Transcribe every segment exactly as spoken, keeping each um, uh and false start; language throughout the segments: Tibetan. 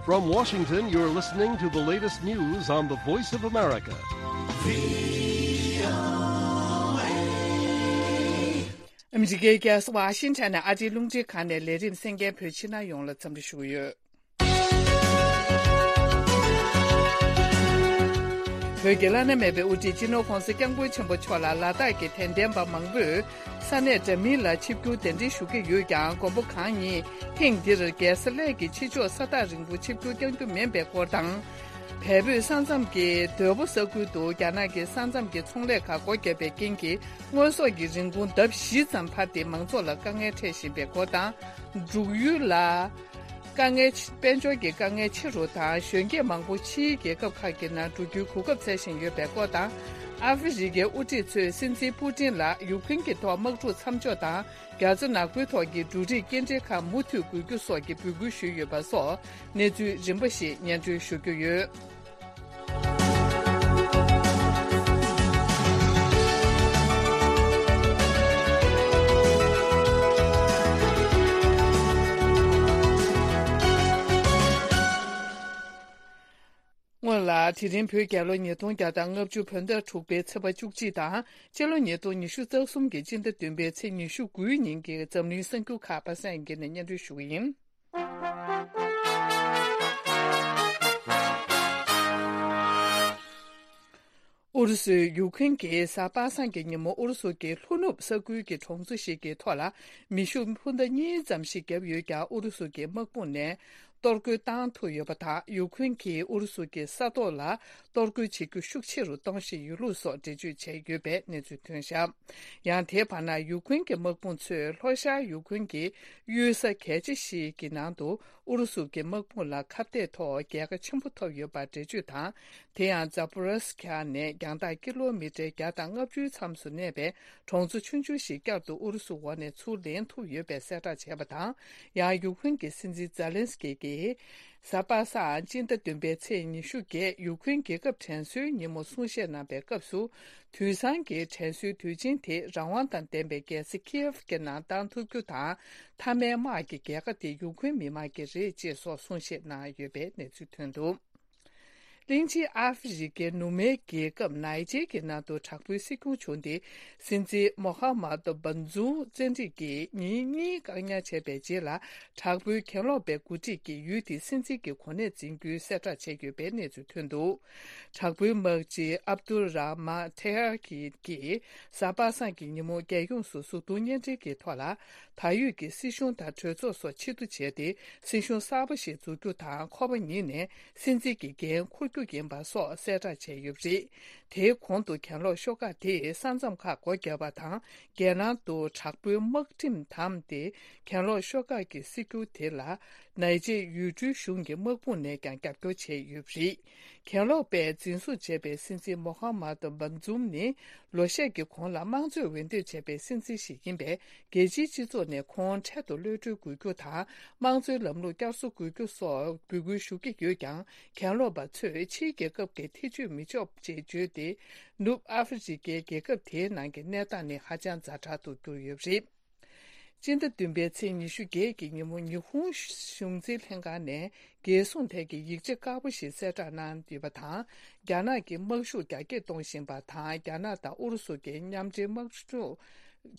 From Washington, you're listening to the latest news on the Voice of America. ཨ་མི་རི་ཀའི་རྒྱལ་ས་ཝ་ཤིང་ཊོན་ནས་ཨ་རིའི་རླུང་འཕྲིན་ཁང་ནས་ལས་རིམ་གསན་མཁན་བོད་ཕྱི་ནང་ཡོངས་ལ་འཚམས་འདྲི་ཞུ་གི་ཡོད། བོད་ཀྱི་བླ་ན་མེད་པའི་དབུ་ཁྲིད་སྤྱི་ནོར་༸གོང་ས་༸སྐྱབས་མགོན་ཆེན་པོ་མཆོག་ལ་ལ་དྭགས་ཀྱི་དད་ལྡན་པ་མང་པོས་ས་གནས་འདྲ་མིན་ལ་ཆིབས་བསྒྱུར་གདན་འདྲེན་ཞུ་གི་ཡོད་ཀྱང་། མགོན་པོ་གང་ཉིད་ཐེངས་འདིར་རྒྱལ་ས་གླེ་གི་ཕྱི་ཕྱོགས་ས་ཐག་རིང་པོ་ཆིབས་བསྒྱུར་བསྐྱང་རྒྱུ་མིན་པའི་སྐོར་དང་། བལ་བོད་ས་མཚམས་ཀྱི་དོལ་པོ་ས་ཁུལ་དུ་རྒྱ་ནག་གི་ས་མཚམས་ཀྱི་ཚོང་ལས་ཁག་སྒོ་བརྒྱབ་པའི་རྐྱེན་གྱིས་དངོས་ཟོག་གི་རིན་གོང་ལྡབ་བཞི་ཙམ་འཕར་ཏེ་མང་ཚོགས་ལ་དཀའ་ངལ་འཕྲད་བཞིན་པའི་སྐོར་དང་། འབྲུག་ཡུལ་ལ་དཀའ་ངལ་ཆེ། དཔལ་འབྱོར་གྱི་དཀའ་ངལ་ཆེ་རུ་དང་། གཞོན་སྐྱེས་མང་པོ་ཕྱིའི་རྒྱལ་ཁབ་ཁག་གི་ནང་འགྲོ་རྒྱུའི་གོ་སྐབས་བཙལ་བཞིན་ཡོད་པའི་སྐོར་དང་། ཨ་ཧྥེ་རི་ཁའི་དབུ་ཁྲིད་ཚོས་སྲིད་འཛིན་པུ་ཏིན་ལ་ཡུཀ་རེན་གྱི་ཐོག་དམག་འཁྲུག་མཚམས་འཇོག་དང་། རྒྱ་མཚོ་ནག་པོའི་ཐོག་གི་འབྲུ་རིགས་སྐྱེལ་འདྲེན་ཁག་མུ་མཐུད་དགོས་རྒྱུ་སོགས་ཀྱི་འབོད་སྐུལ་ཞུས་ཡོད་པ་སོགས་གནས་ཚུལ་རིམ་པ་ཞིག་སྙན་སྒྲོན་ཞུ་རྒྱུ་ཡོད། སྔོན་ལ། དེ་རིང་བོད་རྒྱལ་ལོ་ཉིས་སྟོང་བརྒྱ་དང་ལྔ་བཅུ་བོད་ཟླ་དྲུག་པའི་ཚེས་པ་བཅུ་གཅིག་དང་། སྤྱི་ལོ་ཉིས་སྟོང་ཉི་ཤུ་རྩ་གསུམ་གྱི་སྤྱི་ཟླ་བདུན་པའི་ཚེས་ཉི་ཤུ་དགུའི་ཉིན་གྱི་འཛམ་གླིང་གསར་འགྱུར་ཁག་པ་སངས་སྒེར་ནས་སྙན་སྒྲོན་ཞུ་གི་ཡིན། ཨུ་རུ་སུས་ཡུཀ་རེན་གྱི་གཟའ་པ་སངས་ཀྱི་ཉིན་མོ་ཨུ་རུ་སུ་གྱི་ལྷོ་ནུབ་ས་ཁུལ་གྱི་གྲོང་ཚོ་ཞིག་གི་ཐོག་ལ་མེ་ཤུགས་འཕུར་མདའ་གཉིས་ཙམ་ཞིག་བརྒྱབ་ཡོད་ཀྱང་། ཨུ་རུ་སུ་གྱི་དམག་དཔུང་ནས་གཏོར་རྒོལ་བཏང་ཐུབ་ཡོད་པ་དང་། ཡུཀ་རེན་གྱིས་ཨུ་རུ་སུ་གྱི་ས་ཐོག་ལ་གཏོར་རྒོལ་བྱེད་རྒྱུ་ཤུགས་ཆེ་རུ་གཏོང་བཞིན་ཡོད་ལུགས་སོགས་འགྲེལ་བརྗོད་བྱས་ཡོད་པའི་གནས་ཚུལ་ཐོན་བཞག་ཡང་། དེའི་བར་ན། ཡུཀ་རེན་གྱི་དམག་དཔུང་ཚོས་ལྷོ་ཤར་ཡུཀ་རེན་གྱི་གཡུལ་ས་གལ་ཆེ་ཞིག་གི་ནང་དུ་ཨུ་རུ་སུ་གྱི་དམག་དཔུང་ལ་ཁ་གཏད་ཐོག་རྒྱལ་ཁ་ཆེན་པོ་ཐོབ་ཡོད་པར་འགྲེལ་བརྗོད་དང་། དེ་ཡང་། ཛ་པོ་རི་ཟི་ཁ་ནས་རྒྱང་ཐག་ཀི་ལོ་མི་ཊར་བརྒྱ་དང་ལྔ་བཅུའི་མཚམས་སུ་གནས་པའི་གྲོང་ཚོ་ཆུང་ཆུང་ཞིག་བསྐྱར་དུ་ཨུ་རུ་སུ་འོག་ནས་ཚུར་ལེན་ཐུབ་ཡོད་པའི་གསལ་བསྒྲགས་བྱས་པ་དང་། ཡང་། ཡུཀ་རེན་གྱི་སྲིད་འཛིན་ཛེ་ལན་སི་ཀི་གིས། གཟའ་པ་སངས་སྤྱི་ཟླ་བདུན་པའི་ཚེས་ཉི་ཤུ་བརྒྱད། ཡུཀ་རེན་རྒྱལ་ཁབ་དྲན་གསོའི་ཉིན་མོ་གསུང་བཤད་གནང་པའི་སྐབས་སུ། དུས་སང་གི་དྲན་གསོའི་དུས་ཆེན་དེ་རང་དབང་དང་ལྡན་པའི་རྒྱལ་ས་ཁིའེབ་ཀྱི་ནང་བཏང་ཐུབ་རྒྱུ་དང་། མཐའ་མའི་དམག་གི་རྒྱལ་ཁ་དེ་ཡུཀ་རེན་མི་དམངས་ཀྱི་རེད་ཅེས་སོགས་གསུང་བཤད་གནང་ཡོད་པའི་གནས་ཚུལ་ཐོན་འདུག་གླིང་ཆེན་ཨ་ཧྥེ་རི་ཁའི་ནུབ་མའི་རྒྱལ་ཁབ་ནའི་ཇེར་གྱི་ནང་དུ་དྲག་པོའི་སྲིད་སྐྱོང་བྱུང་སྟེ། སྲིད་འཛིན་མོ་ཧ་མ་ཏོ་བན་ཛུམ་བཙན་ཁྲིད་ཀྱིས་ཉིན་གཉིས་བཀག་ཉར་བྱས་པའི་རྗེས་ལ། དྲག་པོའི་གྱེན་ལོག་པའི་འགོ་ཁྲིད་ཀྱིས་ཡུལ་དེའི་སྲིད་འཛིན་གྱི་གོ་གནས་འཛིན་རྒྱུའི་གསལ་བསྒྲགས་བྱས་ཡོད་པའི་གནས་ཚུལ་ཐོན་འདུག་དྲག་པོའི་དམག་སྤྱི་ཨབ་དུལ་ར་མ་ཐེ་ཧར་གྱིས་གཟའ་པ་སངས་ཀྱི་ཉིན་མོ་རྒྱལ་ཡོངས་སུ་གཟུགས་མཐོང་བརྙན་འཕྲིན་གྱི་ཐོག་ལ། ད་ཡོད་ཀྱི་སྲིད་གཞུང་དང་གྲོས་ཚོགས་སོགས་ཕྱིར་བསྡུ་བྱས་ཏེ། སྲིད་གཞུང་གསར་པ་ཞིག་འཛུགས་རྒྱུ་དང་། ཁོ་པ་ཉིད་ནས་སྲིད་འཛིན་གྱི་འགན་འཁུར་རྒྱུ་ཡིན་པ་སོགས་གསལ་བསྒྲགས་བྱས་ཡོད་པ་རེད། དེའི་གོང་དུ་གྱེན་ལོག་ཤོག་ཁག་དེས་ས་མཚམས་ཁག་སྒོ་བརྒྱབ་པ་དང་། རྒྱལ་ནང་དུ་དྲག་པོའི་དམག་ཁྲིམས་བསྡམས་ཏེ། གྱེན་ལོག་ཤོག་ཁག་གི་སྲིད་འགྱུར་དེ་ལ། ནའི་ཇེར་ཡུལ་གྲུའི་གཞུང་གི་དམག་དཔུང་ནས་ཀྱང་རྒྱབ་སྐྱོར་བྱས་ཡོད་པ་རེད། གྱེན་ལོག་པས་འཛིན་བཟུང་བྱས་པའི་སྲིད་འཛིན་མོ་ཧ་མ་ཏོ་བན་ཛུམ་ནི། ལོ་ཤས་ཀྱི་གོང་ལ་དམངས་གཙོས་འོས་འདེམས་བྱས་པའི་སྲིད་འཛིན་ཞིག་ཡིན་པས། རྒྱལ་སྤྱིའི་སྤྱི་ཚོགས་ནས་ཁོང་འཕྲལ་དུ་གློད་གྲོལ་དགོས་རྒྱུ་དང་། དམངས་གཙོའི་ལམ་ལུགས་བསྐྱར་གསོ་དགོས་རྒྱུ་སོགས་འབོད་སྐུལ་ཞུ་གི་ཡོད་ཀྱང་། གྱེན་ལོག་པ་ཚོས་ཕྱིའི་རྒྱལ་ཁབ་ཀྱི་ཐེ་བྱུས་མི་ཆོག་ཅེས་བརྗོད་དེ། ནུབ་ཨ་ཧྥེ་རི་ཁའི་རྒྱལ་ཁབ་དེའི་ནང་གི་གནས་སྟངས་ནི་ཧ་ཅང་ཛ་དྲག་ཏུ་གྱུར་ཡོད་པ་རེད། སྤྱི་ཟླ་བདུན་པའི་ཚེས་ཉི་ཤུ་བརྒྱད་ཀྱི་ཉིན་མོ། ཉི་ཧོང་གཞུང་འཛིན་ལྷན་ཁང་ནས་རྒྱལ་སྲུང་ཐད་ཀྱི་ཡིག་ཆ་དཀར་པོ་ཞིག་གསལ་བསྒྲགས་གནང་ཡོད་པ་དང་། རྒྱ་ནག་གིས་དམག་ཤུགས་རྒྱ་སྐྱེད་གཏོང་བཞིན་པ་དང་། རྒྱ་ནག་དང་ཨུ་རུ་སུ་གྱི་མཉམ་འབྲེལ་དམག་འཁྲུག་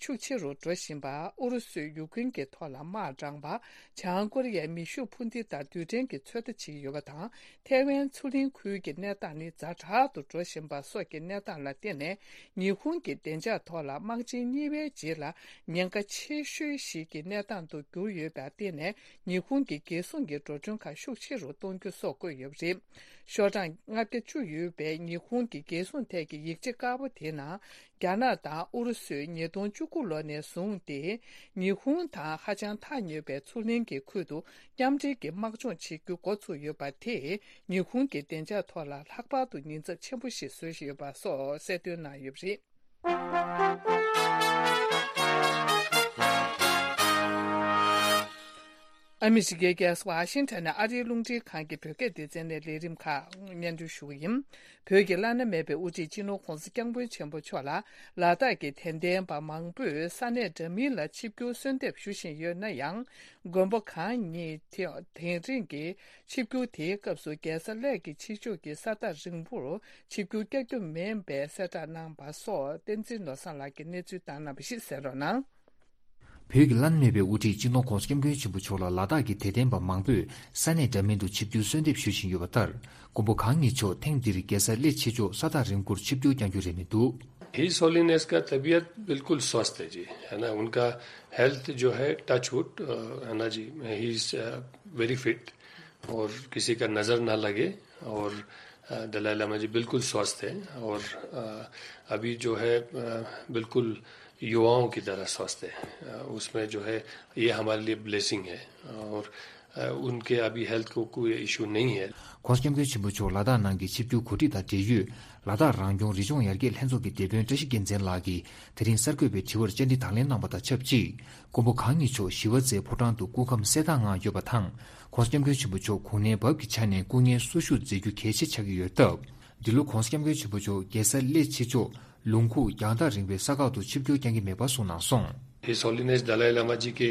ཤུགས་ཆེ་རུ་འགྲོ་བཞིན་པ། ཨུ་རུ་སུས་ཡུཀ་རེན་གྱི་ཐོག་ལ་དམག་དྲངས་པ། བྱང་ཀོ་རི་ཡས་མེ་ཤུགས་འཕུར་མདེལ་དང་རྡུལ་ཕྲན་གྱི་ཚོད་ལྟ་བྱེད་ཀྱི་ཡོད་པ་དང་། ཐའེ་ཝན་མཚོ་གླིང་ཁུལ་གྱི་གནས་སྟངས་ནི་ཛ་དྲག་ཏུ་འགྲོ་བཞིན་པ་སོགས་ཀྱི་གནས་སྟངས་ལ་བརྟེན་ནས། ཉི་ཧོང་གི་བདེ་འཇགས་ཐོག་ལ་དམག་ཆེན་གཉིས་པའི་རྗེས་ལ་ཉེན་ཁ་ཆེ་ཤོས་ཤིག་གི་གནས་སྟངས་དུ་གྱུར་ཡོད་པར་བརྟེན་ནས། ཉི་ཧོང་གི་རྒྱལ་སྲུང་གི་འགྲོ་གྲོན་ཁག་ཤུགས་ཆེ་རུ་གཏོང་རྒྱུ་སོགས་བཀོད་ཡོད་པ་རེད། ཤོག་གྲངས་ལྔ་བརྒྱ་བཅུ་ཡོད་པའི་ཉི་ཧོང་གི་རྒྱལ་སྲུང་ཐད་ཀྱི་ཡིག་ཆ་དཀར་པོ་དེའི་ནང་། རྒྱ་ནག་དང་ཨུ་རུ་སུས་ཉིས་སྟོང་བཅུ་དགུ་ལོ་ནས་བཟུང་སྟེ། ཉི་ཧོང་དང་ཧ་ཅང་ཐག་ཉེ་བའི་མཚོ་གླིང་གི་ཁུལ་དུ་མཉམ་འབྲེལ་གྱི་དམག་སྦྱོང་བྱེད་རྒྱུ་འགོ་ཚུགས་ཡོད་པ་དེས། ཉི་ཧོང་གི་བདེ་འཇགས་ཐོག་ལ་ལྷག་པར་དུ་ཉེན་ཚབས་ཆེན་པོ་ཞིག་བཟོས་ཡོད་པ་སོགས་གསལ་སྟོན་གནང་ཡོད་པ་རེད། ཨ་མི་རི་ཀའི་རྒྱལ་ས་ཝ་ཤིང་ཊོན་ནས་ཨ་རིའི་རླུང་འཕྲིན་ཁང་གི་བོད་སྐད་སྡེ་ཚན་ནས་ལས་རིམ་ཁག་སྙན་སྒྲོན་ཞུ་གི་ཡིན། བོད་ཀྱི་བླ་ན་མེད་པའི་དབུ་ཁྲིད་སྤྱི་ནོར་༧གོང་ས་༧སྐྱབས་མགོན་ཆེན་པོ་མཆོག་ལ་ལ་དྭགས་ཀྱི་དད་ལྡན་པ་མང་པོས་ས་གནས་འདྲ་མིན་ལ་ཆིབས་བསྒྱུར་གསོལ་འདེབས་ཞུ་བཞིན་ཡོད་ན་ཡང་། མགོན་པོ་གང་ཉིད་དེ་དེང་རིང་གི་ཆིབས་བསྒྱུར་དེའི་སྐབས་སུ་རྒྱལ་ས་གླེ་གི་ཕྱི་ཕྱོགས་ཀྱི་ས་ཐག་རིང་པོར་ཆིབས་བསྒྱུར་བསྐྱལ་རྒྱུ་མིན་པའི་གསལ་བསྒྲགས་གནང་བ་སོགས་བསྟན་འཛིན་ནོར་བཟང་ལགས་ཀྱིས་གནས་ཚུལ་བཏང་གནང་བ་ཞིག་གསན་རོགས་གནང་། བོད་ཀྱི་བླ་ན་མེད་པའི་དབུ་ཁྲིད་སྤྱི་ནོར་༧གོང་ས་༧སྐྱབས་མགོན་ཆེན་པོ་མཆོག་ལ་ལ་དྭགས་ཀྱི་དད་ལྡན་པ་མང་པོས་ས་གནས་འདྲ་མིན་དུ་ཆིབས་བསྒྱུར་གསོལ་འདེབས་ཞུ་བཞིན་ཡོད་པ་ལྟར། མགོན་པོ་གང་ཉིད་མཆོག་ཐེངས་འདིར་རྒྱལ་ས་གླེ་ཕྱི་ཕྱོགས་ས་ཐག་རིང་པོར་ཆིབས་བསྒྱུར་བསྐྱང་རྒྱུ་རེད་མི་འདུག། His Holiness का तबीयत बिल्कुल स्वस्थ है जी, है ना। उनका हेल्थ जो है, टच वुड, है ना जी, ही इज वेरी फिट और किसी का नज़र ना लगे। और दलाई लामा जी बिल्कुल स्वस्थ है और अभी जो है बिल्कुल युवाओं की तरह स्वस्थ है। उसमें जो है, ये हमारे लिए ब्लेसिंग है और उनके अभी हेल्थ को कोई इशू नहीं है। ༧གོང་ས་༧སྐྱབས་མགོན་ཆེན་པོ་མཆོག་ལ་དྭགས་ནང་གི་ཆིབས་བསྒྱུར་གོ་སྒྲིག་དང་འབྲེལ་ཡོད། ལ་དྭགས་རང་སྐྱོང་རི་ལྗོངས་ཡར་རྒྱས་ལྷན་ཚོགས་ཀྱི་སྡེ་དཔོན་བཀྲ་ཤིས་རྒྱལ་མཚན་ལགས་ཀྱིས་དེ་རིང་གསར་འགོད་པའི་དྲི་བར་བཅར་འདྲི་དང་ལེན་གནང་བ་དང་ཆབས་ཅིག། མགོན་པོ་གང་ཉིད་མཆོག་ཞི་བ་རྩེའི་ཕོ་བྲང་དུ་སྐུ་ཁམས་གསལ་ཐང་ངང་ཡོད་པ་དང་། ༧གོང་ས་༧སྐྱབས་མགོན་ཆེན་པོ་མཆོག་གུང་ནན་བབས་ཀྱི་ཆ་ནས་སྐུ་ངལ་གསོ་བཞུགས་མཛད་རྒྱུ་གལ་ཆེ་ཆགས་ཀྱི་ཡོད་སྟབས། འདི་ལོ་༧གོང་ས་༧སྐྱབས་མགོན་ཆེན་པོ་མཆོག་རྒྱལ་ས་གླེ་ཕྱི་ཕྱོགས་ལུང་ཁུག་རྒྱང་ཐག་རིང་བའི་ས་ཁག་ཏུ་ཆིབས་བསྒྱུར་བསྐྱང་གི་མེད་པ་གསུངས་གནང་སོང་། His Holiness Dalai Lama जी के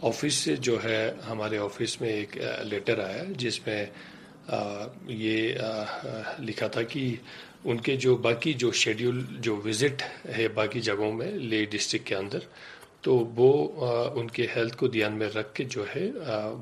ऑफिस से जो है, हमारे ऑफिस में एक लेटर आया, जिसमें ये लिखा था कि उनके जो बाकी जो शेड्यूल, जो विजिट है बाकी जगहों में, ले डिस्ट्रिक्ट के अंदर, तो वो उनके हेल्थ को ध्यान में रख के जो है,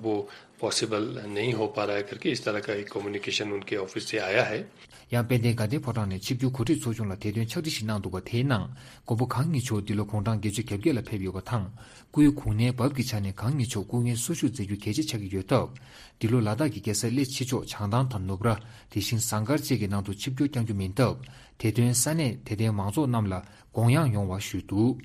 वो पॉसिबल नहीं हो पा रहा है करके इस तरह का एक कम्युनिकेशन उनके ऑफिस से आया है। ཡང་དཔལ་ལྡན་དགའ་ལྡན་ཕོ་བྲང་ནས་ཆིབས་བསྒྱུར་གོ་སྒྲིག་ཚོགས་ཆུང་ལ་དེ་དོན་ཕྱག་བྲིས་ཤིག་གནང་འདུག་པ། དེའི་ནང་མགོན་པོ་གང་ཉིད་མཆོག་འདི་ལོ་དགུང་གྲངས་བརྒྱད་ཅུ་གྱ་བརྒྱད་ལ་ཕེབས་ཡོད་པ་དང་། སྐུའི་གུང་ནན་བབས་ཀྱི་ཆ་ནས་གང་ཉིད་མཆོག་སྐུ་ངལ་གསོ་བཞུགས་མཛད་རྒྱུ་གལ་ཆེ་ཆགས་ཀྱི་ཡོད་སྟབས། འདི་ལོ་ལ་དྭགས་ཀྱི་རྒྱལ་ས་གླེ་ཕྱི་ཕྱོགས་བྱང་ཐང་དང་ནུབ་ར། དེ་བཞིན་ཟངས་དཀར་བཅས་ཀྱི་ནང་དུ་ཆིབས་བསྒྱུར་བསྐྱང་རྒྱུ་མིན་སྟབས། དེ་དོན་ས་གནས་དད་ལྡན་མང་ཚོགས་རྣམས་ལ་དགོངས་ཡངས་ཡོང་བ་ཞུས་འདུག།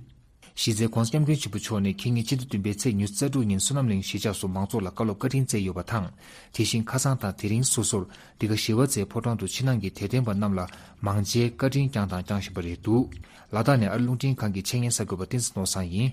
གཞི་རྩའི་༧གོང་ས་༧སྐྱབས་མགོན་ཆེན་པོ་མཆོག་ནས་ཁ་ཉིན་སྤྱི་ཟླ་བདུན་པའི་ཚེས་ཉི་ཤུ་རྩ་དྲུག་ཉིན་བསོད་ནམས་གླིང་གཞིས་ཆགས་སུ་མང་ཚོགས་ལ་བཀའ་སློབ་བཀའ་དྲིན་སྩལ་ཡོད་པ་དང་། དེ་བཞིན་ཁ་སང་དང་དེ་རིང་སོ་སོར་འདི་ག་ཞི་བ་རྩེའི་ཕོ་བྲང་དུ་ཕྱི་ནང་གི་དད་ལྡན་པ་རྣམས་ལ་མང་ཆེ་བཀའ་དྲིན་བསྐྱངས་དང་བསྐྱང་བཞིན་པ་རེད་འདུག། ལ་དྭགས་ནས་ཨ་རི་རླུང་འཕྲིན་ཁང་གི་ཆེད་གཉེར་གསར་འགོད་པ་བསྟན་འཛིན་ནོར་བཟང་ཡིན།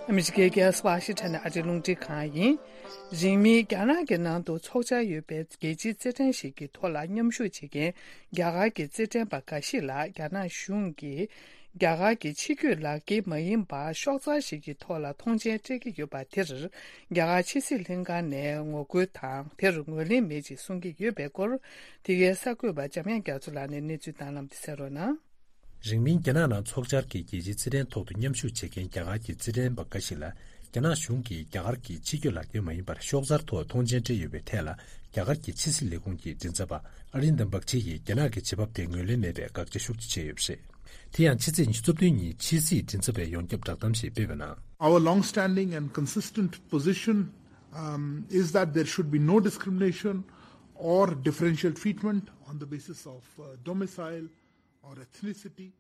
ཨ་མི་རི་ཀའི་རྒྱལ་ས་ཝ་ཤིང་ཊོན་ནས་ཨ་རིའི་རླུང་འཕྲིན་ཁང་ཡིན། རིང་མིན་རྒྱ་ནག་གི་ནང་དུ་འཚོགས་འཆར་ཡོད་པའི་རྒྱལ་སྤྱིའི་རྩེད་འགྲན་ཞིག་གི་ཐོག་ལ་མཉམ་ཞུགས་བྱེད་མཁན་རྒྱ་གར་གྱི་རྩེད་འགྲན་པ་འགའ་ཞིག་ལ་རྒྱ་ནག་གཞུང་གིས་རྒྱ་གར་གྱི་ཕྱི་སྐྱོད་ལག་འཁྱེར་མ་ཡིན་པར་ཤོག་ཚང་ཞིག་གི་ཐོག་ལ་མཐོང་མཆན་སྤྲད་ཀྱི་ཡོད་པ་དེར། རྒྱ་གར་ཕྱི་སྲིད་ལྷན་ཁང་ནས་ངོ་རྒོལ་དང་། དེར་ངོས་ལེན་མེད་ཅེས་གསུང་གི་ཡོད་པའི་སྐོར། འདི་གའི་གསར་འགོད་པ་འཇམ་དབྱངས་རྒྱ་མཚོ་ལགས་ནས་གནས་ཚུལ་བཏང་གནང་སྟེ་གསན་རོགས་གནང་། རིང་མིན་རྒྱ་ནག་ནང་འཚོགས་འཆར་གྱི་རྒྱལ་སྤྱིའི་རྩེད་འགྲན་ཐོག་ཏུ་མཉམ་ཞུགས་བྱེད་མཁན་རྒྱ་གར་གྱི་རྩེད་འགྲན་པ་འགའ་ཞིག་ལ། རྒྱ་ནག་གཞུང་གིས་རྒྱ་གར་གྱི་ཕྱི་སྐྱོད་ལག་འཁྱེར་མ་ཡིན་པར་ཤོག་ཚར་ཐོག་མཐོང་མཆན་སྤྲད་ཡོད་པའི་ཐད་ལ། རྒྱ་གར་གྱི་ཕྱི་སྲིད་ལས་ཁུངས་ཀྱི་མགྲིན་ཚབ་པ་ཨ་རིན་དམ་བྷག་ཆི་ཡིས་རྒྱ་ནག་གི་བྱེད་བབ་དེ་ངོས་ལེན་མེད་པའི་དགག་བྱ་ཤུགས་ཆེ་བྱས་ཡོད་པ་རེད། དེ་ཡང་ཕྱི་ཚེས་ཉི་ཤུ་རྩ་བདུན་ཉིན་ཕྱི་སྲིད་མགྲིན་ཚབ་པས་ཡོངས་ཁྱབ་བསྒྲགས་གཏམ་ཞིག་སྤེལ་བའི་ནང་། Our long-standing and consistent position, um, is that there should be no discrimination or differential treatment on the basis of, uh, domicile or ethnicity.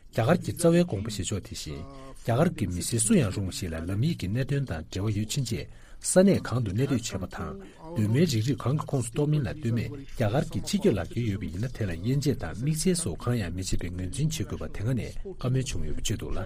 རྒྱ་གར་གྱི་རྩ་བའི་དགོངས་པ་བཞེས་ཕྱོགས་དེ་བཞིན། རྒྱ་གར་གྱི་མི་སེར་སུ་ཡང་རུང་བ་ཞིག་ལ་ལམ་ཡིག་གི་གནད་དོན་དང་འབྲེལ་བ་ཡོད་ཕྱིན་ཆད། ས་གནས་གང་དུ་གནས་སྡོད་བྱེད་པ་དང་། གདོད་མའི་རིགས་རུས་གང་གི་ཁོངས་སུ་གཏོགས་མིན་ལ་ལྟོས་མེད། རྒྱ་གར་གྱི་ཕྱི་སྐྱོད་ལག་འཁྱེར་ཡོད་པ་ཡིན་ན། དེ་ལ་དབྱེ་འབྱེད་དང་དམིགས་བསལ་སོགས་གང་ཡང་མི་བྱེད་པའི་ངོས་འཛིན་བྱེད་དགོས་པ་དེ་སྔ་ནས་བཀའ་མོལ་བྱུང་ཡོད་པ་བརྗོད་འདུག་ལ།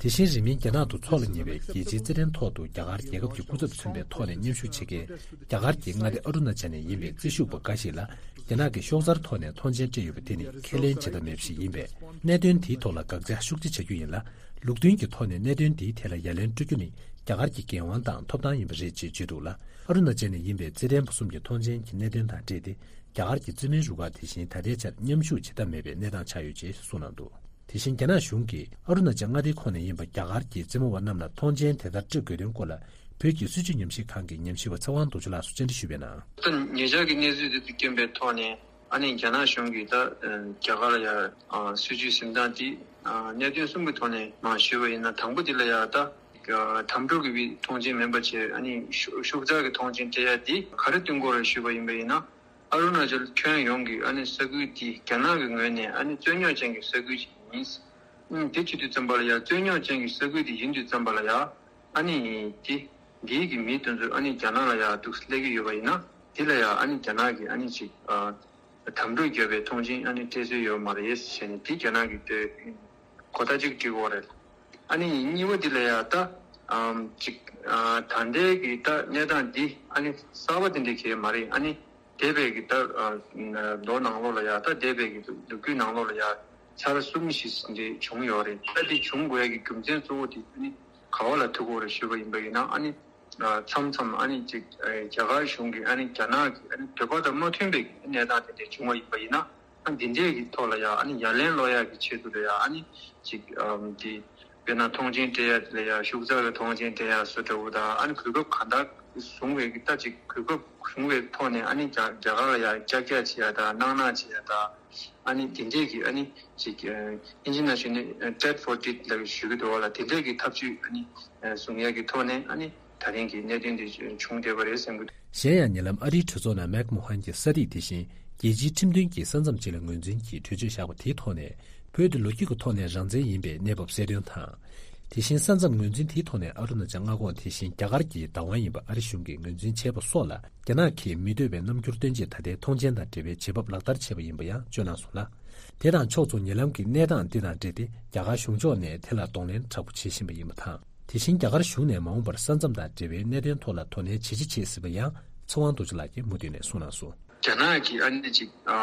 དེ་བཞིན་རིང་མིན་རྒྱ་ནག་ཏུ་འཚོགས་ལ་ཉེ་བའི་རྒྱལ་སྤྱིའི་རྩེད་འགྲན་ཐོག་ཏུ་རྒྱ་གར་རྒྱལ་ཁབ་ཀྱི་སྐུ་ཚབ་མཚོན་པའི་ཐོག་ནས་མཉམ་ཞུགས་བྱེད་མཁན་རྒྱ་གར་གྱི་མངའ་སྡེ་ཨ་རུ་ན་ཅལ་ནས་ཡིན་པའི་རྩེད་ཞུགས་པ་འགའ་ཞིག་ལ། རྒྱ་ནག་གིས་ཤོག་ཚར་ཐོག་ནས་མཐོང་མཆན་སྤྲད་ཡོད་པ་དེ་ནི་ཁས་ལེན་བྱེད་ཐབས་མེད་པ་ཞིག་ཡིན་པས། གནད་དོན་དེའི་ཐོག་ལ་དགག་བྱ་ཤུགས་ཆེ་བྱ་རྒྱུ་ཡིན་ལ། ལུགས་མཐུན་གྱི་ཐོག་ནས་གནད་དོན་དེའི་ཐད་ལ་ཡ་ལན་སྤྲོད་རྒྱུ་ནི་རྒྱ་གར་གྱི་འགན་དབང་དང་ཐོབ་ཐང་ཡིན་པ་རེད་ཅེས་བརྗོད་འདུག་ལ། ཨ་རུ་ན་ཅལ་ནས་ཡིན་པའི་རྩེད་འགྲན་པ་གསུམ་གྱི་མཐོང་མཆན་གྱི་གནད་དོན་དང་འབྲེལ་ཏེ། རྒྱ་གར་གྱི་རྩེད་མོའི་རུ་ཁག་དེ་བཞིན་ད་ལྟའི་ཆར་མཉམ་ཞུགས་བྱེད་ཐབས་མེད་པའི་གནས་སྟངས་ཆགས་ཡོད་ཅེས་གསུངས་གནང་འདུག། དེ་བཞིན་རྒྱ་ནག་གཞུང་གིས་ཨ་རུ་ན་ཅལ་མངའ་སྡེའི་ཁོངས་ནས་ཡིན་པ་རྒྱ་གར་གྱི་རྩེད་མོ་བ་རྣམས་ལ་མཐོང་མཆན་དེ་ལྟར་སྤྲོད་དགོས་དོན་སྐོར་ལ། བོད་ཀྱི་སྲིད་བྱུས་ཉམས་ཞིབ་ཁང་གི་ཉམས་ཞིབ་པ་ཚེ་དབང་རྡོ་རྗེ་ལགས་སུ་བཅར་འདྲི་ཞུས་པའི་ནང་། ད་ཉེ་ཆར་གྱི་གནས་ཚུལ་དེ་དང་རྐྱེན་པའི་ཐོག་ནས། ཨ་ནི་རྒྱ་ནག་གཞུང་གིས་ད་རྒྱ་གར་ལ་ཡ་སྲིད་བྱུས་འཛིན་སྟངས་དེ་གནད་དོན་གསུམ་གྱི་ཐོག་ནས་མ་ཞུས་པ་ཡིན་ན། དང་པོ་དེ་ལ་ཡ་ད་དམ་ཕྲུག་གི་མཐོང་མཆན་མིན་པ་བྱས། ཨ་ནི་ཤོག་ཚར་གྱི་མཐོང་མཆན་སྤྲད་ཡ་དེ་ག་རེ་བསྟུན་དགོས་རེད་ཞུས་པ་ཡིན་པ་ཡིན་ན། ཨ་རུ་ན་ཅལ་ཁྱོན་ཡོངས་ཀྱི་ཨ་ནི་ས་ཁུལ་དེ་རྒྱ་ནག་གི་ངོས་ནས་ཨ་ནི་རྩོད་རྙོག་ཅན་གྱི་ས་ཁུལ་ཅིག་ཡིན། ཨང་། དེ་བྱེད་དུས་ཙམ་པ་ལ་ཡང་རྩོད་རྙོག་ཅན་གྱི་ས་ཁུལ་དེ་ཡིན་དུས་ཙམ་པ་ལ་ཡང་ཨ་ནི་དེ་འདིའི་གི་མི་དེ་ཚོ་ཨ་ནི་རྒྱ་ནག་ལ་ཡང་འདུག་སླེབས་ཀྱི་ཡོད་པ་ཡིན་ན། དེ་ལ་ཡང་ཨ་ནི་རྒྱ་ནག་གི་ཨ་ནི་ཅིག་ཨ་ དམ་ཕྲུག་བརྒྱབ་པའི་ཐོངས་མཆན་ཨ་ནི་སྤྲད་སྲོལ་ཡོད་མ་རེད་ཟེར་ནས་དེ་རྒྱ་ནག་གིས་དེ་གོ་བརྡ་གཅིག་སྤྲད་ཡོད་རེད། ཨ་ནི་གཉིས་པ་དེ་ལ་ཡ་ད་ཨམ་ཅིག་ཨ་ད་ལྟའི་གི་ད་གནས་སྟངས་འདི་ཨ་ནི་གསར་པ་དེ་འདྲ་གང་ཡང་མ་རེད། ཨ་ནི་འདས་པའི་གི་ད་ཨ་ལོ་ནང་ལོགས་ལ་ཡ་ད་འདས་པའི་གི་ལོ་རྒྱུས་ནང་ལོགས་ལ་ཡ་ཚར་གསུམ་བཞི་འདྲ་བྱུང་ཡོད་རེད། ད་འདི་བྱུང་དགོས་ཡ་གི་རྒྱུ་མཚན་གཙོ་བོ་དེ་ཨ་ནི་ག་བ་ལ་ཐུག་གི་ཡོད་རེད་ཞུས་པ་ཡིན་པ་ཡིན་ན། ཨ་ནི་མཚམས་མཚམས་ཨ་ནི་ཅིག་རྒྱ་གར་གཞུང་གིས་ཨ་ནི་རྒྱ་ནག་གི་ཨ་ནི་འདོད་པ་དང་མ་མཐུན་པའི་གནས་སྟངས་དེ་འདྲ་བྱུང་བ་ཡིན་པ་ཡིན་ན། ཨ་འདི་འདྲས་ཀྱི་ཐོག་ལ་ཡང་ཨ་ནི་ཡ་ལན་སློག་ཡག་གི་ཆེད་དུ་ལ་ཡང་ཨ་ནི་ཅིག་ཨམ་དེ་དཔེར་ན་ཐོངས་མཆན་སྤྲད་ཡག་དེ་ལ་ཡང་ཤུགས་ཚ་བའི་ཐོངས་མཆན་སྤྲད་ཡག་བཟོ་འདྲ་བོ་དང་། ཨ་ནི་གོ་སྐབས་གང་དག་བཟུང་བའི་གི་ད་ཅིག་གོ་སྐབས་བཟུང་བའི་ཐོག་ནས་ཨ་ནི་རྒྱ་རྒྱ་གར་ལ་ཡང་ཅག་ཅག་བྱེད་ཡག་དང་སྣང་སྣང་བྱེད་ཡག་དང་། ཨ་ནི་དེ་འདྲས་ཀྱི་ཨ་ནི་ཅིག་ཨིན་ཇི་ནང་བཤད་ན་tat for tat ལབ་ཞུ་གི་འདུག་བ་ལ། དེ་འདྲས་ཀྱི་ཐབས་ཇུས་ཨ་ནི་བཟུང་ཡག་གི་ཐོག་ནས་ཨ་ནི་ད་རིང་གི་གནད་དོན་འདི་བྱུང་བསྡད་པ་རེད་བསམ་གྱི་འདུག། གཞན་ཡང་ཉེ་ལམ་ཨ་རིའི་གྲོས་ཚོགས་ནང་མེག་མོ་ཧན་གྱི་ས་ཐིག་དེ་བཞིན་རྒྱལ་སྤྱིའི་ཁྲིམས་མཐུན་གྱི་ས་མཚམས་ཅིག་ལ་ངོས་འཛིན་གྱིས་གྲོས་ཆོད་བཞག་པ་དེའི་ཐོག་ནས། བོད་དེ་ལོ་རྒྱུས་ཀྱི་ཐོག་ནས་རང་བཙན་ཡིན་པའི་གནས་བབ་གསལ་སྟོན་དང་། དེ་བཞིན་ས་མཚམས་ངོས་འཛིན་དེའི་ཐོག་ནས་ཨ་རུ་ན་ཅལ་མངའ་ཁོངས་དེ་བཞིན་རྒྱ་གར་གྱི་བདག་དབང་ཡིན་པ་ཨ་རི་གཞུང་གིས་ངོས་འཛིན་བྱས་པ་སོགས་ལ། རྒྱ་ནག་གིས་མི་འདོད་པའི་རྣམ་འགྱུར་སྟོན་ཆེད་ད་ལྟའི་ཐོངས་མཆན་དང་འབྲེལ་བའི་བྱེད་བབ་ལག་བསྟར་བྱས་པ་ཡིན་པ་ཡང་བརྗོད་གནང་སོང་ལ། དེ་དང་ཕྱོགས་མཚུངས་ཉེ་ལམ་གྱི་གནས་སྟངས་འདི་དང་འབྲེལ་ཏེ། རྒྱ་གར་གཞུང་ཕྱོགས་ནས་དེ་ལ་གདོང་ལེན་དྲག་པོ་བྱེད་བཞིན་པ་ཡིན་པ་དང་། དེ་བཞིན་རྒྱ་གར་གཞུང་ནས་མ་འོངས་པར་ས་མཚམས་དང་འབྲེལ་བའི་གནད་དོན་ཐོག་ལ་དོ་ནན་ཇི་ཆེ་བྱེད་སྲིད་པ་ཡང་ཚེ་དབང་རྡོ་རྗེ་ལགས་ཀྱིས་མུ་མཐུད་ནས་གསུངས་གནང་སོང་། རྒྱ་ནག་གིས་ཨ་ནི་ཅིག་ཨ་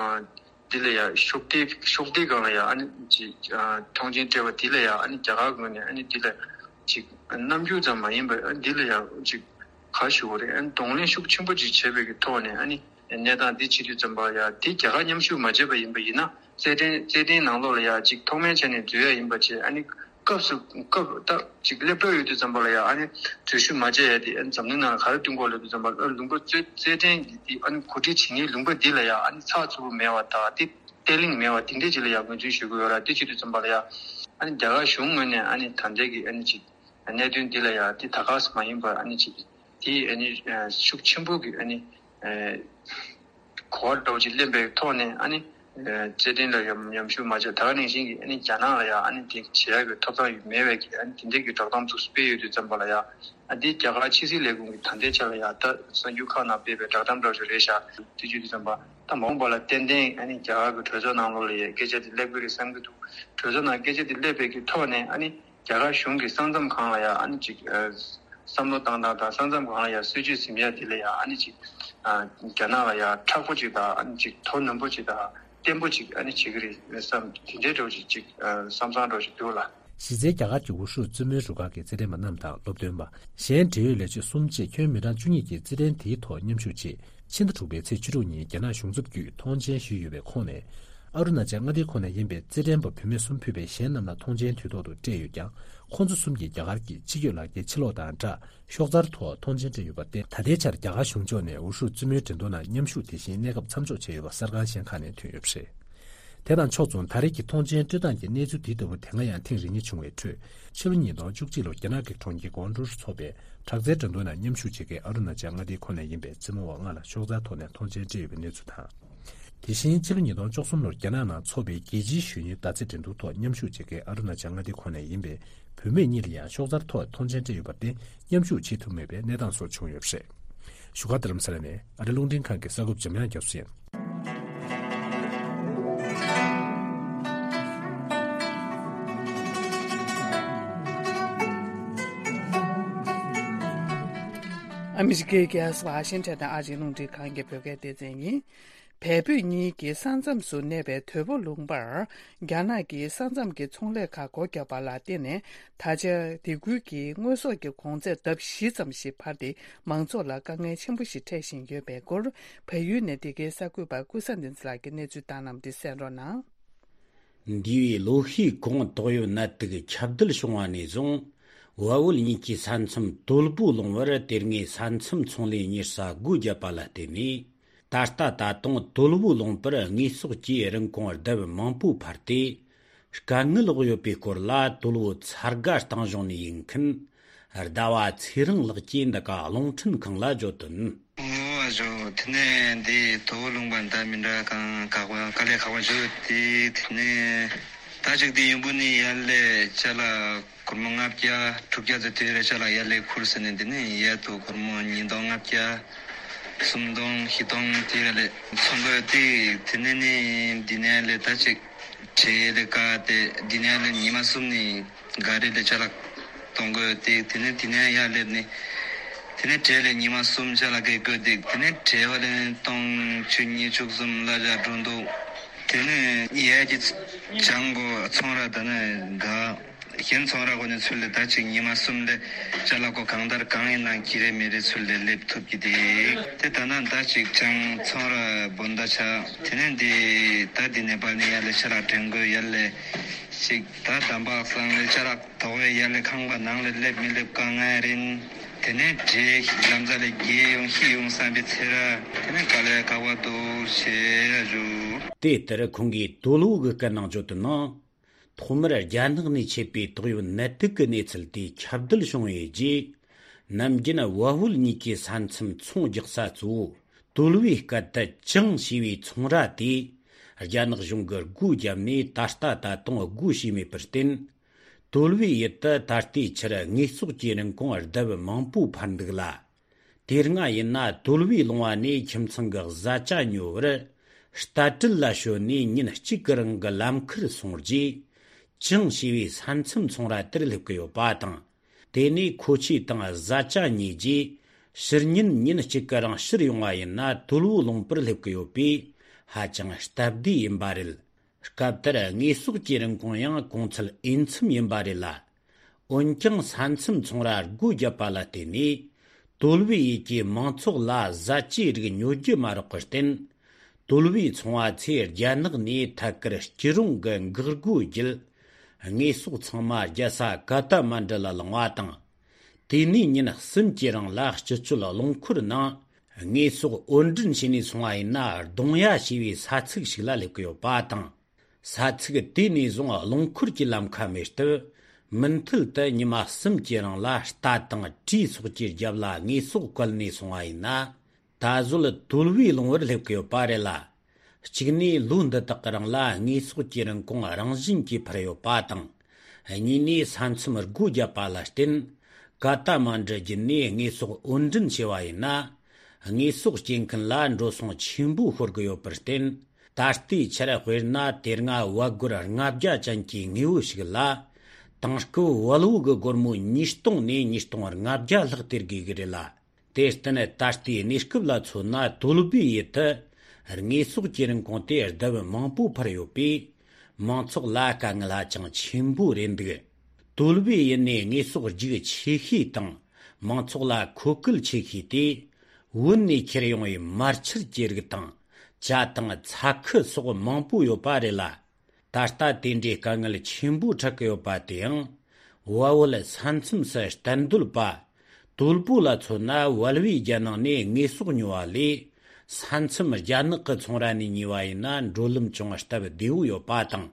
འདི་ལ་ཡང་ཤུགས་ལྡན་ཤུགས་ལྡན་སྒང་ལ་ཡང་ཨ་ནི་ཅིག་ཨ་ཐོངས་མཆན་སྤྲད་པ་འདི་ལ་ཡང་ཨ་ནི་རྒྱ་གར་ངོས་ནས་ཨ་ནི་འདི་ལ་ཅིག་རྣམ་འགྱུར་ཙམ་མ་ཡིན་པར་ཨ་འདི་ལ་ཡང་ཅིག་ག་ཞུ་དགོས་རེད། ཨ་ནི་གདོང་ལེན་ཤུགས་ཆེན་པོ་ཅིག་བྱས་པའི་གི་ཐོག་ནས་ཨ་ནི་གནས་སྟངས་འདི་བྱེད་དུས་ཙམ་པ་ཡང་དེ་རྒྱ་གར་མཉམ་ཞུགས་མ་བྱས་པ་ཡིན་པ་ཡིན་ན། རྩེད་འགྲན་རྩེད་འགྲན་ནང་ལོགས་ལ་ཡང་ཅིག་ཐོག་མའི་ཆ་ནས་འཛུལ་ཡ་ཡིན་པ་བྱས། ཨ་ནི་སྐབས་སུ་སྐབས་ད་ཅིག་སླེབས་གྲབས་ཡོད་དུས་ཙམ་པ་ལ་ཡང་ཨ་ནི་འཛུལ་ཞུགས་མ་བྱས་ཡ་དེ་ཨ་ནི་འཛམ་གླིང་ནང་ལ་ག་རེ་སྟོན་གྱི་ཡོད་ལབ་དུས་ཙམ་པ་ལ། ཨ་ལུང་པ་རྩེད་རྩེད་འགྲན་གྱི་དེ་ཨ་ནི་གོ་སྒྲིག་བྱེད་མཁན་ལུང་པ་འདི་ལ་ཡང་ཨ་ནི་ཚགས་ཚུད་པོ་མེད་པ་དང་། དེ་བརྟན་བརླིང་མེད་པ་དེ་འདྲའི་ཅིག་ལ་ཡང་ངོས་འཛིན་ཞུ་གི་ཡོད་ར། དེ་བྱེད་དུས་ཙམ་པ་ལ་ཡང་ཨ་ནི་རྒྱ་གར་གཞུང་ངོས་ནས་ཨ་ནི་ད་ལྟའི་གི་ཨ་ནི་ཅིག་གནད་དོན་འདི་ལ་ཡང་དེ་ད་ག་སེ་མ་ཡིན་པར་ཨ་ནི་ཅིག་དེ་ཨ་ནི་ཤུགས་ཆེན་པོ་གི་ཨ་ནི་གོ་བ་འདྲ་བོ་ཅིག་ལེན་པའི་ཐོག་ནས་ཨ་ནི་རྩེད་འགྲན་ལ་ཡང་མཉམ་ཞུགས་མ་བྱས། ད་ག་ནང་བཞིན་གྱི་ཨ་ནི་རྒྱ་ནག་ལ་ཡང་ཨ་ནི་དེ་བྱེད་ཡག་གི་ཐོབ་ཐང་ཡོད་མེད་པའི་གི་ཨ་ནི་དེ་འདྲའི་གི་བསྒྲགས་གཏམ་ཚོ་སྤེལ་ཡོད་དུས་ཙམ་པ་ལ་ཡང་། ཨ་འདི་རྒྱ་གར་ཕྱི་སྲིད་ལས་ཁུངས་ཀྱི་ད་ལྟའི་ཆ་ལ་ཡང་ད་གསར་འགྱུར་ཁག་ནང་སྤེལ་བའི་བསྒྲགས་གཏམ་འདྲ་བོ་ཅིག་རེད་ཤག། དེ་བྱེད་དུས་ཙམ་པ་ད་མ་འོངས་པ་ལ་ཏན་ཏན་ཨ་ནི་རྒྱ་གར་གྱི་གྲོས་ཚོགས་ནང་ལོགས་ལ་ཡང་སྐད་ཆ་དེ་སླེབས་ཀྱི་རེད་བསམ་གྱི་འདུག། གྲོས་ཚོགས་ནང་སྐད་ཆ་དེ་སླེབས་པའི་གི་ཐོག་ནས་ཨ་ནི་རྒྱ་གར་གཞུང་གིས་ས་མཚམས་སྒང་ལ་ཡང་ཨ་ནི་ཅིག་ཨ་བསམ་བློ་བཏང་སྟངས་དང་། ས་མཚམས་སྒང་ལ་ཡང་སྲིད་ཇུས་ཟིན་ཡ་དེ་ལ་ཡང་ཨ་ནི་ཅིག་ཨ་རྒྱ་ནག་ལ་ཡང་མཁྲེགས་པོ་ཅིག་དང་། ཨ་ནི་ཅིག་དོ་ནན་པོ་ཅིག་དང་བརྟན་པོ་ཅིག་ཨ་ནི་བྱེད་ཀྱི་རེད་བསམ། དེ་འདྲའི་འདྲ་བོ་ཅིག་ཅིག་ཨ་བསམ་བསམ་འདྲ་བོ་ཅིག་འདུག་ལ། གཞི་རྩའི་རྒྱ་གར་གྱི་འུ་ཧྲུའུ་བཙུན་མོའི་རུ་ཁག་གི་རྩེད་འགྲན་པ་རྣམས་དང་སློབ་སྟོན་པ། གཞན་འབྲེལ་ཡོད་ལས་བྱེད་གསུམ་བཅས་ཁྱོན་མི་གྲངས་བཅུ་གཉིས་ཀྱིས་རྩེད་འགྲན་དེའི་ཐོག་མཉམ་ཞུགས་ཆེད། ཕྱི་ཟླ་དྲུག་པའི་ཚེས་བཅུ་དྲུག་ཉིན་རྒྱ་ནག་གཞུང་ཚབ་བརྒྱུད་ཐོངས་མཆན་ཞུས་ཡོད་པའི་ཁོངས་ནས། ཨ་རུ་ན་ཅལ་མངའ་སྡེའི་ཁོངས་ནས་ཡིན་པའི་རྩེད་འགྲན་པ་བུད་མེད་གསུམ་ཕུད་པའི་གཞན་རྣམས་ལ་ཐོངས་མཆན་དུས་ཐོག་ཏུ་སྤྲད་ཡོད་ཀྱང་། ཁོང་ཚོ་གསུམ་གྱིས་རྒྱ་གར་གྱི་ཕྱི་སྐྱོད་ལག་འཁྱེར་ཕྱིར་སློག་དང་སྦྲགས། ཤོག་འཛར་ཐོག་ཐོངས་མཆན་སྤྲད་ཡོད་པར་བརྟེན། ད་ལྟའི་ཆར་རྒྱ་གར་གཞུང་ཕྱོགས་ནས་འུ་ཧྲུའུ་བཙུན་མོའི་འགྲན་བསྡུར་ནང་མཉམ་ཞུགས་དེ་བཞིན་གནས་སྐབས་མཚམས་འཇོག་བྱས་ཡོད་པ་གསར་ཁང་གཞན་ཁག་ནས་ཐོན་ཡོད་པ་རེད། དེ་དང་ཕྱོགས་མཚུངས། ད་རེས་ཀྱི་ཐོངས་མཆན་སྤྲོད་སྟངས་ཀྱི་གནས་ཚུལ་འདི་ལྟ་བུ་དེ་སྔ་ཡང་ཐེངས་རེ་གཉིས་བྱུང་བའི་ཁྲོད། ཕྱི་ལོ་ཉིས་སྟོང་བཅུ་གཅིག་ལོར་རྒྱ་ནག་གི་གྲོང་ཁྱེར་ཀོང་ཀྲོའུ་ཚོགས་པའི་དྲག་རྩལ་འགྲན་བསྡུར་ནང་མཉམ་ཞུགས་བྱེད་མཁན་ཨ་རུ་ན་ཅལ་མངའ་སྡེའི་ཁོངས་ནས་ཡིན་པའི་རྩེད་མོ་བ་ལྔ་ལ་ཤོག་འཛར་ཐོག་ནས་ཐོངས་མཆན་སྤྲད་ཡོད་པའི་གནས་ཚུལ་དང་། དེ་བཞིན་ཕྱི་ལོ་ཉིས་སྟོང་བཅུ་གསུམ་ལོར་རྒྱ་ནག་ནང་འཚོགས་པའི་རྒྱལ་སྤྱིའི་གཞོན་ནུའི་མདའ་རྩེད་འགྲན་བསྡུར་ཐོག་མཉམ་ཞུགས་བྱེད་མཁན་ཨ་རུ་ན་ཅལ་མངའ་སྡེའི་ཁོངས་ནས་ཡིན་པའི་བུད་མེད་གཉིས་ལ་ཡང་ཤོག་འཛར་ཐོག་ཐོངས་མཆན་སྤྲད་ཡོད་པར་བརྟེན། མཉམ་ཞུགས་བྱེད་ཐུབ་མེད་པའི་གནས་སྟངས་སོགས་བྱུང་ཡོད་པ་རེད། བཞུགས་སྒར་རྡ་རམ་ས་ལ་ནས་ཨ་རི་རླུང་འཕྲིན་ཁང་གི་གསར་འགོད་པ་འཇམ་དབྱངས་རྒྱ་མཚོ་ཡིན། ཨ་མི་རི་ཀའི་རྒྱལ་ས་ཝ་ཤིང་ཊོན་དང་ཨ་རིའི་རླུང་འཕྲིན་ཁང་གི་བོད་སྐད་སྡེ་ཚན་ཡིན། བལ་བོད་གཉིས་ཀྱི་ས་མཚམས་སུ་གནས་པའི་དོལ་པོ་ལུང་པར། རྒྱ་ནག་གིས་ས་མཚམས་ཀྱི་ཚོང་ལས་ཁག་སྒོ་བརྒྱབ་པ་ལ་བརྟེན་ནས། ད་ཆ་དེ་ཁུལ་གྱི་དངོས་ཟོག་གི་གོང་ཚད་ལྡབ་བཞི་ཙམ་ཞིག་འཕར་ཏེ། མང་ཚོགས་ལ་དཀའ་ངལ་ཆེན་པོ་ཞིག་འཕྲད་བཞིན་ཡོད་པའི་སྐོར། བལ་ཡུལ་ནས་འདི་གའི་གསར་འགོད་པ་ཀུན་བཟང་བསྟན་འཛིན་ལགས་ཀྱིས་གནས་ཚུལ་བཏང་གནང་བ་འདི་གསན་རོགས་གནང་། འདས་པའི་ལོ་ཤས་གོང་། ཏོག་དབྱིབས་ནད་དུག་ཁྱབ་གདལ་བྱུང་བ་ནས་བཟུང་། བལ་བོད་གཉིས་ཀྱི་ས་མཚམས་དོལ་པོ་ལུང་པར་དེ་སྔའི་ས་མཚམས་ཚོང་ལས་གཉེར་ས་སྒོ་བརྒྱབ་པ་ལ་བརྟེན་ནས། ད་ལྟ་ད་དུང་དོལ་པོ་ལུང་པར་དངོས་ཟོག་གི་རིན་གོང་ལྡབ་མང་པོ་འཕར་ཏེ། དཀའ་ངལ་འོག་ཡོད་པའི་སྐོར་ལ། དོལ་པོ་ཚ་དགའ་སྟེང་གཞུང་ནས་ཡིན་མཁན་ཟླ་བ་ཚེ་རིང་ལགས་ཀྱིས་འདི་ག་རླུང་འཕྲིན་ཁང་ལ་བརྗོད་དོན། ཨོ་ཨ་ཇོ། དེ་ནས་འདི་དོལ་པོ་ལུང་པ་འདྲ་མི་འདྲ་གང་དཀའ་བ་དཀའ་ལས་ཁག་པོ་བྱུང་སྟེ། དེ་ནས་ད་ཅིག་འདི་ཡོང་པོ་ནི་ཡར་ལས་ཅ་ལག་སྒོར་མོ་ལྔ་བརྒྱ་དྲུག་བརྒྱ་ཙམ་དེ་རེ་ཅ་ལག་ཡར་ལས་ཁུར་ཟེར་ནས། འདི་ནས་ཡར་དུ་སྒོར་མོ་ཉིས་སྟོང་ལྔ་བརྒྱ། སུམ་སྟོང་བཞི་སྟོང་དེ་ཡ་ལས་ཚོང་དགོས་ཏེ། དེ་ནས་ནི་འདི་ནས་ལས་ད་ཅིག་གྲས་ལས་ཀ་དེ་འདི་ནས་ལས་ཉི་མ་གསུམ་ནི་ག་རེ་ལས་ཅ་ལག་གཏོང་དགོས་ཏེ། དེ་ནས་དེ་ནས་ཡར་སླེབས་ནི་དེ་ནས་གྲས་ལས་ཉི་མ་གསུམ་ཅ་ལག་གི་དགོས་ཏེ། དེ་ནས་གྲས་བ་ལས་སྟོང་བཅུ་ཉི་ཤུ་གསུམ་ལ་ཅ་འགྲོ་འདུག་དེ་ནས་ཡས་ཀྱི་ཅང་གོ་ཚོང་ར་ད་ནི་ག་གཞན་ཚོང་ར་གོ་ནས་ཚུར་ལས་ད་ཅིག་ཉི་མ་གསུམ་ལས་ཅ་ལག་གོ་གང་ལྟར་གང་ཡིན་ན་ཁྱི་རེ་མི་རེ་ཚུར་ལས་སླེབས་ཐུབ་ཀྱི་དེ། དེ་ད་ན་ད་ཅིག་ཅང་ཚོང་ར་བོན་ད་ཆ་དེ་ནས་འདི་ད་འདི་ནས་པ་ནི་ཡ་ལས་ཆ་ལག་དྲན་དགོས། ཡ་ལས་ཅིག་ད་དམ་པ་སང་ལས་ཅ་ལག་དོག་བས་ཡ་ལས་ཁང་པ་ནང་ལས་སླེབས་མི་སླེབས་དཀའ་ངལ་རིན། དེ་ནས་འདྲེ་ལམ་ས་ལས་རྒྱལ་ཡོང་ཤི་ཡོང་བསམ་པའི་ཚེ་ར། དེ་ནས་དཀའ་ལས་ཁག་པ་འདུག་ཞེས་ཞུ། དེ་ལྟར་ཁོང་གིས་དོལ་པོ་གི་སྐད་ནང་བརྗོད་དུ་ནང་། ཐོག་མར་རྒྱ་ནག་ནས་མཆེད་པའི་ཏོག་དབྱིབས་ནད་དུག་གི་གནས་ཚུལ་དེ་ཁྱབ་གདལ་བྱུང་བའི་རྗེས། ནམ་རྒྱུན་བལ་བོད་གཉིས་ཀྱི་ས་མཚམས་ཚོང་རྒྱག་ས་གཙོ་བོ་དོལ་པོའི་སྐད་དུ་ཅང་ཞེས་པའི་ཚོང་ར་དེ་རྒྱ་ནག་གཞུང་གིས་སྒོ་བརྒྱབ་ནས་ད་ལྟ་ད་དུང་སྒོ་ཕྱེས་མེད་པར་བརྟེན། དོལ་པོའི་ཡུལ་དུ་ད་ལྟའི་ཆར་དངོས་ཟོག་གི་རིན་གོང་ལྡབ་མང་པོ་འཕར་འདུག་ལ། དེ་སྔ་ཡིན་ན་དོལ་པོའི་ལུང་བ་ནས་ཁྱིམ་ཚང་གི་བཟའ་བཅའ་ཉོ་བར་རྟ་དྲེལ་ལ་ཞོན་ནས་ཉིན་གཅིག་གི་རིང་གི་ལམ་ཁར་སོང་རྗེས། ཅང་ཞེས་པའི་ས་མཚམས་ཚོང་ར་དེར་སླེབས་ཀྱི་ཡོད་པ་དང་། དེ་ནས་མཁོ་ཆས་དང་བཟའ་བཅའ་ཉོས་རྗེས། ཕྱིར་ཉིན་ཉིན་གཅིག་གི་རིང་ཕྱིར་ཡོང་བ་ཡིན་ན་དོལ་པོ་ལུང་པར་སླེབས་ཀྱི་ཡོད་པས་ཧ་ཅང་སྟབས་བདེ་ཡིན་པ་རེད། སྐབས་དེར་དངོས་ཟོག་གི་རིན་གོང་ཡང་གོང་ཚད་འོས་འཚམ་ཡིན་པ་རེད་ལ། འོན་ཀྱང་ས་མཚམས་ཚོང་ར་སྒོ་བརྒྱབ་པ་ལ་བརྟེན་ནས། དོལ་པོའི་ཡུལ་གྱི་མང་ཚོགས་ལ་བཟའ་བཅའི་རིགས་ཉོ་རྒྱུ་མ་རག་པར་བརྟེན། དོལ་པོའི་ཚོང་བ་ཚོས་རྒྱ་ནག་ནས་ཐད་ཀར་སྐྱིད་རོང་གི་འགག་སྒོ་བརྒྱུད། དངོས་ཟོག་ཚང་མ་རྒྱལ་ས་ཀ་ཐ་མན་ཌུ་ལ་ལངས་པ་དང་། དེ་ནས་ཉིན་གསུམ་གྱི་རིང་ལ་སྤྱི་སྤྱོད་རླངས་འཁོར་ནང་དངོས་ཟོག་དབོར་འདྲེན་བྱས་ནས་སོང་བ་ཡིན་ན། རྡུང་ཡ་ཞེས་པའི་ས་ཚིགས་ཤིག་ལ་སླེབས་ཀྱི་ཡོད་པ་དང་། ས་ཚིགས་དེ་ནས་བཟུང་རླངས་འཁོར་གྱི་ལམ་ཁ་མེད་སྟབས། མུ་མཐུད་དུ་ཉི་མ་གསུམ་གྱི་རིང་ལ་རྟ་དང་གྲོའི་ཚོགས་ཀྱི་རྒྱབ་ལ་དངོས་ཟོག་བཀལ་ནས་སོང་བ་ཡིན་ན། ད་གཟོད་དོལ་པོའི་ལུང་པར་སླེབས་ཀྱི་ཡོད་པ་རེད་ལ། གཅིག་ནས་ལོ་འདི་དག་གི་རིང་ལ་དངོས་ཟོག་གི་རིན་གོང་རང་བཞིན་གྱིས་འཕར་ཡོད་པ་དང་། གཉིས་ནས་ས་མཚམས་སྒོ་བརྒྱབ་པ་ལ་བརྟེན། ཀ་ཐ་མན་ཌུ་བརྒྱུད་ནས་དངོས་ཟོག་དབོར་འདྲེན་བྱས་པ་ཡིན་ན། དངོས་ཟོག་སྐྱེལ་མཁན་ལ་འགྲོ་སོང་ཆེན་པོ་ཤོར་གྱི་ཡོད་པར་བརྟེན། ད་ལྟའི་ཆར་དཔེར་ན་དེ་སྔ་བལ་སྒོར་ལྔ་བརྒྱ་ཅན་གྱི་དངོས་པོ་ཞིག་ལ། དེང་སྐབས་བལ་པོ་གི་སྒོར་མོ་ཉིས་སྟོང་ནས་ཉིས་སྟོང་ལྔ་བརྒྱ་ལྷག་སྟེར་དགོས་ཀྱི་རེད་ལ། དེར་བརྟེན་ད་ལྟའི་གནས་སྐབས་ལ་མཚོན་ན་དོལ་པོའི་ཡུལ་དུ་དངོས་ཟོག་གི་རིན་གོང་དེ་ལྡབ་མང་པོ་འཕར་ཡོད་པས། མང་ཚོགས་ལ་དཀའ་ངལ་ཧ་ཅང་ཆེན་པོ་རེད་འདུག་དོལ་པོའི་ཡུལ་ནས་དངོས་ཟོག་རྒྱུག་ཆེ་ཤོས་དང་མང་ཚོགས་ལ་མཁོ་གལ་ཆེ་ཤོས་དེ། བོད་ནས་ཁྱེར་ཡོང་བའི་མར་ཆུར་གྱི་རིགས་དང་ཇ་དང་ཚྭ་ཁུ་སོགས་མང་པོ་ཡོད་པ་རེད་ལ། ད་ལྟ་དེ་འདྲའི་དཀའ་ངལ་ཆེན་པོ་འཕྲད་ཀྱི་ཡོད་པ་དེའང་། བལ་པོ་ལ་ས་མཚམས་སུ་གཏན་སྡོད་པ། དོལ་པོ་ལ་མཚོན་ན་བལ་པོའི་རྒྱལ་ནང་ནས་དངོས་ཟོག་ཉོ་བ་ལས། ས་མཚམས་རྒྱ་ནག་གི་ཚོང་ར་ནས་ཉོས་པ་ཡིན་ན་འགྲོ་ལམ་ཅུང་སྟབས་བདེ་བོ་ཡོད་པ་དང་།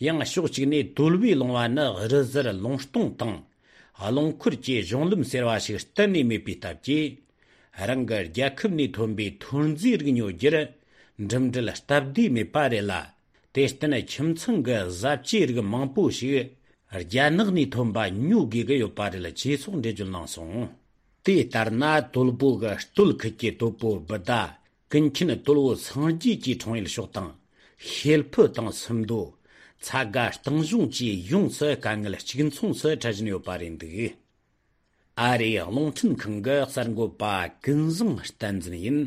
ཡང་ཕྱོགས་གཅིག་ནས་དོལ་པོའི་ལུང་བ་ནི་རི་གཟར་ལུང་སྟོང་དང་། རླངས་འཁོར་གྱི་གཞུང་ལམ་ཟེར་བ་ཞིག་གཏན་ནས་མེད་པའི་སྟབས་ཀྱིས། རང་གི་རྒྱལ་ཁབ་ནས་ཐོན་པའི་ཐོན་རྫས་རིགས་ཉོ་རྒྱུར་འགྲིམ་འགྲུལ་སྟབས་བདེ་མེད་པ་རེད་ལ། དེར་བརྟེན་ཁྱིམ་ཚང་གི་བཟའ་བཅའི་རིགས་མང་པོ་ཞིག་རྒྱ་ནག་ནས་ཐོན་པ་ཉོ་དགོས་ཀྱི་ཡོད་པ་རེད་ཅེས་སོགས་འགྲེལ་བརྗོད་གནང་སོང་། དེ་ལྟར་ན་དོལ་པོ་གི་སྟོད་ཁུལ་གྱི་དོལ་པོ་བུ་ཟླ་ཀུན་མཁྱེན་དོལ་པོ་སངས་རྒྱས་ཀྱི་འཁྲུངས་ཡུལ་ཕྱོགས་དང་། ཤེལ་ཕུ་དང་སུམ་མདོ། ཚ་དགའ་སྟེང་གཞུང་བཅས་ཡོངས་སུ་དཀའ་ངལ་གཅིག་མཚུངས་སུ་འཕྲད་བཞིན་ཡོད་པ་རེད་འདུག་ཨ་རིའི་རླུང་འཕྲིན་ཁང་གི་གསར་འགོད་པ་ཀུན་བཟང་བསྟན་འཛིན་ཡིན།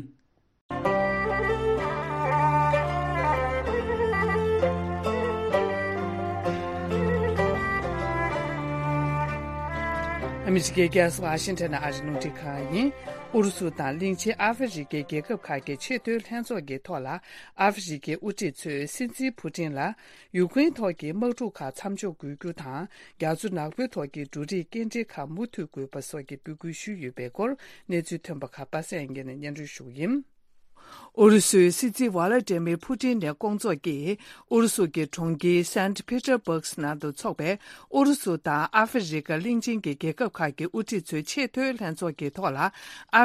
ཨ་མི་རི་ཀའི་རྒྱལ་ས་ཝ་ཤིང་ཊོན་ནས་ཨ་རིའི་རླུང་འཕྲིན་ཁང་ཡིན། ཨུ་རུ་སུ་དང་གླིང་ཆེན་ཨ་ཧྥེ་རི་ཀའི་རྒྱལ་ཁབ་ཁག་གི་ཆེས་མཐོའི་ལྷན་ཚོགས་ཀྱི་ཐོག་ལ། ཨ་ཧྥེ་རི་ཀའི་དབུ་ཁྲིད་ཚོས་སྲིད་འཛིན་ཕུ་ཏིན་ལ། ཡུཀ་རེན་ཐོག་གི་དམག་འཁྲུག་ཁག་མཚམས་འཇོག་དགོས་རྒྱུ་དང་། རྒྱ་མཚོ་ནག་པོའི་ཐོག་གི་འབྲུ་རིགས་སྐྱེལ་འདྲེན་ཁག་མུ་མཐུད་དགོས་པ་སོགས་ཀྱི་འབོད་སྐུལ་ཞུས་ཡོད་པའི་སྐོར། གནས་ཚུལ་ཐོན་པ་ཁག་པ་སངས་སྐྱིད་ནས་སྙན་སྒྲོན་ཞུ་གི་ཡིན། ཨུ་རུ་སུའི་སྲིད་འཛིན་ཝ་ལ་ཏྲེ་མིར་ཕུ་ཏིན་ནས་སྐོང་ཚོགས་ཀྱིས་ཨུ་རུ་སུ་གྱི་གྲོང་ཁྱེར་སན་ཕི་ཏེར་སྦུག་ནང་དུ་འཚོགས་པའི་ཨུ་རུ་སུ་དང་ཨ་ཧྥེ་རི་ཁ་གླིང་ཆེན་གྱི་རྒྱལ་ཁབ་ཁག་གི་དབུ་ཁྲིད་ཚོའི་ཆེས་མཐོའི་ལྷན་ཚོགས་ཀྱི་ཐོག་ལ། ཨ་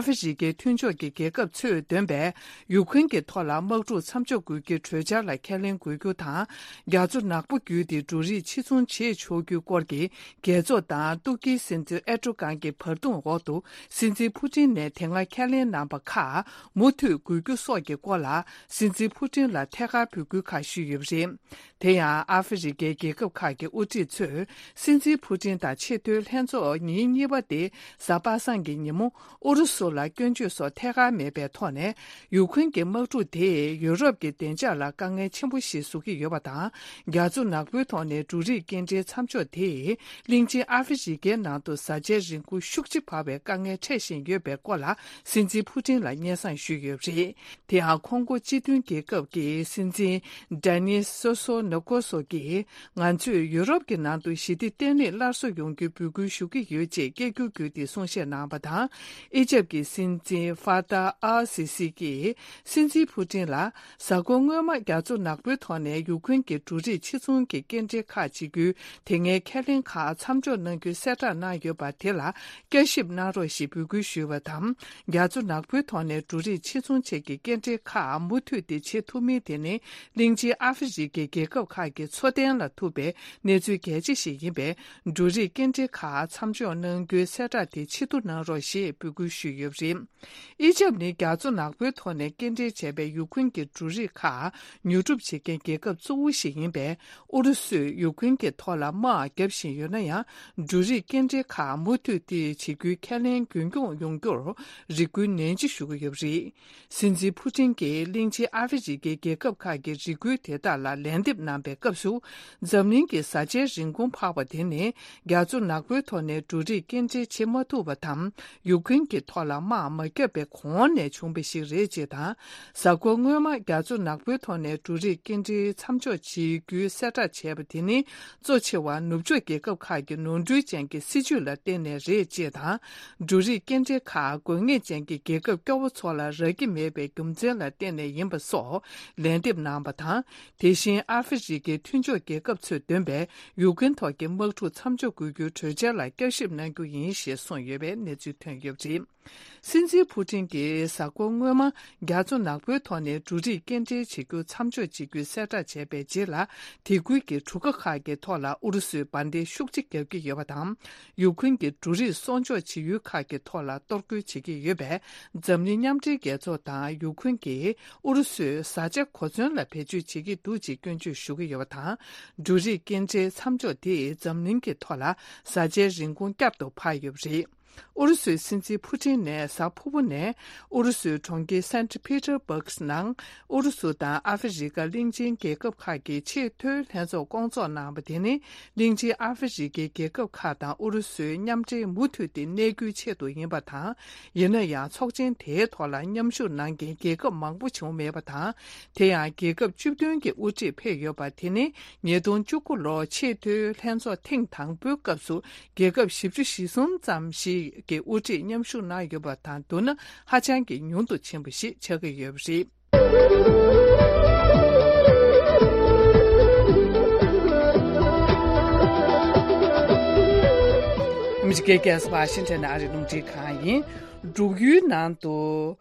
ཧྥེ་རི་ཁའི་མཐུན་ཕྱོགས་ཀྱི་རྒྱལ་ཁབ་ཚོས་འདོན་པའི་ཡུ་ཁུན་གྱི་ཐོག་ལ་དམག་འཁྲུག་མཚམས་འཇོག་དགོས་རྒྱུའི་གྲོས་འཆར་ལ་ཁས་ལེན་དགོས་རྒྱུ་དང་། རྒྱ་མཚོ་ནག་པོ་བརྒྱུད་དེ་འབྲུ་རིགས་ཕྱིར་ཚོང་བྱེད་ཆོག་རྒྱུའི་སྐོར་གྱི་རྒྱལ་ཚོགས་དང་ཏུར་ཀིའི་སྲིད་འཛིན་ཨེར་ཏོ་གྷན་གྱི་བར་འདུམ་འོག་ཏུ། སྲིད་འཛིན་ཕུ་ཏིན་ནས་དེ་སྔ་ཁས་ལེན་གནང་པ་ཁག་མུ་མཐུད་དགོས་རྒྱུ་སོགས་ཀྱི་སྐོར་ལ་སྲིད་འཛིན་ཕུ་ཏིན་ལ་ཐད་ཀར་འབོད་སྐུལ་ཁག་ཞུས་ཡོད་པ་རེད། དེ་ཡང་ཨ་ཧྥེ་རི་ཁའི་རྒྱལ་ཁབ་ཁག་གི་དབུ་ཁྲིད་ཚོས་སྲིད་འཛིན་ཕུ་ཏིན་དང་ཆེས་མཐོའི་ལྷན་ཚོགས་ཉིན་གཉིས་པ་དེ་གཟའ་པ་སངས་ཀྱི་ཉིན་མོ། ཨུ་རུ་སུ་ལ་སྐྱོན་བརྗོད་སོགས་ཐད་ཀར་མེད་པའི་ཐོག་ནས། ཡུ་ཁུན་གྱི་དམག་འཁྲུག་དེས་ཡུ་རོབ་ཀྱི་བདེ་འཇགས་ལ་དཀའ་ངལ་ཆེན་པོ་ཞིག་བཟོ་གི་ཡོད་པ་དང་། རྒྱ་མཚོ་ནག་པོའི་ཐོག་ནས་འབྲུ་རིགས་སྐྱེལ་འདྲེན་མཚམས་འཇོག་དེས། གླིང་ཆེན་ཨ་ཧྥེ་རི་ཁའི་ནང་དུ་བཟའ་བཅའི་རིན་གོང་ཤུགས་ཆེ་འཕར་བའི་དཀའ་ངལ་འཕྲད་བཞིན་ཡོད་པའི་སྐོར་ལ། སྲིད་འཛིན་ཕུ་ཏིན་ལ་སྙན་སེང་ཞུས་ཡོད་པ་རེད། དེ་ཡང་ཁོང་ཀོ་སྤྱི་མཐུན་རྒྱལ་ཁབ་ཀྱི་སྲིད་འཛིན་ཌེ་ནིས་སོ་སོ་ནོ་ཀོ་སོ་གྱིས། ང་ཚོས་ཡུ་རོབ་ཀྱི་ནང་དུ་ཞི་བདེ་བརྟན་ལྷིང་སླར་གསོ་ཡོང་རྒྱུའི་འབོད་སྐུལ་ཞུ་གི་ཡོད་ཅེས་སྐད་སྒྱུར་བརྒྱུད་དེ་གསུང་བཤད་གནང་བ་དང་། ཨི་ཇེབ་ཀྱི་སྲིད་འཛིན་ཧྥ་ཏཱ་ཨལ་སི་སི་ཀྱིས་སྲིད་འཛིན་ཕུ་ཏིན་ལ། གཟའ་འཁོར་སྔོན་མ་རྒྱ་མཚོ་ནག་པོའི་ཐོག་ནས་ཡུ་ཁུན་གྱི་འབྲུ་རིགས་ཕྱིར་ཚོང་གི་སྐྱེལ་འདྲེན་ཁག་བྱེད་རྒྱུའི་དེ་སྔའི་ཁས་ལེན་ཁག་མཚམས་འཇོག་གནང་རྒྱུའི་གསལ་བསྒྲགས་གནང་ཡོད་པ་དེ་ལ་བསྐྱར་ཞིབ་གནང་རོགས་ཞེས་འབོད་སྐུལ་ཞུས་པ་དང་། རྒྱ་མཚོ་ནག་པོའི་ཐོག་ནས་འབྲུ་རིགས་ཕྱིར་ཚོང་ཆེད་ཀྱི་སྐྱེལ་འདྲེན་ཁག་མུ་མཐུད་དེ་བྱེད་ཐུབ་མིན་དེ་ནི། གླིང་ཆེན་ཨ་ཧྥེ་རི་ཁའི་རྒྱལ་ཁབ་ཁག་གི་འཚོ་རྟེན་ལ་ཐུག་པའི་གནས་ཚུལ་གལ་ཆེ་ཞིག་ཡིན་པས། འབྲུ་རིགས་སྐྱེལ་འདྲེན་ཁག་མཚམས་འཇོག་གནང་རྒྱུའི་གསལ་བསྒྲགས་དེ་ཕྱིར་བསྡུ་གནང་རོགས་ཞེས་འབོད་སྐུལ་ཞུས་ཡོད་པ་རེད། ཨི་ཇེབ་ནི་རྒྱ་མཚོ་ནག་པོའི་ཐོག་ནས་སྐྱེལ་འདྲེན་བྱས་པའི་ཡུ་ཁུན་གྱི་འབྲུ་རིགས་ཁག་ཉོ་སྒྲུབ་བྱེད་མཁན་རྒྱལ་ཁབ་གཙོ་བོ་ཞིག་ཡིན་པས། ཨུ་རུ་སུས་ཡུ་ཁུན་གྱི་ཐོག་ལ་དམག་བརྒྱབ་བཞིན་ཡོད་ན་ཡང་། འབྲུ་རིགས་སྐྱེལ་འདྲེན་ཁག་མུ་མཐུད་དེ་བྱེད་རྒྱུའི་ཁས་ལེན་རྒྱུན་འཁྱོངས་ཡོང་རྒྱུར་རེ་སྐུལ་ནན་གྱིས་ཞུ་གི་ཡོད་པ་རེད། སྲིད་འཛིན་ཕུ་ཏིན་གྱིས་གླིང་ཆེན་ཨ་ཧྥེ་རི་ཁའི་རྒྱལ་ཁབ་ཁག་གི་རེ་སྐུལ་དེ་དག་ལ་ལན་འདེབས་གནང་པའི་སྐབས་སུ། འཛམ་གླིང་གི་བཟའ་བཅའི་རིན་གོང་འཕར་བ་དེ་ནི། རྒྱ་མཚོ་ནག་པོའི་ཐོག་ནས་འབྲུ་རིགས་སྐྱེལ་འདྲེན་བྱེད་མ་ཐུབ་པ་དང་། ཡུ་ཁུན་གྱི་ཐོག་ལ་དམག་མ་བརྒྱབ་པའི་གོང་ནས་བྱུང་བ་ཞིག་རེད་ཅེས་དང་། གཟའ་འཁོར་སྔོན་མ་རྒྱ་མཚོ་ནག་པོའི་ཐོག་ནས་འབྲུ་རིགས་སྐྱེལ་འདྲེན་མཚམས་འཇོག་བྱེད་རྒྱུའི་གསལ་བསྒྲགས་བྱས་པ་དེ་ནི། གཙོ་ཆེ་བ་ནུབ་ཕྱོགས་རྒྱལ་ཁབ་ཁག་གི་ནོར་འཁྲུལ་ཅན་གྱི་སྲིད་ཇུས་ལ་བརྟེན་ནས་རེད་ཅེས་དང་། འབྲུ་རིགས་སྐྱེལ་འདྲེན་ཁག་དགོས་ངེས་ཅན་གྱི་རྒྱལ་ཁབ་སྐྱོ་བོ་ཚོ་ལ་རག་གི་མེད་པའི་རྒྱུ་མཚན་ལ་བརྟེན་ནས་ཡིན་པ་སོགས་ལན་འདེབས་གནང་བ་དང་། དེ་བཞིན་ཨ་ཧྥེ་རི་ཁའི་མཐུན་ཕྱོགས་རྒྱལ་ཁབ་ཚོས་འདོན་པའི་ཡུ་ཀེན་ཐོག་གི་དམག་འཁྲུག་མཚམས་འཇོག་དགོས་རྒྱུའི་གྲོས་འཆར་ལ་བསྐྱར་ཞིབ་གནང་རྒྱུ་ཡིན་ཞེས་གསུངས་ཡོད་པའི་གནས་ཚུལ་ཐོན་ཡོད་པ་རེད། སྲིད་འཛིན་ཕུ་ཏིན་གྱིས་གཟའ་འཁོར་སྔོན་མ་རྒྱ་མཚོ་ནག་པོའི་ཐོག་ནས་འབྲུ་རིགས་སྐྱེལ་འདྲེན་བྱེད་རྒྱུ་མཚམས་འཇོག་བྱེད་རྒྱུའི་གསལ་བསྒྲགས་བྱས་པའི་རྗེས་ལ། དེ་ཁུལ་གྱི་གྲུ་ཁ་ཁག་གི་ཐོག་ལ་ཨུ་རུ་སུས་འབར་མདེལ་ཤུགས་ཆེ་བརྒྱབ་ཀྱི་ཡོད་པ་དང་། ཡུ་ཁུན་གྱི་འབྲུ་རིགས་གསོག་འཇོག་བྱེད་ཡུལ་ཁག་གི་ཐོག་ལ་གཏོར་རྒོལ་བྱེད་ཀྱི་ཡོད་པས། འཛམ་གླིང་མཉམ་འབྲེལ་རྒྱལ་ཚོགས་དང་ཡུ་ཁུན་གྱིས་ཨུ་རུ་སུའི་བཟའ་བཅའ་གོ་མཚོན་ལ་བེད་སྤྱོད་བྱེད་ཀྱི་འདུག་ཅེས་སྐྱོན་བརྗོད་ཞུ་གི་ཡོད་པ་དང་། འབྲུ་རིགས་སྐྱེལ་འདྲེན་མཚམས་འཇོག་དེས་འཛམ་གླིང་གི་ཐོག་ལ་བཟའ་བཅའི་རིན་གོང་བསྐྱར་དུ་འཕར་ཡོད་པ་རེད། ཨུ་རུ་སུའི་སྲིད་འཛིན་ཕུ་ཏིན་ནས་གཟའ་ཕུར་བུ་ནས་ཨུ་རུ་སུའི་གྲོང་ཁྱེར་སན་ཊི་ཕི་ཏར་སྦུག་ནང་ཨུ་རུ་སུ་དང་ཨ་ཧྥེ་རི་ཀ་གླིང་ཆེན་རྒྱལ་ཁབ་ཁག་གི་ཆེས་མཐོའི་ལྷན་ཚོགས་སྐོང་ཚོགས་གནང་བ་དེ་ནི། གླིང་ཆེན་ཨ་ཧྥེ་རི་ཀའི་རྒྱལ་ཁབ་ཁག་དང་ཨུ་རུ་སུའི་མཉམ་འབྲེལ་མུ་མཐུད་དེ་གནས་རྒྱུའི་ཆེད་དུ་ཡིན་པ་དང་། ཡིན་ན་ཡང་ཚོགས་ཆེན་དེའི་ཐོག་ལ་མཉམ་ཞུགས་གནང་མཁན་རྒྱལ་ཁབ་མང་པོ་བྱུང་མེད་པ་དང་། དེ་ཡང་རྒྱལ་ཁབ་བཅུ་བདུན་གྱི་དབུ་ཁྲིད་ཕེབས་ཡོད་པ་དེ་ནི། ཉིས་སྟོང་བཅུ་དགུ་ལོར་ཆེས་མཐོའི་ལྷན་ཚོགས་ཐེངས་དང་པོའི་སྐབས་སུ། རྒྱལ་ཁབ་བཞི་བཅུ་ཞེ་གསུམ་ཙམ་ཞིག་གི་དབུ་ཁྲིད་མཉམ་ཞུགས་གནང་ཡོད་པ་དང་བསྡུར་ན་ཧ་ཅང་གི་ཉུང་དུ་ཕྱིན་པ་ཞིག་ཆགས་ཀྱི་ཡོད་པ་རེད། ཨ་མི་རི་ཀའི་རྒྱལ་ས་ཝ་ཤིང་ཊོན་ནས་ཨ་རིའི་རླུང་འཕྲིན་ཁང་ཡིན། འབྲུག་ཡུལ་ནང་དུ།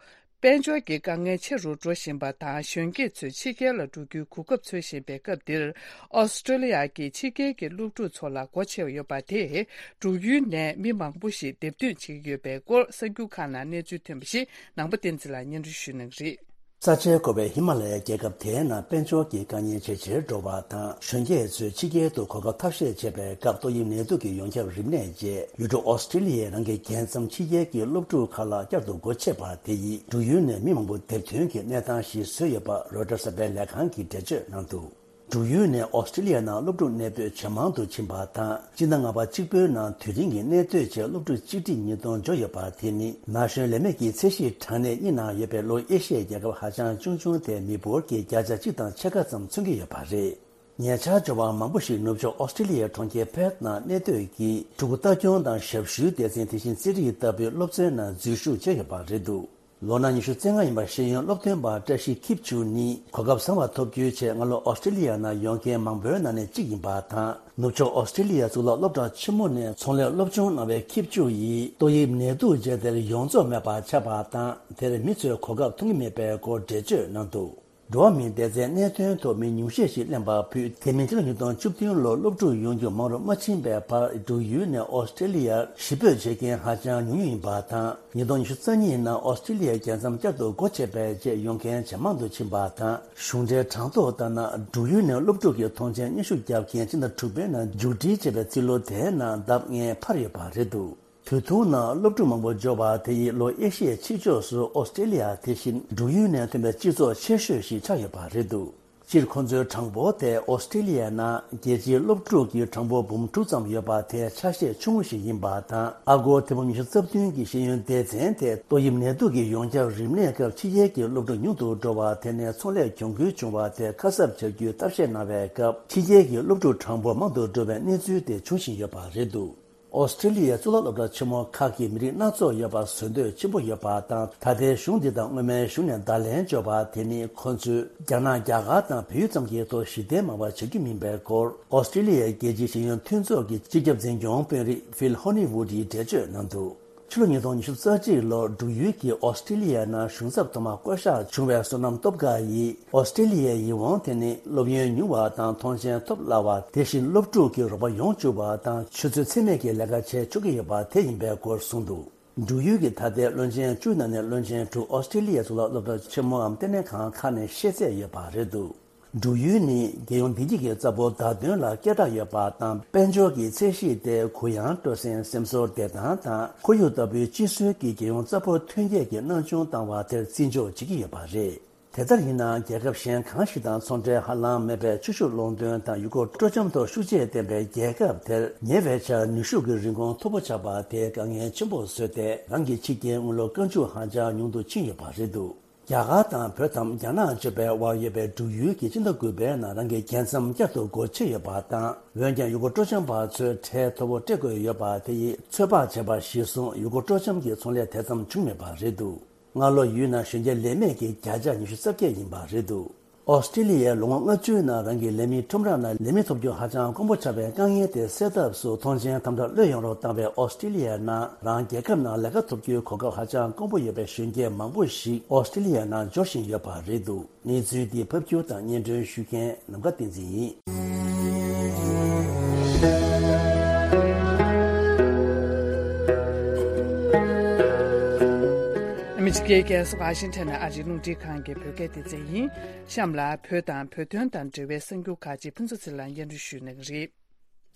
དཔལ་འབྱོར་གྱི་དཀའ་ངལ་ཆེ་རུ་འགྲོ་བཞིན་པ་དང་། གཞོན་སྐྱེས་ཚོས་ཕྱི་རྒྱལ་ལ་འགྲོ་རྒྱུའི་གོ་སྐབས་འཚོལ་བཞིན་པའི་སྐབས་འདིར། ཨོ་སི་ཀྲོ་ལི་ཡ་གིས་ཕྱི་རྒྱལ་གྱི་སློབ་ཕྲུག་ཚོ་ལ་སྒོ་ཕྱེ་ཡོད་པ་དེས། འབྲུག་ཡུལ་ནས་མི་མང་པོ་ཞིག་འདེམས་ཐོན་བྱེད་ཀྱི་ཡོད་པའི་སྐོར་གསར་འགྱུར་ཁག་ནང་གནས་ཚུལ་ཐོན་པ་ཞིག་ནང་པ་བསྟན་འཛིན་ལགས་སྙན་སྒྲོན་ཞུ་གནང་གི་རེད། ས་ཆའི་འགོ་བའི་ཧི་མ་ལ་ཡའི་རྒྱལ་ཁབ་དེའི་ནང་དཔལ་འབྱོར་གྱི་དཀའ་ངལ་ཇེ་ཆེར་འགྲོ་བ་དང་། གཞོན་སྐྱེས་ཚོས་ཕྱི་རྒྱལ་དུ་གོ་སྐབས་ཐབས་ཤེས་བྱེད་པའི་སྐབས་ཏོག་དབྱིབས་ནད་དུག་གི་ཡོངས་ཁྱབ་རིམས་ནད་རྗེས། ཡུལ་གྲུ་ཨོ་སི་ཀྲི་ལི་ཡའི་ནང་གི་རྒྱལ་མཚམས་ཕྱི་རྒྱལ་གྱི་སློབ་ཕྲུག་ཁག་ལ་བསྐྱར་དུ་སྒོ་ཕྱེ་བ་དེ་ཡིས། འབྲུག་ཡུལ་ནས་མི་མང་པོ་འདེམས་ཐོན་གྱི་གནས་སྟངས་ཤིག་བཟོས་ཡོད་པ་རོའི་ཊར་གསར་པའི་ལས་ཁང་གིས་འགྲེལ་བརྗོད་གནང་འདུག་འབྲུག་ཡུལ་ནས་ཨོ་སི་ཀྲི་ལི་ཡ་ནང་སློབ་ཕྲུག་གནས་སྤོས་ཇེ་མང་དུ་ཕྱིན་པ་དང་། སྤྱི་ཟླ་ལྔ་པ་གཅིག་པོའི་ནང་དུས་རིང་གི་གནས་སྡོད་བྱས་སློབ་ཕྲུག་གཅིག་ཁྲི་ཉིས་སྟོང་འབྱོར་ཡོད་པ་དེ་ནི། ན་གཞོན་ལས་མེད་ཀྱི་ཚད་གཞིའི་གྲངས་གནས་གཉིས་ནང་ཡོད་པའི་ལྷོ་ཨེ་ཤི་ཡའི་རྒྱལ་ཁབ་ཧ་ཅང་ཆུང་ཆུང་དེ་མི་འབོར་གྱི་བརྒྱ་ཆ་གཅིག་དང་ཕྱེད་ཀ་ཙམ་མཚོན་གྱི་ཡོད་པ་རེད། ཉེ་ཆར་འབྱོར་བ་མང་པོ་ཞིག་ནུབ་ཕྱོགས་ཨོ་སི་ཀྲི་ལི་ཡའི་གྲོང་ཁྱེར་ཕེར་ཐི་ནང་གནས་སྡོད་ཀྱིས་ཕྲུ་གུ་ལྟ་སྐྱོང་དང་ཞབས་ཞུའི་སྡེ་ཚན། དེ་བཞིན་རྩེད་རིགས་ལྟ་བུའི་སློབ་ཚན་ནང་འཛུལ་ཞུགས་བྱས་ཡོད་པ་རེད་འདུག་ལོ་ན་ཉི་ཤུ་རྩ་ལྔ་ཡིན་པ་ཤེས་ཡོན་སློབ་སྟོན་པ་བཀྲ་ཤིས་ཁྱི་ཆུ་ནི་གོ་སྐབས་བཟང་བ་ཐོབ་རྒྱུའི་ཆེད་སྔ་ལོ་ཨོ་སི་ཀྲི་ལི་ཡ་ནང་ཡོང་མཁན་མང་པོའི་ནང་ནས་གཅིག་ཡིན་པ་དང་། ནུབ་ཕྱོགས་ཨོ་སི་ཀྲི་ལི་ཡ་གཙུག་ལག་སློབ་གྲྭ་ཆེན་མོ་ནས་ཚོང་ལས་སློབ་སྦྱོང་གནང་བའི་ཁྱི་ཆུ་ཡིས་ཏོག་དབྱིབས་ནད་དུག་ཅན་དེར་ཡོངས་རྫོགས་མེད་པ་ཆགས་པ་དང་། དེར་མི་ཚོས་གོ་སྐབས་མཐོང་གི་མེད་པའི་སྐོར་འགྲེལ་བརྗོད་གནང་འདུག་འགྲོ་བ་མིའི་བདེ་རྩའི་གནད་དོན་ཐོག་མི་ཉུང་ཤས་ཤིག་གླེན་པ་ཕུད། དེ་མིན་ཕྱི་ལོ་ཉིས་སྟོང་བཅུ་བདུན་ལོར་སློབ་ཕྲུག་ཡོང་རྒྱུ་མང་རུ་མ་ཕྱིན་པའི་བར། འབྲུག་ཡུལ་ནས་ཨོ་སི་ཀྲི་ལི་ཡར་གཞིས་སྤོས་བྱེད་མཁན་ཧ་ཅང་ཉུང་ཉུང་ཡིན་པ་དང་། ཉིས་སྟོང་ཉི་ཤུ་རྩ་གཉིས་ནང་ཨོ་སི་ཀྲི་ལི་ཡའི་རྒྱལ་མཚམས་བསྐྱར་དུ་སྒོ་ཕྱེ་བའི་རྗེས་ཡོང་མཁན་ཇེ་མང་དུ་ཕྱིན་པ་དང་། གཞུང་འབྲེལ་གྲངས་ཐོ་ལྟར་ན། འབྲུག་ཡུལ་ནས་སློབ་ཕྲུག་གི་ཐོངས་མཆན་སྙན་ཞུ་བརྒྱབ་མཁན་སྤྱི་ཟླ་དྲུག་པའི་ནང་མཇུག་སྒྲིལ་བྱས་པའི་རྩིས་ལོ་དེའི་ནང་ལྡབ་ལྔས་འཕར་ཡོད་པ་རེད་འདུག་དུས་ཐུང་ནང་སློབ་ཕྲུག་མང་པོ་འབྱོར་བ་དེ་ཡིས་ལྷོ་ཨེ་ཤི་ཡའི་ཕྱི་ཕྱོགས་སུ་ཨོ་སི་ཀྲི་ལི་ཡ་དེ་བཞིན་འབྲུག་ཡུལ་ནས་ཐོན་པའི་སྤྱི་ཚོགས་ཆེ་ཤོས་ཤིག་ཆགས་ཡོད་པ་རེད་འདུག་སྤྱིར་ཁོ་ཚོའི་གྲངས་འབོར་དེ་ཨོ་སི་ཀྲི་ལི་ཡའི་ནང་རྒྱལ་སྤྱིའི་སློབ་ཕྲུག་གི་གྲངས་འབོར་འབུམ་དྲུག་ཙམ་ཡོད་པ་དེ་ཆ་ཤས་ཆུང་ངུ་ཞིག་ཡིན་པ་དང་། ཨ་སྒོར་ཐེར་འབུམ་ཉི་ཤུ་རྩ་བདུན་གྱི་ཤེས་ཡོན་སྡེ་ཚན་དེ་ཏོག་དབྱིབས་ནད་དུག་གི་ཡོངས་ཁྱབ་རིམས་ནད་སྐབས་ཕྱི་རྒྱལ་གྱི་སློབ་ཕྲུག་ཉུང་དུ་འགྲོ་བ་དེ་ནས་ཚོང་ལས་གྱོང་གུན་བྱུང་བ་དེ་ཁ་གསབ་བྱ་རྒྱུའི་ཐབས་ཤེས་གནང་བའི་སྐབས། ཕྱི་རྒྱལ་གྱི་སློབ་ཕྲུག་གྲངས་འབོར་མང་དུ་འགྲོ་བའི་གནས་ཚུལ་དེ་འབྱུང་བཞིན་ཡོད་པ་རེད་འདུག་ཨོ་སི་ཀྲི་ལི་ཡའི་གཙུག་ལག་སློབ་གྲྭ་ཆེན་མོ་ཁག་གིས་མི་རིགས་སྣ་ཚོགས་ཡོད་པར་བཟོ་འདོད་ཆེན་པོ་ཡོད་པ་དང་། ད་ལྟའི་གཞུང་འདི་དང་སྔོན་མའི་གཞུང་ནས་བརྡ་ལན་འབྱོར་བ་དེ་ནི། ཁོ་ཚོས་རྒྱ་ནག་རྒྱ་གར་དང་བལ་ཡུལ་ཙམ་གྱི་ཐོག་གཞི་རྟེན་མང་བ་བྱེད་རྒྱུ་མིན་པའི་སྐོར། ཨོ་སི་ཀྲི་ལི་ཡའི་རྒྱལ་སྤྱིའི་ཤེས་ཡོན་མཐུན་ཚོགས་ཀྱི་སྤྱི་ཁྱབ་འཛིན་སྐྱོང་དཔོན་རིགས་ཕིལ་ཧོ་ནི་ཝུ་ཌིས་འགྲེལ་བརྗོད་གནང་འདུག་ཕྱི་ལོ་ཉིས་སྟོང་ཉི་ཤུ་རྩ་གཅིག་ལོར་འབྲུག་ཡུལ་གྱིས་ཨོ་སི་ཀྲི་ལི་ཡའི་ནང་གཞུང་ཚབ་ཐོག་མ་བསྐོ་གཞག་བྱུང་བའི་བསོད་ནམས་སྟོབས་དགའ་ཡིས། ཨོ་སི་ཀྲི་ལི་ཡའི་ཡིད་དབང་དེ་ནི་སློབ་ཡོན་ཉུང་བ་དང་ཐོངས་མཆན་ཐོབ་སླ་བ། དེ་བཞིན་སློབ་ཕྲུག་གི་རོགས་པ་ཡོང་བཅུག་པ་དང་ཆུ་ཚོད་ཚད་མེད་ཀྱི་ལས་ཀ་བྱེད་ཆོག་གི་ཡོད་པ་དེ་ཡིན་པའི་སྐོར་གསུངས་འདུག་འབྲུག་ཡུལ་གྱི་ད་ལྟའི་བློན་ཆེན་བཅུ་ནང་ནས་བློན་ཆེན་དྲུག་ཨོ་སི་ཀྲི་ལི་ཡའི་གཙུག་ལག་སློབ་གྲྭ་ཆེན་མོའམ་ལྟེ་གནས་ཁང་ཁག་ནས་ཤེས་ཚད་ཡོད་པ་རེད་འདུག་འབྲུག་ཡུལ་ནི་རྒྱལ་ཡོངས་བདེ་སྐྱིད་ཀྱི་རྩ་འབོར་བརྡ་དོན་ལ་སྐད་གྲགས་ཡོད་པ་དང་། དཔལ་འབྱོར་གྱི་ཚད་གཞི་དེ་གུ་ཡངས་སྤྲོ་གསེང་སེམས་ཚོར་བདེ་ཐང་དང་ཁོར་ཡུག་ལྟ་བུའི་སྤྱི་སྲོལ་གྱི་རྒྱལ་ཡོངས་རྩ་འབོར་ཐོན་སྐྱེད་ཀྱི་སྣང་ཆུང་བཏང་བ་དེར་བརྩི་འཇོག་བྱེད་ཀྱི་ཡོད་པ་རེད། དེ་ལྟར་ཡིན་ནའང་རྒྱལ་ཁབ་གཞན་གང་ཞིག་དང་ཚོང་འབྲེལ་ཧ་ལམ་མེད་པའི་ཆུ་ཤུགས་སློང་སྟོན་དང་ཡུལ་སྐོར་སྤྲོ་འཆམ་ཐོག་ཤུགས་ཆེ་ལྡན་པའི་རྒྱལ་ཁབ་དེར་ཉེ་བའི་ཆར་ནུས་ཤུགས་ཀྱི་རིན་གོང་མཐོ་པོ་ཆགས་པ་དེས་དཀའ་ངལ་ཆེན་པོ་བཟོས་ཏེ་རང་གི་ཕྱི་རྒྱལ་དངུལ་ལོར་བཀའ་འཇུག་ཧ་ཅང་ཉུང་དུ་ཕྱིན་ཡོད་པ་རེད་འདུག་རྒྱ་གར་དང་བོད་དམ་རྒྱ་ནག་གཅོད་པའི་དབར་ཡོད་པའི་འབྲུག་ཡུལ་གྱིས་སྤྱི་ཟླ་དགུ་པའི་ནང་རང་གི་རྒྱལ་མཚམས་བསྐྱར་དུ་སྒོ་ཕྱེ་ཡོད་པ་དང་། འོན་ཀྱང་ཡུལ་སྐོར་སྤྲོ་འཆམ་པ་ཚོས་ཁྲལ་མཐོ་པོ་སྤྲད་དགོས་ཡོད་པ་དེ་ཡིས་ཚོད་དཔག་བྱས་པ་གཞིར་བཟུང་ཡུལ་སྐོར་སྤྲོ་འཆམ་གྱི་ཚོང་ལས་དེ་ཙམ་བྱུང་མེད་པ་རེད་འདུག་སྔ་ལོ་ཡུལ་ནང་གཞོན་སྐྱེས་ལས་མེད་ཀྱི་བརྒྱ་ཆ་ཉི་ཤུ་རྩ་བརྒྱད་ཡིན་པ་རེད་འདུག་ཨོ་སི་ཀྲི་ལི་ཡའི་ལོ་ངོ་ལྔ་བཅུའི་ནང་རང་གི་ལས་མི་ཁྲོམ་ར་ནང་ལས་མི་ཐོབ་རྒྱུ་ཧ་ཅང་དཀོན་པོ་ཆགས་པའི་དཀའ་ངལ་དེ་སེལ་ཐབས་སུ་ཐོངས་མཆན་དམ་དྲག་གློད་ཡོང་རོགས་བཏང་བའི་ཨོ་སི་ཀྲི་ལི་ཡའི་ནང་རང་རྒྱལ་ཁབ་ནང་ལས་ཀ་ཐོབ་རྒྱུའི་གོ་སྐབས་ཧ་ཅང་དཀོན་པོ་ཡོད་པའི་གཞོན་སྐྱེས་མང་པོ་ཞིག་ཨོ་སི་ཀྲི་ལི་ཡའི་ནང་འབྱོར་བཞིན་ཡོད་པ་རེད་འདུག་གནས་ཚུལ་འདི་ཕབ་སྒྱུར་དང་སྙན་སྒྲོན་ཞུ་མཁན་ནམ་མཁའ་བསྟན་འཛིན་ཡིན། ཨ་མི་རི་ཀའི་རྒྱལ་ས་ཝ་ཤིང་ཊོན་ནས་ཨ་རིའི་རླུང་འཕྲིན་ཁང་གི་བོད་སྐད་སྡེ་ཚན་ཡིན། གཤམ་ལ་བོད་དང་བོད་དོན་དང་འབྲེལ་བའི་གསར་འགྱུར་ཁག་ཅིག་ཕུན་ཚོགས་ཚེ་རིང་ལགས་སྙན་སྒྲོན་ཞུ་གནང་གི་རེད།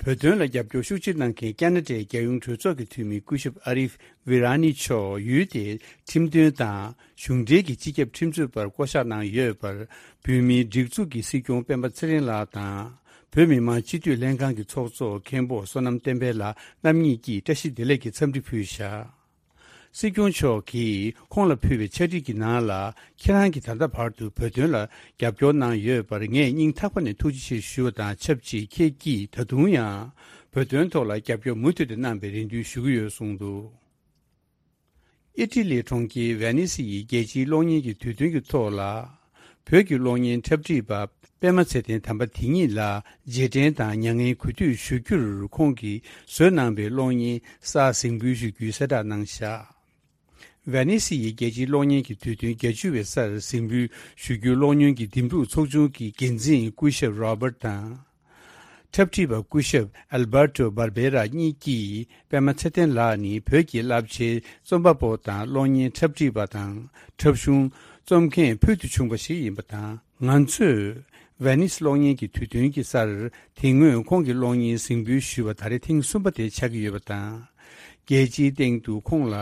བོད་དོན་ལ་རྒྱབ་སྐྱོར་ཤུགས་ཆེ་གནང་མཁན་ཁ་ན་ཌའི་རྒྱལ་ཡོངས་གྲོས་ཚོགས་ཀྱི་འཐུས་མི་སྐུ་ཞབས་ཨ་རིབ་ཝི་ར་ནི་མཆོག་ཡུལ་དེའི་ཁྲིམས་དོན་དང་གཞུང་འབྲེལ་གྱི་སྤྱི་ཁྱབ་ཁྲིམས་རྩོད་པར་བསྐོ་གཞག་གནང་ཡོད་པར། བོད་མིའི་སྒྲིག་འཛུགས་ཀྱི་སྲིད་སྐྱོང་སྤེན་པ་ཚེ་རིང་ལགས་དང་། བོད་མི་མང་སྤྱི་འཐུས་ལྷན་ཁང་གི་ཚོགས་གཙོ་མཁན་པོ་བསོད་ནམས་བསྟན་འཕེལ་ལགས་རྣམ་གཉིས་ཀྱིས་བཀྲ་ཤིས་བདེ་ལེགས་ཀྱི་འཚམས་འདྲི་ཕུལ་བཞག་སྲིད་སྐྱོང་མཆོག་གིས་ཁོང་ལ་ཕུལ་བའི་ཕྱག་བྲིས་ཀྱི་ནང་ལ། ཁྱེད་རང་གིས་ད་ལྟ་བར་དུ་བོད་དོན་ལ་རྒྱབ་སྐྱོར་གནང་ཡོད་པར་ངས་སྙིང་ཐག་པ་ནས་ཐུགས་རྗེ་ཆེ་ཞུ་བ་དང་ཆབས་ཅིག་ཁྱེད་ཀྱིས་ད་དུང་ཡང་བོད་དོན་ཐོག་ལ་རྒྱབ་སྐྱོར་མུ་མཐུད་དེ་གནང་བའི་རེ་འདུན་ཞུ་གི་ཡོད་གསུངས་འདུག་ཨི་ཊ་ལིའི་གྲོང་ཁྱེར་ཝེ་ནི་སི་ཡི་རྒྱལ་སྤྱིའི་གློག་བརྙན་གྱི་དུས་སྟོན་གྱི་ཐོག་ལ། བོད་ཀྱི་གློག་བརྙན་འཁྲབ་ཁྲིད་པ་པད་མ་ཚེ་བརྟན་དམ་པ་དེ་ཉིད་ལ་རྗེས་དྲན་དང་མྱ་ངན་གུས་འདུད་ཞུ་རྒྱུར། ཁོང་གིས་བཟོས་གནང་པའི་གློག་བརྙན་གསར་གཟིགས་འབུལ་ཞུ་རྒྱུའི་གསལ་བསྒྲགས་གནང་བཞག་ཝེ་ནི་སི་ཡི་རྒྱལ་སྤྱིའི་གློག་བརྙན་གྱི་དུས་སྟོན་བརྒྱད་ཅུ་བའི་སར་གཟིགས་འབུལ་ཞུ་རྒྱུའི་གློག་བརྙན་གྱི་འདེམས་སྒྲུག་ཚོགས་ཆུང་གི་འགན་འཛིན་སྐུ་ཞབས་རོ་བར་དང་། འཁྲབ་ཁྲིད་པ་སྐུ་ཞབས་ཨལ་བར་ཏོ་བར་བེ་ར་གཉིས་ཀྱིས་པད་མ་ཚེ་བརྟན་ལགས་ནི་བོད་ཀྱི་རླབས་ཆེའི་རྩོམ་པ་པོ་དང་གློག་བརྙན་འཁྲབ་ཁྲིད་པ་དང་འཁྲབ་གཞུང་རྩོམ་མཁན་ཕུལ་དུ་བྱུང་བ་ཞིག་ཡིན་པ་དང་། ང་ཚོས་ཝེ་ནིས་གློག་བརྙན་གྱི་དུས་སྟོན་གྱི་སར་དེ་སྔོན་ཁོང་གི་གློག་བརྙན་གཟིགས་འབུལ་ཞུས་པ་ད་རེས་ཐེངས་གསུམ་པ་དེ་ཆགས་ཀྱི་ཡོད་པ་དང་། རྒྱལ་སྤྱིའི་སྟེང་དུ་ཁོང་ལ་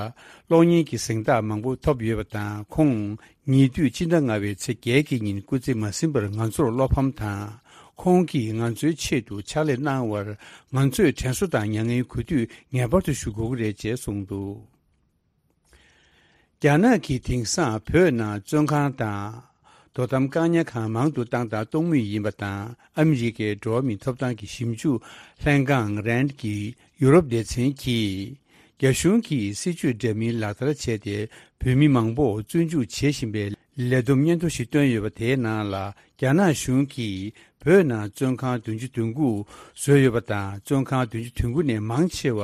གློག་བརྙན་གྱི་གཟེངས་རྟགས་མང་པོ་ཐོབ་ཡོད་པ་དང་། ཁོང་ཉེ་དུས་སྤྱི་ཟླ་ལྔ་བའི་ཚེས་བརྒྱད་ཀྱི་ཉིན་སྐུ་ཚེ་མ་ཟིན་པར་ང་ཚོར་བློ་ཕམ་དང་། ཁོང་གིས་ང་ཚོའི་ཆེད་དུ་ཕྱག་ལས་གནང་བར་ང་ཚོས་དྲན་གསོ་དང་མྱ་ངན་གུས་འདུད་ངེས་པར་དུ་ཞུ་དགོས་ཀྱི་རེད་ཅེས་གསུངས་འདུག་རྒྱ་ནག་གིས་དེང་སང་བོད་ནང་བཙོན་ཁང་དང་དོ་དམ་བཀག་ཉར་ཁང་མང་དུ་བཏང་དང་གཏོང་མུས་ཡིན་པ་དང་། ཨ་མི་རི་ཀའི་འགྲོ་བ་མིའི་ཐོབ་ཐང་གི་ཞིབ་འཇུག་ལྷན་ཁང་རན་གྱི་ཡུ་རོབ་སྡེ་ཚན་གྱིས། རྒྱ་གཞུང་གིས་སྲིད་བྱུས་འདྲ་མིན་ལག་བསྟར་བྱས་ཏེ། བོད་མི་མང་པོ་བཙོན་འཇུག་བྱེད་བཞིན་པའི་ལས་བསྡོམས་སྙན་ཐོ་ཞིག་བཏོན་ཡོད་པ། དེའི་ནང་ལ། རྒྱ་ནག་གཞུང་གིས་བོད་ནང་བཙོན་ཁང་བདུན་ཅུ་དོན་དགུ་བཟོས་ཡོད་པ་དང་། བཙོན་ཁང་བདུན་ཅུ་དོན་དགུ་ནས་མང་ཆེ་བ།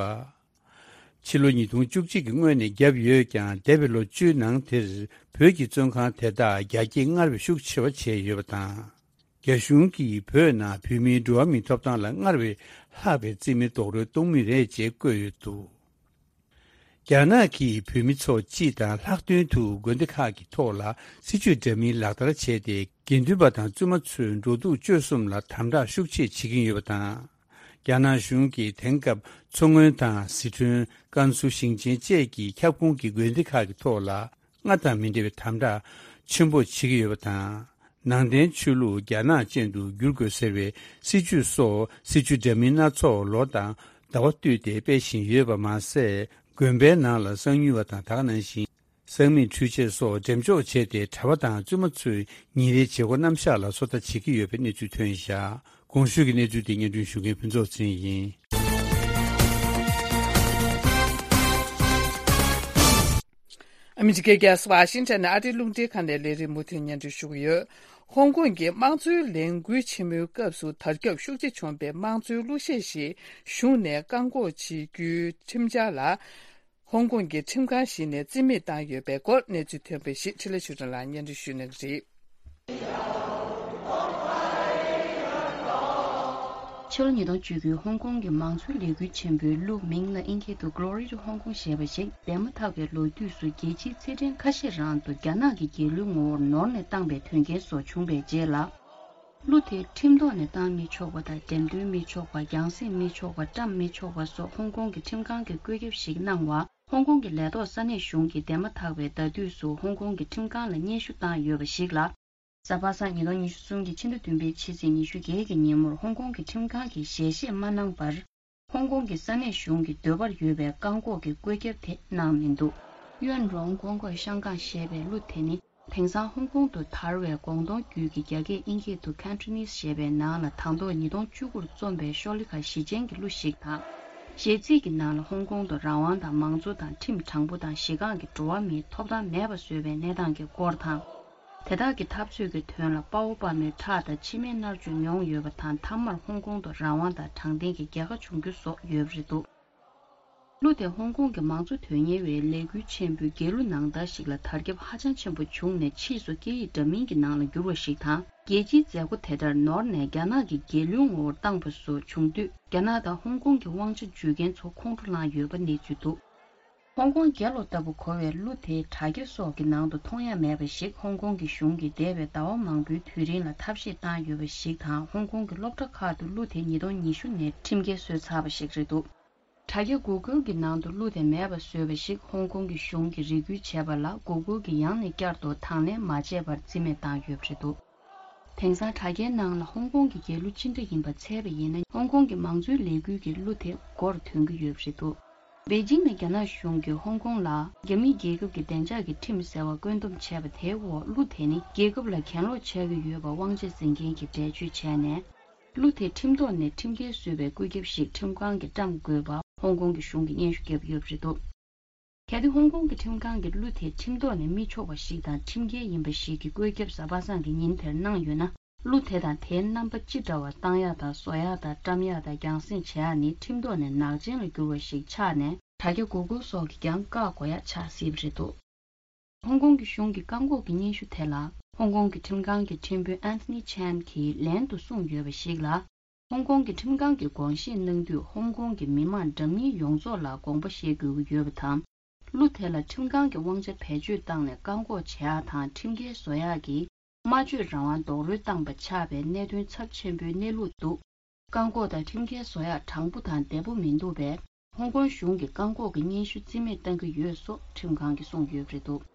ཕྱི་ལོ་ཉིས་སྟོང་བཅུ་གཅིག་གི་སྔོན་ནས་བརྒྱབ་ཡོད་ཀྱང་། འདས་པའི་ལོ་བཅུའི་ནང་དེར་བོད་ཀྱི་བཙོན་ཁང་དེ་དག་རྒྱ་སྐྱེད་སྔར་བས་ཤུགས་ཆེ་བ་བྱས་ཡོད་པ་དང་། རྒྱ་གཞུང་གིས་བོད་ནང་བོད་མིའི་འགྲོ་བ་མིའི་ཐོབ་ཐང་ལ་སྔར་བས་ལྷག་པའི་བརྩི་མེད་རྡོག་རོལ་གཏོང་མུས་རེད་ཅེས་བཀོད་ཡོད་འདུག། རྒྱ་ནག་གིས་བོད་མི་ཚོ་སྤྱི་དང་ལྷག་དོན་དུ་དགོན་སྡེ་ཁག་གི་ཐོག་ལ་སྲིད་བྱུས་འདྲ་མིན་ལག་བསྟར་བྱས་ཏེ། དགེ་འདུན་པ་དང་བཙུན་མ་ཚོའི་འགྲོ་འདུག་སྤྱོད་གསུམ་ལ་དམ་དྲག་ཤུགས་ཆེ་བྱེད་ཀྱིན་ཡོད་པ་དང་། རྒྱ་ནག་གཞུང་གིས་དེང་སྐབས་མཚོ་སྔོན་དང་ཟི་ཁྲོན། ཀན་སུའུ་ཞིང་ཆེན་བཅས་ཀྱི་ཁྱབ་ཁོངས་ཀྱི་དགོན་སྡེ་ཁག་གི་ཐོག་ལ་སྔར་དང་མི་འདྲ་བའི་དམ་དྲག་ཆེན་པོ་བྱེད་ཀྱི་ཡོད་པ་དང་། ནང་བསྟན་ཆོས་ལུགས་རྒྱ་ནག་ཅན་དུ་བསྒྱུར་དགོས་ཟེར་བའི་སྲིད་བྱུས་སོགས། སྲིད་བྱུས་འདྲ་མིན་སྣ་ཚོགས་ལོ་དང་ཟླ་བ་བསྟུད་དེ་སྤེལ་བཞིན་ཡོད་པ་མ་ཟད། དགོན་པའི་ནང་ལ་གསང་ཉུལ་བ་དང་། ད་ག་ནང་བཞིན་གསང་མིག་འཕྲུལ་ཆས་སོགས་འགྲེམས་འཇོག་བྱས་ཏེ། གྲྭ་པ་དང་བཙུན་མ་ཚོའི་ཉིན་རེའི་བྱེད་སྒོ་རྣམ་གཞག་ལ་སོ་ལྟ་བྱེད་ཀྱི་ཡོད་པའི་གནས་ཚུལ་ཐོན་བཞག། གོང་ཞུས་ཀྱི་གནས་ཚུལ་དེ་སྙན་སྒྲོན་ཞུ་མཁན་ཕུན་ཚོགས་ཚེ་རིང་ཡིན། ཨ་མི་རི་ཀའི་རྒྱལ་ས་ཝ་ཤིང་ཊོན་ནས་ཨ་རིའི་རླུང་འཕྲིན་ཁང་ནས་ལས་རིམ་མུ་མཐུད་སྙན་སྒྲོན་ཞུ་གི་ཡོད། ཧོང་ཀོང་གི་དམངས་གཙོའི་ལས་འགུལ་ཆེན་མོའི་སྐབས་སུ་དར་ཁྱབ་ཤུགས་ཆེ་བྱུང་བའི་དམངས་གཙོའི་གླུ་གཞས་ཤིག་གཞུང་ནས་བཀག་འགོག་བྱེད་རྒྱུའི་ཁྲིམས་འཆར་ལ། ཧོང་ཀོང་གི་ཁྲིམས་ཁང་ཞིག་ནས་རྩིས་མེད་བཏང་ཡོད་པའི་སྐོར་གནས་ཚུལ་ཐོན་པ་ཞིག་འཕྲིན་ལས་ཆོས་སྒྲོན་ལགས་སྙན་སྒྲོན་ཞུ་གནང་གི་རེད། ཕྱི་ལོ་ཉིས་སྟོང་བཅུ་དགུའི་ཧོང་ཀོང་གི་མང་གཙོའི་ལས་འགུལ་ཆེན་པོའི་གླུ། མིང་ལ་དབྱིན་སྐད་དུ་Glory to Hong Kong ཞེས་པ་ཞིག་འདས་མ་ཐག་པའི་ལོ་དུས་སུ་རྒྱལ་སྤྱིའི་ཚེས་ཕྲེང་ཁ་ཤས་རང་དུ་རྒྱ་ནག་གི་རྒྱལ་གླུའི་ངོ་བོར་ནོར་ནས་བཏང་པའི་དོན་རྐྱེན་སོགས་བྱུང་བའི་རྗེས་ལ། གླུ་དེ་ཁྲིམས་ཐོག་ནས་བཏང་མི་ཆོག་པ་དང་། འགྲེམས་སྟོན་མི་ཆོག་པ། རྒྱང་སྲིང་མི་ཆོག་པ། བཀྲམ་མི་ཆོག་པ་སོགས་ཧོང་ཀོང་གི་ཁྲིམས་ཁང་གིས་བཀོད་ཁྱབ་ཞིག་གནང་བ། ཧོང་ཀོང་གི་ལས་ཐོག་ས་གནས་གཞུང་གིས་འདས་མ་ཐག་པའི་ཟླ་དུས་སུ་ཧོང་ཀོང་གི་ཁྲིམས་ཁང་ལ་སྙན་ཞུ་བཏང་ཡོད་པ་ཞིག་ལ། གཟའ་པ་སངས་ཉིས་སྟོང་ཉི་ཤུ་གསུམ་གྱི་ཕྱི་ཟླ་བདུན་པའི་ཕྱི་ཚེས་ཉི་ཤུ་བརྒྱད་ཀྱི་ཉིན་མོར་ཧོང་ཀོང་གི་ཁྲིམས་ཁང་གིས་ཞལ་བཞེས་མ་གནང་བར། ཧོང་ཀོང་གི་ས་གནས་གཞུང་གི་འདོད་པར་ཡོད་པའི་བཀག་འགོག་གི་བཀོད་ཁྱབ་དེ་གནང་མི་འདུག། གཡོན་རོང་ཀོང་ཀོས་ཤང་ཀང་ཞེས་པའི་གླུ་དེ་ནི། དེང་སང་ཧོང་ཀོང་དུ་དར་བའི་ཀོང་ཏུང་རྒྱུད་ཀྱི་རྒྱ་སྐད་དབྱིན་སྐད་དུ་Cantonese ཞེས་པའི་ནང་ལ་དང་ཐོག་ཉིས་སྟོང་བཅུ་དགུ་རུ་རྩོམ་པའི་ཤོ་ལི་ཁ་ཞི་ཅན་གྱི་གླུ་ཞིག་དང་། གཞས་ཚིག་གི་ནང་ལ་ཧོང་ཀོང་དུ་རང་དབང་དང་། མང་གཙོ་དང་། ཁྲིམས་དྲང་པོ་དང་། གཞི་རྐང་གི་འགྲོ་བ་མིའི་ཐོབ་ཐང་མེད་པ་བཟོས་པའི་གནས་སྟངས་ཀྱི་སྐོར་དང་། དེ་དག་གི་འཐབ་རྩོད་ཀྱི་དོན་ལ་དཔའ་བོ་དཔའ་མོའི་ཁྲག་དང་མཆི་མའི་མནར་གཅོད་མྱོང་ཡོད་པ་དང་། མཐའ་མར་ཧོང་ཀོང་དུ་རང་དབང་དང་དྲང་བདེན་གྱི་རྒྱལ་ཁ་བྱུང་རྒྱུ་སོགས་ཡོད་པ་རེད་འདུག། གླུ་དེ་ཧོང་ཀོང་གི་མང་གཙོ་དོན་གཉེར་བའི་ལས་འགུལ་ཆེན་པོའི་རྒྱལ་གླུ་ནང་ལྟར་ཞིག་ལ་དར་ཁྱབ་ཧ་ཅང་ཆེན་པོ་བྱུང་ནས། ཕྱིས་སུ་སྐད་ཡིག་འདྲ་མིན་གྱི་ནང་ལ་བསྒྱུར་བ་ཞིག་དང་། རྒྱལ་སྤྱིའི་མཛད་སྒོ་དེ་ལྟར་ནོར་ནས་རྒྱ་ནག་གི་རྒྱལ་གླུའི་ངོ་བོར་བཏང་པ་སོགས་བྱུང་དུས། རྒྱ་ནག་དང་ཧོང་ཀོང་གི་དབང་ཆ་འཇུས་མཁན་ཚོ་ཁོང་ཁྲོ་ལངས་ཡོད་པ་གནས་ཚུལ་འདུག། ཧོང་ཀོང་རྒྱལ་ལོ་ལྟ་བུ་གོ་བའི་གླུ་དེ་དྲ་རྒྱ་སོགས་ཀྱི་ནང་དུ་མཐོང་ཡ་མེད་པ་ཞིག་ཧོང་ཀོང་གི་གཞུང་གིས་འདས་པའི་ཟླ་བ་མང་པོའི་དུས་རིང་ལ་ཐབས་ཤེས་བཏང་ཡོད་པ་ཞིག་དང་། ཧོང་ཀོང་གི་སློབ་གྲྭ་ཁག་ཏུ་གླུ་དེ་ཉིས་སྟོང་ཉི་ཤུ་ནས་ཁྲིམས་འགལ་བཟོས་ཚར་བ་ཞིག་རེད་འདུག། དྲ་རྒྱ་Google གྱི་ནང་དུ་གླུ་དེ་མེད་པ་བཟོས་པ་ཞིག་ཧོང་ཀོང་གི་གཞུང་གིས་རེ་སྐུལ་བྱས་པ་ལ། Google གིས་ཡང་ནས་བསྐྱར་དུ་དང་ལེན་མ་བྱས་པར་རྩིས་མེད་བཏང་ཡོད་པ་རེད་འདུག། དེང་སང་དྲ་རྒྱའི་ནང་ལ་ཧོང་ཀོང་གི་རྒྱལ་གླུ་ཅི་འདྲ་ཡིན་པ་འཚོལ་བ་ཡིན་ན། ཧོང་ཀོང་གི་མང་གཙོའི་ལས་འགུལ་གྱི་གླུ་དེ་མགོར་ཐོན་གྱི་ཡོད་པ་རེད་འདུག། པེ་ཅིང་ནས་རྒྱ་ནག་གཞུང་གིས་ཧོང་ཀོང་ལ་རྒྱ་མི་རྒྱལ་ཁབ་ཀྱི་བདེ་འཇགས་ཀྱི་ཁྲིམས་ཟེར་བ་བཀོད་འདོམས་བྱས་པ་དེའི་འོག་གླུ་དེ་ནི་རྒྱལ་ཁབ་ལ་གྱེན་ལོག་ཆགས་ཀྱི་ཡོད་པ་དབང་ཆ་འཛིན་མཁན་གྱི་འགྲེལ་བརྗོད་བྱས་ནས། གླུ་དེ་ཁྲིམས་ཐོག་ནས་ཁྲིམས་འགལ་བཟོས་པའི་བཀོད་ཁྱབ་ཞིག་ཁྲིམས་ཁང་གིས་བཀྲམ་དགོས་པ་ཧོང་ཀོང་གི་གཞུང་གིས་སྙན་ཞུ་བརྒྱབ་ཡོད་པ་རེད་འདུག། གལ་ཏེ་ཧོང་ཀོང་གི་ཁྲིམས་ཁང་གིས་གླུ་དེ་ཁྲིམས་ཐོག་ནས་མི་ཆོག་པ་ཞིག་དང་ཁྲིམས་འགལ་ཡིན་པ་ཞིག་གི་བཀོད་ཁྱབ་གཟའ་པ་སངས་ཀྱི་ཉིན་དེར་གནང་ཡོད་ན། གླུ་དེ་དང་དེའི་རྣམ་པ་ཅི་འདྲ་བ་བཏང་ཡག་དང་། བཟོ་ཡག་དང་། བཀྲམ་ཡག་དང་། རྒྱང་སྲིང་བྱེད་ཡག་ནི་ཁྲིམས་ཐོག་ནས་ནག་ཅན་ལ་གྱུར་བ་ཞིག་ཆགས་ནས། དྲ་རྒྱ་Google སོགས་ཀྱིས་ཀྱང་བཀག་དགོས་ཡག་ཆགས་སྲིད་པ་རེད་འདུག། ཧོང་ཀོང་གི་གཞུང་གི་བཀག་འགོག་གི་སྙན་ཞུ་དེ་ལ། ཧོང་ཀོང་གི་ཁྲིམས་ཁང་གི་ཁྲིམས་དཔོན་Anthony Chan གྱིས་ལན་དུ་གསུངས་ཡོད་པ་ཞིག་ལ། ཧོང་ཀོང་གི་ཁྲིམས་ཁང་གིས་དགོངས་བཞེས་གནང་དུས། ཧོང་ཀོང་གི་མི་མང་འདྲ་མིན་ཡོངས་རྫོགས་ལ་དགོངས་པ་བཞེས་དགོས་ཀྱི་ཡོད་པ་དང་། གླུ་དེ་ལ་ཁྲིམས་ཁང་གི་དབང་ཆ་བེད་སྤྱོད་བཏང་ནས་བཀག་འགོག་བྱེད་ཡག་དང་། ཁྲིམས་འགལ་བཟོ་ཡག་གིས་སྨྲ་བརྗོད་རང་དབང་རྡོག་རོལ་བཏང་པ་ཆགས་པའི་གནད་དོན་ཚབས་ཆེན་པོའི་གནས་ལུགས་འདུག། བཀག་འགོག་དང་ཁྲིམས་འགལ་བཟོ་ཡག་དྲང་པོ་དང་བདེ་པོ་མི་འདུག་པས། ཧོང་ཀོང་གཞུང་གིས་བཀག་འགོག་གི་སྙན་ཞུ་རྩིས་མེད་བཏང་གི་ཡོད་སོགས་ཁྲིམས་ཁང་གིས་གསུངས་ཡོད་པ་རེད་འདུག།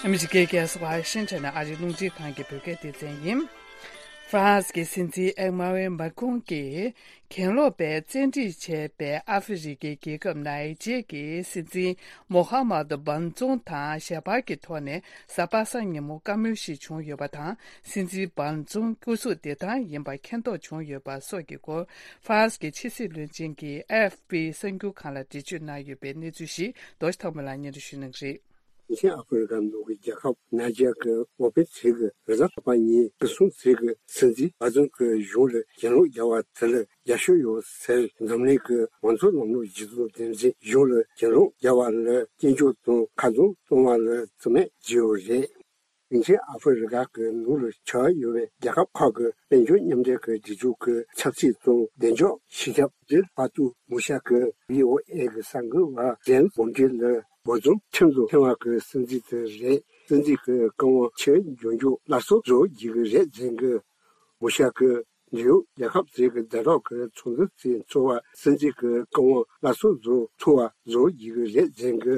ཨ་མི་རི་ཀའི་རྒྱལ་ས་ཝ་ཤིང་ཊོན་ནས་ཨ་རིའི་རླུང་འཕྲིན་ཁང་གི་བོད་སྐད་སྡེ་ཚན་ཡིན། ཧྥ་རན་སི་གི་སྲིད་འཛིན་ཨེ་མ་ཝེ་མཱ་ཁོང་གིས་གྱེན་ལོག་པས་བཙན་ཁྲིད་བྱས་པའི་ཨ་ཧྥེ་རི་ཀའི་རྒྱལ་ཁབ་ནའི་ཇེ་གི་སྲིད་འཛིན་མོ་ཧ་མ་ཏུ་བན་ཙུང་དང་ཞལ་པར་གྱི་ཐོག་ནས་གཟའ་པ་སངས་ཉིན་མོ་བཀའ་མོལ་ཞིག་བྱུང་ཡོད་པ་དང་། སྲིད་འཛིན་བན་ཙུང་སྐུ་གཟུགས་བདེ་ཐང་ཡིན་པ་མཁྱེན་རྟོགས་བྱུང་ཡོད་པ་སོགས་ཀྱི་སྐོར། ཧྥ་རན་སི་གི་ཕྱི་སྲིད་བློན་ཆེན་གྱིས་ཨེ་ཨེཕ་པི་གསར་འགྱུར་ཁང་ལ་འགྲེལ་བརྗོད་གནང་ཡོད་པའི་གནས་ཚུལ་ཞིག་རྡོ་རྗེ་ཐར་པ་ལགས་སྙན་སྒྲོན་ཞུ་གནང་གི་རེད། ལྷོ་ཤར་ཨ་ཧྥེ་རི་ཀ་ནང་གི་རྒྱལ་ཁབ་ནཱི་ཇར་གྱི་འོས་འཕེན་ཚིག་གི་རེས་གཟའ་ལྷག་པ་ཉིན་སྐུ་སྲུང་ཚིག་གི་སྲིད་འཛིན་བ་ཛོན་གྱི་གཞུང་ལ་གྱེན་ལོག་རྒྱག་པ་དེ་ལ་རྒྱབ་སྐྱོར་ཡོད་ཟེར་འཛམ་གླིང་གི་མང་གཙོ་ལམ་ལུགས་གཞི་བཟུང་འདེམས་འཛིན་གཞུང་ལ་གྱེན་ལོག་རྒྱག་པ་ལ་སྐྱོན་བརྗོད་དང་ཁ་རྡུང་གཏོང་བ་ལ་བརྩི་མེད་བགྱིས་ཡོད་རེད། དེང་ཕྱིན་ཨ་ཧྥེ་རི་ཀ་གི་ནང་ལ་ཆགས་ཡོད་པའི་རྒྱལ་ཁབ་ཁག་གི་དཔལ་འབྱོར་མཉམ་འབྲེལ་གྱི་སྒྲིག་འཛུགས་ཀྱི་ཆབ་སྲིད་དང་བདེ་འཇགས་སྤྱི་ཁྱབ་ཇིལ་པ་ཏུ་མུ་ཤ་གིས་བྷི་ཨོ་ཨེ་གི་གསར་འགོད་པ་ཇེམ་སི་བོན་ཌི་ལ། འབོར་འཛིན་ཁྲིམས་དང་མཐུན་པ་གི་སྲིད་འཛིན་དེ་རེད། སྲིད་འཛིན་གྱི་བཀའ་དབང་ཕྱིར་འགྱུར་རྒྱུ་སླར་གསོ་བཟོ་རྒྱུ་གི་རེད་ཟེར་གི། མུ་ཤ་གིས་འབྲེལ་ཡོད་རྒྱལ་ཁབ་ཚོའི་གི་ཟླ་གྲོགས་ཀྱི་ཚོགས་འདུ་དེ་ཚོགས་པ་སྲིད་འཛིན་གྱི་བཀའ་དབང་སླར་གསོ་བཟོ་ཐུབ་པ་བཟོ་རྒྱུ་གི་རེད་ཟེར་གི།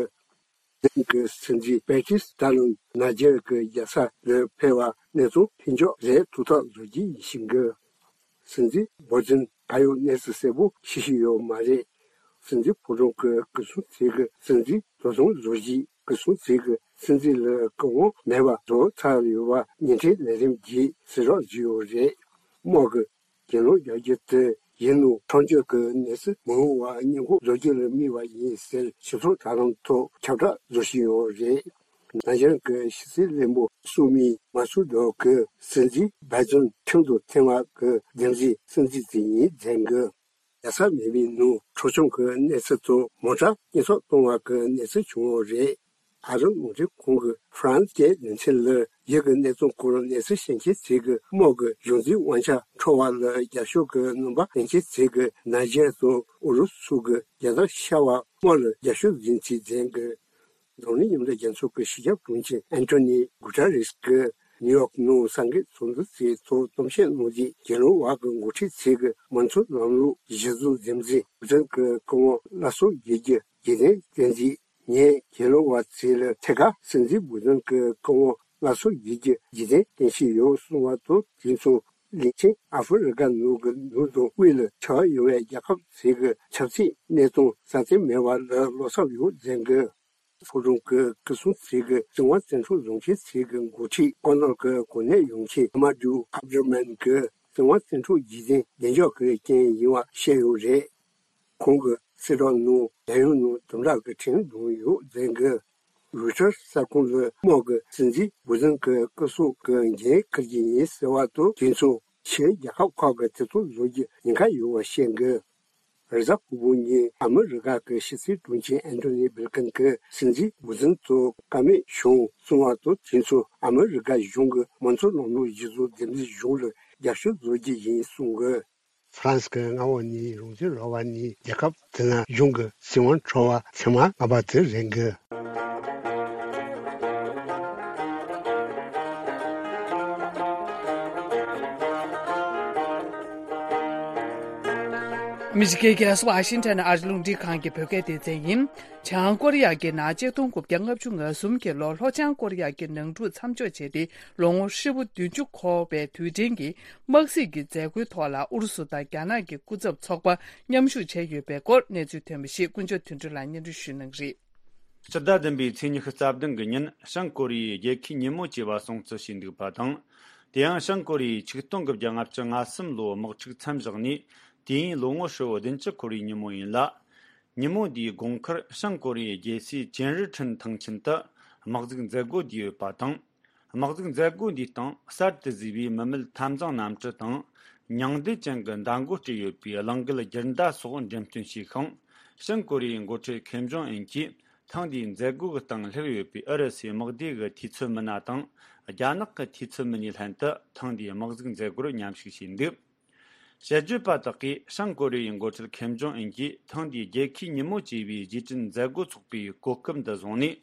དེང་གི་སྲིད་འཛིན་པེ་ཏྲིས་ཏཱ་ལུན་ནཱི་ཇར་གྱི་རྒྱལ་ས་ལ་ཕེབས་པ་གནས་ཚུལ་ལྷིང་འཇགས་རེད་ཐུགས་ཐག་གཟོ་རྒྱུ་ཡིན་ཞིང་གི། སྲིད་འཛིན་འབོར་འཛིན་ད་ཡོད་གནས་ཚུལ་གསལ་པོ་ཤེས་ཤེས་ཡོད་མ་རེད། སྲིད་འཛིན་ཕོ་བྲང་གི་སྐུ་སྲུང་ཚིག་གི་སྲིད་འཛིན་དོ་དམ་བཟོ་གཞིས་སྐུ་སྲུང་ཚིག་གི་སྲིད་འཛིན་ལ་བཀའ་དབང་མེད་པ་བཟོ་ཚར་ཡོད་པ་ཉིན་ཁྲིའི་ལས་རིམ་གྱིས་གསལ་བསྒྲགས་བྱས་ཡོད་རེད། དམག་གི་གྱེན་ལོག་རྒྱག་རྒྱུ་དེ་ཡིན་ནོ་ཁྲིམས་གཅོད་ཀྱི་གནས་ཚུལ་མི་འོང་བ་སྔོན་འགོག་བཟོ་རྒྱུ་ལ་དམིགས་པ་ཡིན་ཟེར་ཞིབ་ཚགས་དྲ་ལམ་ཐོག་ཁྱབ་བསྒྲགས་བཟོ་བཞིན་ཡོད་རེད། ནཱི་ཇར་གྱི་ཕྱི་སྲིད་བློན་པོ་སུ་མི་མ་སུ་དོ་གིས་སྲིད་འཛིན་བྷའི་ཛོན་ཁྲིམས་དང་མཐུན་པ་གི་འདེམས་འཛིན་སྲིད་འཛིན་དེ་ཡིན་ཟེར་གི། རྒྱལ་ས་མེད་པའི་ནང་འཕྲོག་བཅོམ་གྱི་གནས་ཚུལ་དང་མོ་ཊ་རྐྱེན་སོགས་གཏོང་བ་གི་གནས་ཚུལ་བྱུང་ཡོད་རེད། ཨ་རི་རླུང་འཕྲིན་ཁང་གི་ཧྥ་རན་སི་སྐད་སྡེ་ཚན་ལ་ཡུལ་གྱི་གནད་དོན་སྐོར་གནས་ཚུལ་ཤེས་མཁན་ཚོས་ཀྱི་དམག་གི་གཞུང་འཛིན་དབང་ཆ་འཕྲོག་པ་ལ་རྒྱབ་སྐྱོར་གྱི་རྣམ་པ་སྟོན་མཁན་ཚོས་ཀྱི་ནཱི་ཇར་དང་ཨུ་རུ་སུ་གྱི་རྒྱལ་དར་ཤར་བ་དམག་ལ་རྒྱབ་སྐྱོར་ཡིན་ཚུལ་བརྗོད་ཀྱི། འཛམ་གླིང་མཉམ་འབྲེལ་རྒྱལ་ཚོགས་ཀྱི་སྤྱི་ཁྱབ་དྲུང་ཆེ་ཨན་ཐོ་ནི་གུ་ཏ་རེས་ཀྱིས་ནིའུ་ཡོག་ནང་གསར་འགོད་ཚོགས་འདུ་དེའི་ཐོག་གཏམ་བཤད་གནང་རྗེས་གྱེན་ལོག་པ་གི་འགོ་ཁྲིད་ཚོས་ཀྱི་མང་གཙོ་ལམ་ལུགས་གཞི་བཟུང་འདེམས་འཛིན་བུ་ཛོན་གྱི་བཀའ་དབང་སླར་གསོ་བྱེད་རྒྱུ་རྒྱུན་ལྡན་བསྟན་འཛིན། ངས་གྱེན་ལོག་པ་ཚོ་ལ་ཐད་ཀར་སྲིད་འཛིན་བུ་ཛོན་གྱི་བཀའ་དབང་སླར་གསོ་བྱེད་རྒྱུ་རྒྱུན་ལྡན་བསྟན་བཞིན་ཡོད་གསུངས་པ་དང་། དེ་མཚུངས་ལྷིང་ཆེན་ཨ་ཧྥེ་རི་ཀ་ནང་གི་ནང་དང་དབུས་ལ་ཆགས་ཡོད་པའི་རྒྱལ་ཁབ་ཚོའི་གི་ཆབ་སྲིད་གནད་དོན་སྲ་བརྟན་མེད་པ་ལ་བློ་འཚབ་ཡོད་ཟེར་གི། ཕོ་བྲང་གི་སྐུ་སྲུང་ཚོའི་གི་བཙན་དབང་བཙན་འཕྲོག་བཟོ་མཁན་ཚོའི་གི་འགོ་ཁྲིད་ཀོ་ནོར་གི་གོ་གནས་ཡོད་མཁན་ཨ་མ་ཌུ་ཨབ་ར་མན་གྱིས་བཙན་དབང་བཙན་འཕྲོག་བྱེད་མཁན་བདེ་འཇགས་ཀྱི་རྐྱེན་ཡིན་པ་བཤད་ཡོད་རེད། ཁོང་གིས་གསལ་བསྒྲགས་ནང་རྒྱལ་ཡོངས་ནང་དམ་དྲག་གི་ཁྲིམས་བསྒྲགས་ཡོད་ཟེར་གི། རོའི་ཊར་གསར་ཁང་ལ་དམག་གི་སྲིད་འཛིན་བུ་ཛོན་གྱི་སྐུ་སྲོག་གི་འགན་འཁུར་གྱི་ཡིན་ཟེར་བ་དང་། དེ་མཚུངས་ཕྱིའི་རྒྱལ་ཁབ་ཁག་གིས་དེ་ཚོ་བཟོ་རྒྱུ་ཉེན་ཁ་ཡོད་པ་བཤད་གི། རེས་གཟའ་ཕུར་བུ་ཉིན་ཨ་མི་རི་ཀ་གི་ཕྱི་སྲིད་དྲུང་ཆེ་ཨན་ཐོ་ནི་བྷིལ་ཀིན་གྱིས་སྲིད་འཛིན་བུ་ཛོན་ཐོག་བཀའ་མོལ་བྱུང་གསུངས་པ་དང་། དེ་མཚུངས་ཨ་མི་རི་ཀ་གཞུང་གི་མང་གཙོ་ལམ་ལུགས་གཞི་བཟུང་འདེམས་འཛིན་གཞུང་ལ་རྒྱབ་སྐྱོར་བཟོ་རྒྱུ་ཡིན་གསུངས་གི། ཧྥ་རན་སི་གི་མངའ་འོག་ནས་རང་བཙན་རག་པ་ནས་རྒྱལ་ཁབ་དེ་ན་གཞུང་གི་སྲིད་དབང་འཕྲོག་པ་ཐེངས་མ་ལྔ་པ་དེ་རེད་གི། ཨ་མི་རི་ཀའི་རྒྱལ་ས་ཝ་ཤིང་ཊོན་ཨ་རི་རླུང་འཕྲིན་ཁང་གི་བོད་སྐད་སྡེ་ཚན་ཡིན། བྱང་ཀོ་རི་ཡ་གི་ནང་ཆིག་སྟོང་དགུ་བརྒྱ་ལྔ་བཅུ་ང་གསུམ་གྱི་ལོར་ལྷོ་བྱང་ཀོ་རི་ཡ་གི་ནང་འཁྲུག་མཚམས་འཇོག་བྱས་ཏེ་ལོ་ངོ་ཧྲིལ་པོ་བདུན་ཅུ་འཁོར་བའི་དུས་དྲན་གྱི་དམག་སྲིད་ཀྱི་མཛད་སྒོའི་ཐོག་ལ་ཨུ་རུ་སུ་དང་རྒྱ་ནག་གི་སྐུ་ཚབ་ཚོགས་པ་མཉམ་ཞུགས་བྱས་ཡོད་པའི་སྐོར་གནས་ཚུལ་ཐོན་པ་ཞིག་དཀོན་མཆོག་དོན་གྲུབ་ལགས་སྙན་སྒྲོན་ཞུ་གནང་གི་རེད། སྤྱི་ཟླ་བདུན་པའི་ཚེས་ཉི་ཤུ་རྩ་བདུན་གྱི་ཉིན་བྱང་ཀོ་རི་ཡའི་རྒྱལ་ཁའི་ཉིན་མོ་ཅེས་པ་སྲུང་བརྩི་བྱས་འདུག་པ་དང་། དེ་ཡང་བྱང་ཀོ་རི་ཡས་ཆིག་སྟོང་དགུ་བརྒྱ་ལྔ་བཅུ་ང་གསུམ་ལོའི་དམག་འཁྲུག་མཚམས་བཞག་ནས་དུས་ཡུན་ལོ་ངོ་ཧྲིལ་བོ་བདུན་ཅུ་འཁོར་བའི་ཉིན་མོ་ཡིན་ལ། ཉིན་མོ་འདིའི་དགོང་ཁར་བྱང་ཀོ་རི་ཡའི་རྒྱལ་སའི་ཅིན་རི་ཁྲིན་ཐང་ཆེན་དུ་དམག་འཛུགས་མཛད་སྒོ་བསྡུས་ཡོད་པ་དང་། དམག་འཛུགས་མཛད་སྒོ་འདིའི་སྟེང་གསར་དུ་བཟོས་པའི་མི་མེད་འཐབ་འཛིང་གནམ་གྲུ་དང་། ཉིང་རྡུལ་ཅན་གྱི་མདའ་མགོ་སྤྲས་ཡོད་པའི་གླིང་རྒལ་རྒྱུན་ཟླ་སོགས་འགྲེམས་སྟོན་བྱས་ཤིང་། བྱང་ཀོ་རི་ཡའི་འགོ་ཁྲིད་ཁེམ་ཇོང་ཨུན་གྱིས་ཐེངས་འདིའི་མཛད་སྒོ་གི་སྟེང་སླེབས་ཡོད་པའི་ཨུ་རུ་སུའི་དམག་སྡེ་གི་འཐུས་ཚབ་མི་སྣ་དང་། རྒྱ་ནག་གི་འཐུས་ཚབ་མི་སྣའི་ལྷན་དུ་ཐེངས་འདིའི་དམག་འཛུགས་མཛད་སྒོར་མཉམ་ཞུགས་བྱས་འདུག་དཔྱད་བརྗོད་པ་དག་གིས་བྱང་ཀོ་རི་ཡའི་འགོ་ཁྲིད་ཁེམ་ཇོང་ཨུན་གྱིས་ཐེངས་འདིའི་རྒྱལ་ཁའི་ཉིན་མོ་ཅེས་པའི་རྗེས་དྲན་མཛད་སྒོ་ཚོགས་པའི་གོ་སྐབས་འདི་བཟུང་ནས།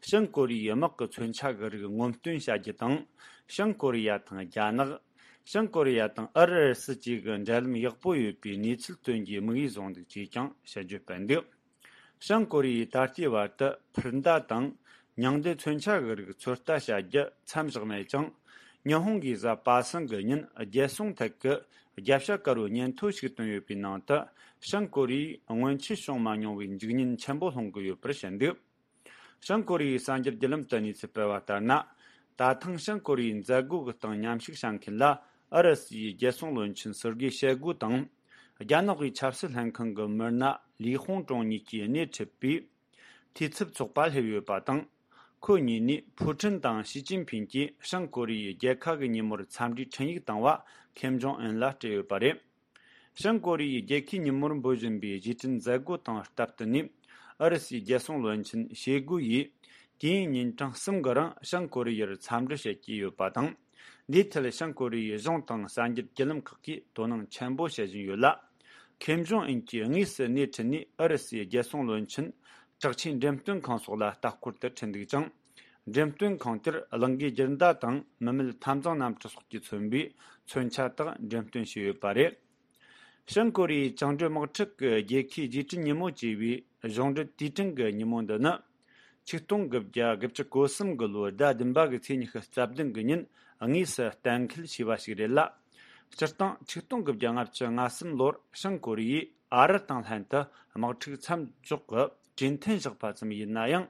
བྱང་ཀོ་རི་ཡའི་དམག་གི་མཚོན་ཆ་གི་རིགས་ངོམ་སྟོན་བྱ་རྒྱུ་དང་། བྱང་ཀོ་རི་ཡ་དང་རྒྱ་ནག་བྱང་ཀོ་རི་ཡ་དང་ཨུ་རུ་སུ་བཅས་ཀྱི་འབྲེལ་ལམ་ཡག་པོ་ཡོད་པའི་གནས་ཚུལ་སྟོན་རྒྱུའི་དམིགས་ཡུལ་བཟུང་འདུག་ཅེས་ཀྱང་དཔྱད་བརྗོད་སྤེལ་འདུག་བྱང་ཀོ་རི་ཡས་ད་ལྟའི་བར་དུ་འཕུར་མདའ་དང་ ཉིང་རྡུལ་མཚོན་ཆ་གི་རིགས་ཚོད་ལྟ་བྱ་རྒྱུ་མཚམས་བཞག་མེད་ཅིང་། ཉི་ཧོང་གིས་གཟའ་པ་སངས་ཀྱི་ཉིན་རྒྱལ་སྲུང་ཐད་ཀྱི་རྒྱབ་ཤ་དཀར་བོའི་སྙན་ཐོ་ཞིག་བཏོན་ཡོད་པའི་ནང་དུ། བྱང་ཀོ་རི་ཡས་སྔོན་ཆད་བྱུང་མ་མྱོང་བའི་འཇིག་ཉེན་ཆེན་པོ་སློང་གི་ཡོད་པར་བཤད་འདུག། བྱང་ཀོ་རི་ཡའི་གསར་འགྱུར་བརྒྱུད་ལམ་དུ་གནས་ཚུལ་སྤེལ་བ་ལྟར་ན། ད་ཐེངས་བྱང་ཀོ་རི་ཡའི་མཛད་སྒོ་གི་སྟེང་མཉམ་ཞུགས་བྱ་མཁན་ལ་ཨུ་རུ་སུའི་རྒྱལ་སྲུང་བློན་ཆེན་སེར་གེ་ཤོ་གུ་དང་། རྒྱ་ནག་གི་ཆབ་སྲིད་ལྷན་ཁང་གི་མི་སྣ་ལི་ཧོང་ཀྲུང་གཉིས་ཀྱིས་སྣེ་ཁྲིད་པའི་འཐུས་ཚབ་ཚོགས་པ་སླེབས་ཡོད་པ་དང་། ཁོ་གཉིས་ནས་ཕུའུ་ཁྲིན་དང་ཞི་ཅིན་ཕིན་གྱིས་བྱང་ཀོ་རི་ཡའི་རྒྱལ་ཁ་གི་ཉིན་མོར་འཚམས་འདྲིའི་འཕྲིན་ཡིག་བཏང་བ་ཁེམ་ཇོང་ཨུན་ལ་སྤྲད་ཡོད་པ་རེད། བྱང་ཀོ་རི་ཡའི་རྒྱལ་ཁའི་ཉིན་མོར་འབོད་བཞིན་པའི་རྗེས་དྲན་མཛད་སྒོ་དང་སྟབས་བསྟུན་ནས། ཨུ་རུ་སུའི་རྒྱལ་སྲུང་བློན་ཆེན་ཤོ་གུ་ཡིས་དུས་ཡུན་ཉིན་གྲངས་གསུམ་གྱི་རིང་བྱང་ཀོ་རི་ཡར་འཚམས་འདྲི་བྱེད་ཀྱི་ཡོད་པ་དང་། འདིའི་ཐད་བྱང་ཀོ་རི་ཡའི་གཞུང་དང་གསར་འགྱུར་བརྒྱུད་ལམ་ཁག་གིས་དོ་སྣང་ཆེན་པོ་བྱེད་བཞིན་ཡོད་ལ། ཁེམ་ཇོང་ཨུན་གྱིས་དངོས་སུ་སྣེ་ཁྲིད་ནས་ཨུ་རུ་སུའི་རྒྱལ་སྲུང་བློན་ཆེན་དྲག་ཆས་འགྲེམས་སྟོན་ཁང་སོགས་ལ་ལྟ་སྐོར་དུ་ཁྲིད་འདུག་ཅིང་། འགྲེམས་སྟོན་ཁང་དེར་གླིང་གའི་རྒྱུན་ཟླ་དང་མི་མེད་འཐབ་འཛིང་གནམ་གྲུ་སོགས་ཀྱིས་མཚོན་པའི་མཚོན་ཆ་དག་འགྲེམས་སྟོན་བྱས་ཡོད་པ་རེད། བྱང་ཀོ་རི་ཡའི་བཅིངས་འགྲོལ་དམག་འཁྲུག་གི་རྒྱལ་ཁའི་རྗེས་དྲན་ཉིན་མོ་ཅེས་པའི་གཞུང་འབྲེལ་དུས་དྲན་གྱི་ཉིན་མོ་འདི་ནི། ཆིག་སྟོང་དགུ་བརྒྱ་དགུ་བཅུ་གོ་གསུམ་གྱི་ལོའི་ཟླ་བདུན་པ་གི་ཚེས་ཉི་ཤུ་རྩ་བདུན་གྱི་ཉིན་དངོས་སུ་གཏན་འཁེལ་བྱས་པ་ཞིག་རེད་ལ། སྤྱིར་བཏང་ཆིག་སྟོང་དགུ་བརྒྱ་ལྔ་བཅུ་ང་གསུམ་ལོར་བྱང་ཀོ་རི་ཡས་ཨ་རི་དང་ལྷན་དུ་དམག་འཁྲུག་མཚམས་འཇོག་གི་གྲོས་མཐུན་བཞག་པ་ཙམ་ཡིན་ན་ཡང་།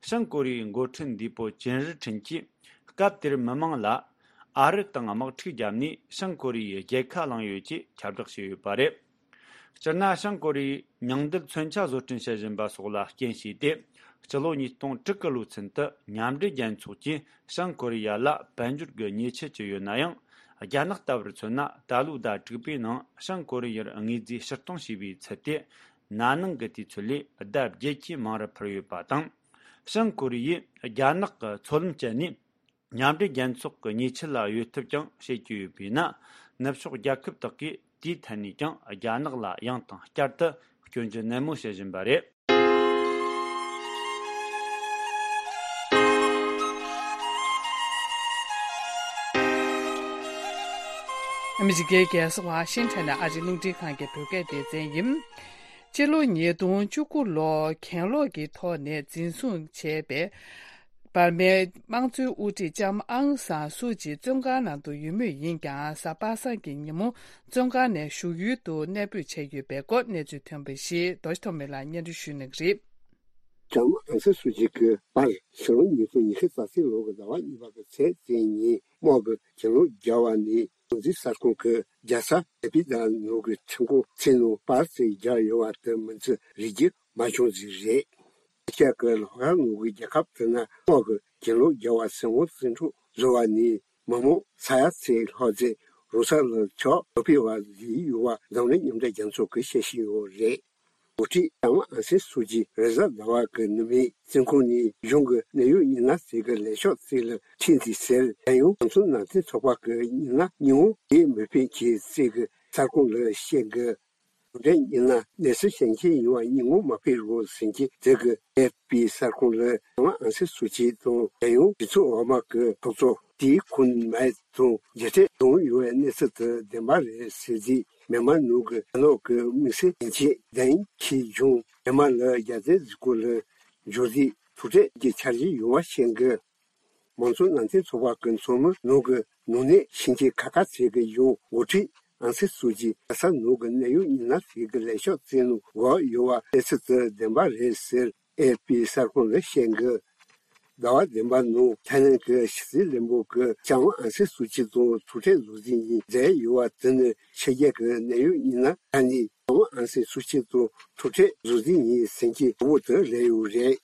བྱང་ཀོ་རི་ཡའི་འགོ་ཁྲིད་འདས་པོ་ཅིན་ཧྲི་ཁྲིན་གྱིས་སྐབས་དེར་མི་མང་ལ། ཨ་རི་དང་དམག་འཁྲུག་བརྒྱབ་ནས་བྱང་ཀོ་རི་ཡའི་རྒྱལ་ཁ་བླངས་ཡོད་ཅེས་ཁྱབ་བསྒྲགས་བྱས་ཡོད་པ་རེད། སྤྱིར་ན་བྱང་ཀོ་རི་ཡས་ཉིང་རྡུལ་མཚོན་ཆ་བཟོ་སྐྲུན་བྱེད་བཞིན་པ་སོགས་ལ་རྐྱེན་བྱས་ཏེ། སྤྱི་ལོ་ཉིས་སྟོང་དྲུག་གི་ལོ་ཚུན་དུ་མཉམ་འབྲེལ་རྒྱལ་ཚོགས་ཀྱིས་བྱང་ཀོ་རི་ཡ་ལ་དཔལ་འབྱོར་གྱི་ཉེས་ཆད་བཅད་ཡོད་ན་ཡང་། རྒྱ་ནག་ལྟ་བུར་མཚོན་ན་ད་ལོའི་ཟླ་དྲུག་པའི་ནང་བྱང་ཀོ་རི་ཡར་དངོས་རྫས་ཕྱིར་གཏོང་བྱས་པའི་ཚད་དེ། ན་ནིང་གི་དུས་ཚོད་ལས་ལྡབ་བརྒྱད་ཀྱིས་མང་རུ་འཕར་ཡོད་པ་དང་། བྱང་ཀོ་རི་ཡས་རྒྱ་ནག་གི་མཚོ་ལམ་བཅད་ནས། མཉམ་འབྲེལ་རྒྱལ་ཚོགས་ཀྱི་ཉེས་ཆད་ལ་གཡོལ་ཐབས་ཀྱང་བྱེད་ཀྱི་ཡོད་པས་ན། ནུབ་ཕྱོགས་རྒྱལ་ཁབ་དག་གིས་དེའི་ཐད་ནས་ཀྱང་རྒྱ་ནག་ལ་ཡང་དང་བསྐྱར་དུ་སྐྱོན་བརྗོད་ནན་མོ་བྱེད་བཞིན་པ་རེད། ཨ་མི་རི་ཀའི་རྒྱལ་ས་ཝ་ཤིང་ཊོན་ནས་ཨ་རིའི་རླུང་འཕྲིན་ཁང་གི་བོད་སྐད་སྡེ་ཚན་ཡིན། སྤྱི་ལོ་ཉིས་སྟོང་བཅུ་དགུ་ལོར་གྱེན་ལོག་གི་ཐོག་ནས་འཛིན་བཟུང་བྱས་པའི་འབར་མའི་དམངས་གཙོའི་དབུ་ཁྲིད་ལྕམ་ཨང་སང་སུའུ་ཅི་བཙོན་ཁང་ནང་དུ་ཡོད་མུས་ཡིན་ཀྱང་། གཟའ་པ་སངས་ཀྱི་ཉིན་མོ་བཙོན་ཁང་ནས་བཞུགས་ཡུལ་དུ་གནས་སྤོས་བྱས་ཡོད་པའི་སྐོར་གནས་ཚུལ་ཐོན་པ་ཞིག་རྡོ་རྗེ་ཐོགས་མེད་ལགས་སྙན་སྒྲོན་ཞུ་གནང་གི་རེད། ལྕམ་ཨང་སང་སུའུ་ཅི་གི་པར་ཕྱི་ལོ་ཉིས་སྟོང་ཉི་ཤུ་རྩ་གཅིག་ལོ་གི་ཟླ་བ་གཉིས་པ་གི་ཚེས་བཅུ་ཉིན་དམག་གིས་གྱེན་ལོག་བརྒྱབ་པ་ནི། ཁོང་ཚོའི་གསར་ཁང་གི་རྒྱལ་ས་ཨེ་པི་ཏ་ནང་གི་ཁྲིམས་ཁང་ཚན་ནང་པར་ཚིག་བརྒྱབ་ཡོད་པ་དེ་མིན་ཚུལ་རིག་རྒྱུ་མ་བྱུང་ཟིག་རེད། ཨེ་ཤ་ཡ་གི་ལྷོ་ཁ་ནང་གི་རྒྱལ་ཁབ་དེ་ན་དམག་གིས་གྱེན་ལོག་བརྒྱབ་པ་ཟིན་འོང་ཟིན་འཕྲོ་བཟོ་བ་ནི། མི་མང་ས་ཡ་ཚོའི་ལྷག་རྩེ་རོ་ས་ལ་ཆགས་ལོ་པི་བ་ལི་ཡུ་བ་འཛམ་གླིང་མཉམ་འབྲེལ་རྒྱལ་ཚོགས་ཀྱིས་བཤད་བཞིན་ཡོད་རེད། འགོ་ཁྲིད་ལྕམ་ཨང་སན་སུའུ་ཅི་རེས་གཟའ་ཟླ་བ་གི་ནུབ་མོའི་བཙོན་ཁང་ནས་གཞུང་གི་གནད་ཡོད་མི་སྣ་ཟིག་གི་ལས་ཤག་ཅིག་ལ་ཁྲིད་འདུག་ཟེར། རྒྱལ་ཡོངས་གྲོས་ཚོགས་ནང་བསྟན་ཚོགས་པ་གི་མི་སྣ་ཉིན་མོ་དེ་མི་ཕེབས་ཀྱི་ཅིག་གི་གསར་ཁང་ལ་བཤད་གི། གྲུབ་འབྲས་ཡིན་ན་གནས་ཚུལ་གཞན་ཁྱེད་ཡིན་བ་ཉིན་མོ་མ་ཕེབས་རོགས་ཟིན་གྱི་དེ་གི་ཨེ་ཕི་གསར་ཁང་ལ་ལྕམ་ཨང་སན་སུའུ་ཅི་དང་རྒྱལ་ཡོངས་གྲོས་ཚོགས་འོག་མ་གི་ཚོགས་གཙོ་དེའི་ཁོང་མའི་དང་མཇལ་འཕྲད་བྱུང་ཡོད་པའི་གནས་ཚུལ་དེ་བདེན་པ་རེད་ཟེར་རྗེས། མྱན་མར་ནང་གི་རྒྱ་ནག་གི་དམིགས་བསལ་དོན་གཅོད་ཌན་ཁི་ཇུང་མྱན་མར་ལ་རྒྱལ་དར་གཟིགས་སྐོར་ལ་འབྱོར་རྗེས་ཐུག་འཕྲད་ཀྱི་འཆར་གཞི་ཡོད་པ་བཤད་གི། མང་གཙོ་ནང་བསྟན་ཚོགས་པ་གི་ཚོགས་མི་ནང་གི་ནང་གནས་ཕྱིན་ཆད་ཁ་ཁ་བྱེད་ཀྱི་ཡོད། འགོ་ཁྲིད་ཨང་སན་སུའུ་ཅི་རྒྱལ་ས་ནང་གི་གནད་ཡོད་མི་སྣ་ཞིག་གི་ལས་ཤག་ཅིག་ནང་བཞུགས་ཡོད་པ་གནས་ཚུལ་དེ་བདེན་པ་རེད་ཟེར་ཨེ་ཕི་གསར་ཁང་ལ་བཤད་གི། ཟླ་བ་བདུན་པ་ནང་ཐའི་ལེན་གྱི་ཕྱི་སྲིད་བློན་པོ་གིས་ལྕམ་ཨང་སན་སུའུ་ཅི་དང་ཐུག་འཕྲད་ལོ་རྒྱུས་ཡིན་མཛད་ཡོད་པ་དེ་ནི་ཕྱི་རྒྱལ་གྱི་གནད་ཡོད་མི་སྣ་ཁ་ནས་ལྕམ་ཨང་སན་སུའུ་ཅི་དང་ཐུག་འཕྲད་ལོ་རྒྱུས་ཡིན་ཟིན་གྱི་གྲོགས་པོ་དེ་རེད་ཡོད་རེད།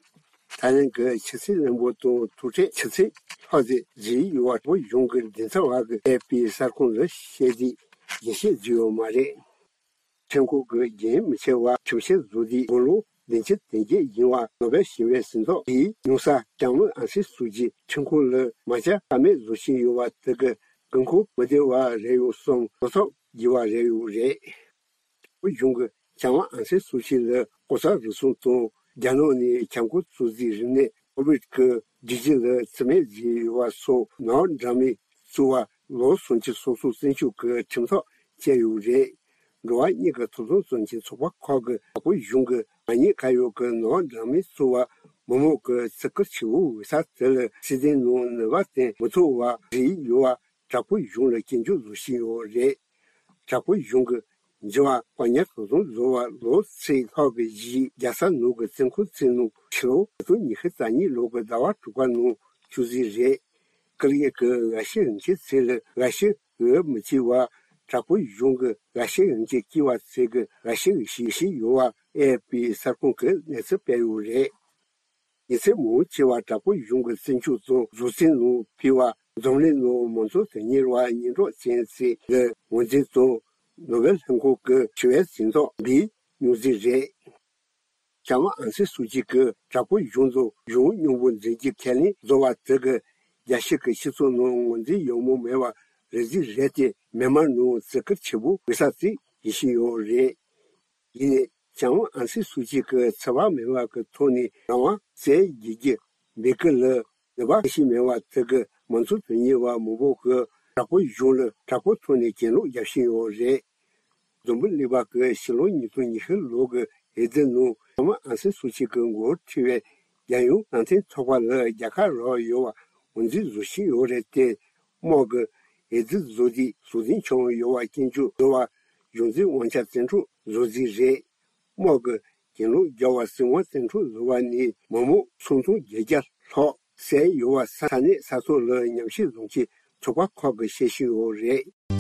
ཐའི་ལེན་གྱི་ཕྱི་སྲིད་བློན་པོ་དང་ཐུག་འཕྲད་ཆུ་ཚོད་ལྷག་ཙམ་བརྗེས་ཡོད་པ་བོད་གཞུང་གི་མགྲིན་ཚབ་པ་གིས་ཨེ་ཕི་གསར་ཁང་ལ་བཤད་དུས་རྒྱས་བཤད་བཟོས་ཡོད་མ་རེད། ཁྲིམས་ཁང་གི་རྒྱུན་མི་ཆད་པར་ཁྲིམས་བཤེར་བཟོ་དུས་དགུང་ལོ་བདུན་ཅུ་དོན་བརྒྱད་ཡིན་པ་ནོ་བེལ་ཞི་བའི་གཟེངས་རྟགས་དེའི་མྱོང་ས་ལྕམ་ཨང་སན་སུའུ་ཅི་ཁྲིམས་ཁང་ལ་མ་བཅར་ཀ་མེད་བཟོ་བཞིན་ཡོད་པ་དེ་གི་དགོས་མཁོ་མི་བདེ་བ་རེད་ཡོད་བསམ་བློ་ཐོག་བགྱིས་པ་རེད་ཡོད་རེད། བོད་གཞུང་གིས་ལྕམ་ཨང་སན་སུའུ་ཅི་ལ་ལྐོག་ཟ་རུལ་སུངས་དང་རྒྱ་ནག་ནས་ཁྱབ་ཁོངས་གཙོ་འཛིན་རིམས་ནད་ཀོ་བིད་ཀྱི་སྒྲིག་གཞི་ལ་རྩིས་མེད་བཟོས་ཡོད་པ་སོགས་ནག་འདྲ་མིན་བཙུགས་པ་ལོ་སུམ་ཅུ་སོ་གསུམ་བཙོན་འཇུག་གི་ཁྲིམས་ཐག་བཅད་ཡོད་རེད། འགྲོ་བ་མིའི་ཐོབ་ཐང་རྩོད་མཁན་ཚོགས་པ་ཁག་གིས་བོད་གཞུང་གིས་མ་ཉེས་ཁ་གཡོག་གི་ནག་འདྲ་མིན་བཙུགས་པ་ མི་མང་གི་བརྩི་བཀུར་ཆེ་བོ་འོས་ས་དེ་ལ་སྲིད་དོན་ནང་ནུས་པ་བརྟེན་མི་ཐུབ་པ་རེད་ཡོད་པ། དྲག་པོའི་གཞུང་ལ་སྐྱོན་བརྗོད་བཟོ་བཞིན་ཡོད་རེད། དྲག་པོའི་གཞུང་གི་འགྱུར་བ་དཔའ་ཉམས་དོ་དམ་བཟོ་བ་ལོ་ཚེ་ལྷག་གི་གཞིས་རྒྱལ་ས་ནང་གི་བཙོན་ཁང་བཙན་གནང་ཕྱི་ལོ་ཉིས་སྟོང་ཉི་ཤུ་རྩ་གཉིས་ལོ་གི་ཟླ་བ་དྲུག་པ་ནང་བཅུག་རྩིས་རེད། ཀི་ལི་ཡ་གི་འགའ་ཤས་ཡན་ཆད་ཚེ་ལ་འགའ་ཤས་འོས་མི་བྱེད་པ། དྲག་པོའི་གཞུང་གི་འགའ་ཤས་ཡན་ཆད་སྐྱེ་བ་ཚེ་གི་འགའ་ཤས་ཤི་བཞིན་ཡོད་པ་ཨེ་ཨེཕ་པི་གསར་ཁང་གིས་གནས་ཚུལ་སྤེལ་ཡོད་རེད། ཉེས་ཚབས་མང་ཆེ་བ་དྲག་པོའི་གཞུང་གི་བཙོན་འཇུག་དང་བཟོ་རྩིས་ནང་ཕུད་པ། འཛམ་གླིང་ནང་མང་གཙོ་དོན་གཉེར་བ་སྙན་གྲགས་ཅན་ཚོས་ལ་ངོས་འཛིན་དང་ནོ་བེལ་ལྷན་ཁང་གི་ཞི་བའི་གཟེངས་རྟགས་འབུལ་མྱོང་རྩིས་རེད། ཞི་ཝང་ཨང་སན་སུའུ་ཅི་གིས་དྲག་པོའི་གཞུང་དང་གཞུང་སྙོམས་པོ་འཛིན་རྒྱུ་ཁས་ལེན་བཟོ་བ་དེ་གིས་རྒྱལ་སྤྱི་གི་སྤྱི་ཚོགས་ནང་ངོས་འཛིན་ཡོད་མུས་མེད་པ་རེད་རྩིས་རེད་དེ། མི་མང་ནང་བརྩི་བཀུར་ཆེ་བོ་འོས་ས་རྩིས་བྱེད་བཞིན་ཡོད་རེད། ཡིན་ནའི་ཞི་ཝང་ཨང་སན་སུའུ་ཅི་གིས་འཚེ་བ་མེད་པ་གི་ཐོག་ནས་རང་དབང་བཙན་བྱེད་རྒྱུ་འབོད་སྐུལ་ལ་ནུས་པ་ཁྱད་ཞིག་མེད་པ་དེ་གིས་མང་གཙོ་དོན་གཉེར་བ་མང་པོ་གིས་དྲག་པོའི་གཞུང་ལ་དྲག་པོའི་ཐོག་ནས་གྱེན་ལོག་རྒྱག་བཞིན་ཡོད་རེད། འཛམ་བུ་གླིང་པ་གིས་ཕྱི་ལོ་ཉིས་སྟོང་ཉི་ཤུ་ལོ་གི་འོས་བསྡུ་ནང་ཞི་ཝང་ཨང་སན་སུའུ་ཅི་གི་འགོ་ཁྲིད་པའི་རྒྱལ་ཡོངས་རང་བཙན་ཚོགས་པ་ལ་རྒྱལ་ཁ་རག་ཡོད་པ་ངོས་འཛིན་བཟོ་བཞིན་ཡོད་རེད་དེ། དམག་གིས་འོས་བསྡུ་བཟོ་དུས་ཟུར་འཛིན་བྱུང་ཡོད་པ་སྐྱོན་བརྗོད་བཟོ་བ་གཞུང་འཛིན་དབང་ཆ་བཙན་འཕྲོག་བཟོ་རྩིས་རེད། དམག་གིས་གྱེན་ལོག་རྒྱག་པ་སྲིད་དབང་བཙན་འཕྲོག་བཟོ་བ་ནི་མི་མང་སུམ་སྟོང་བརྒྱད་བརྒྱ་ལྷག་བསད་ཡོད་པ་ས་གནས་ས་ཐོག་ལ་ཉམས་ཞིབ་བཟོ་མཁན་ཚོགས་པ་ཁག་གིས་བཤད་བཞིན་ཡོད་རེད།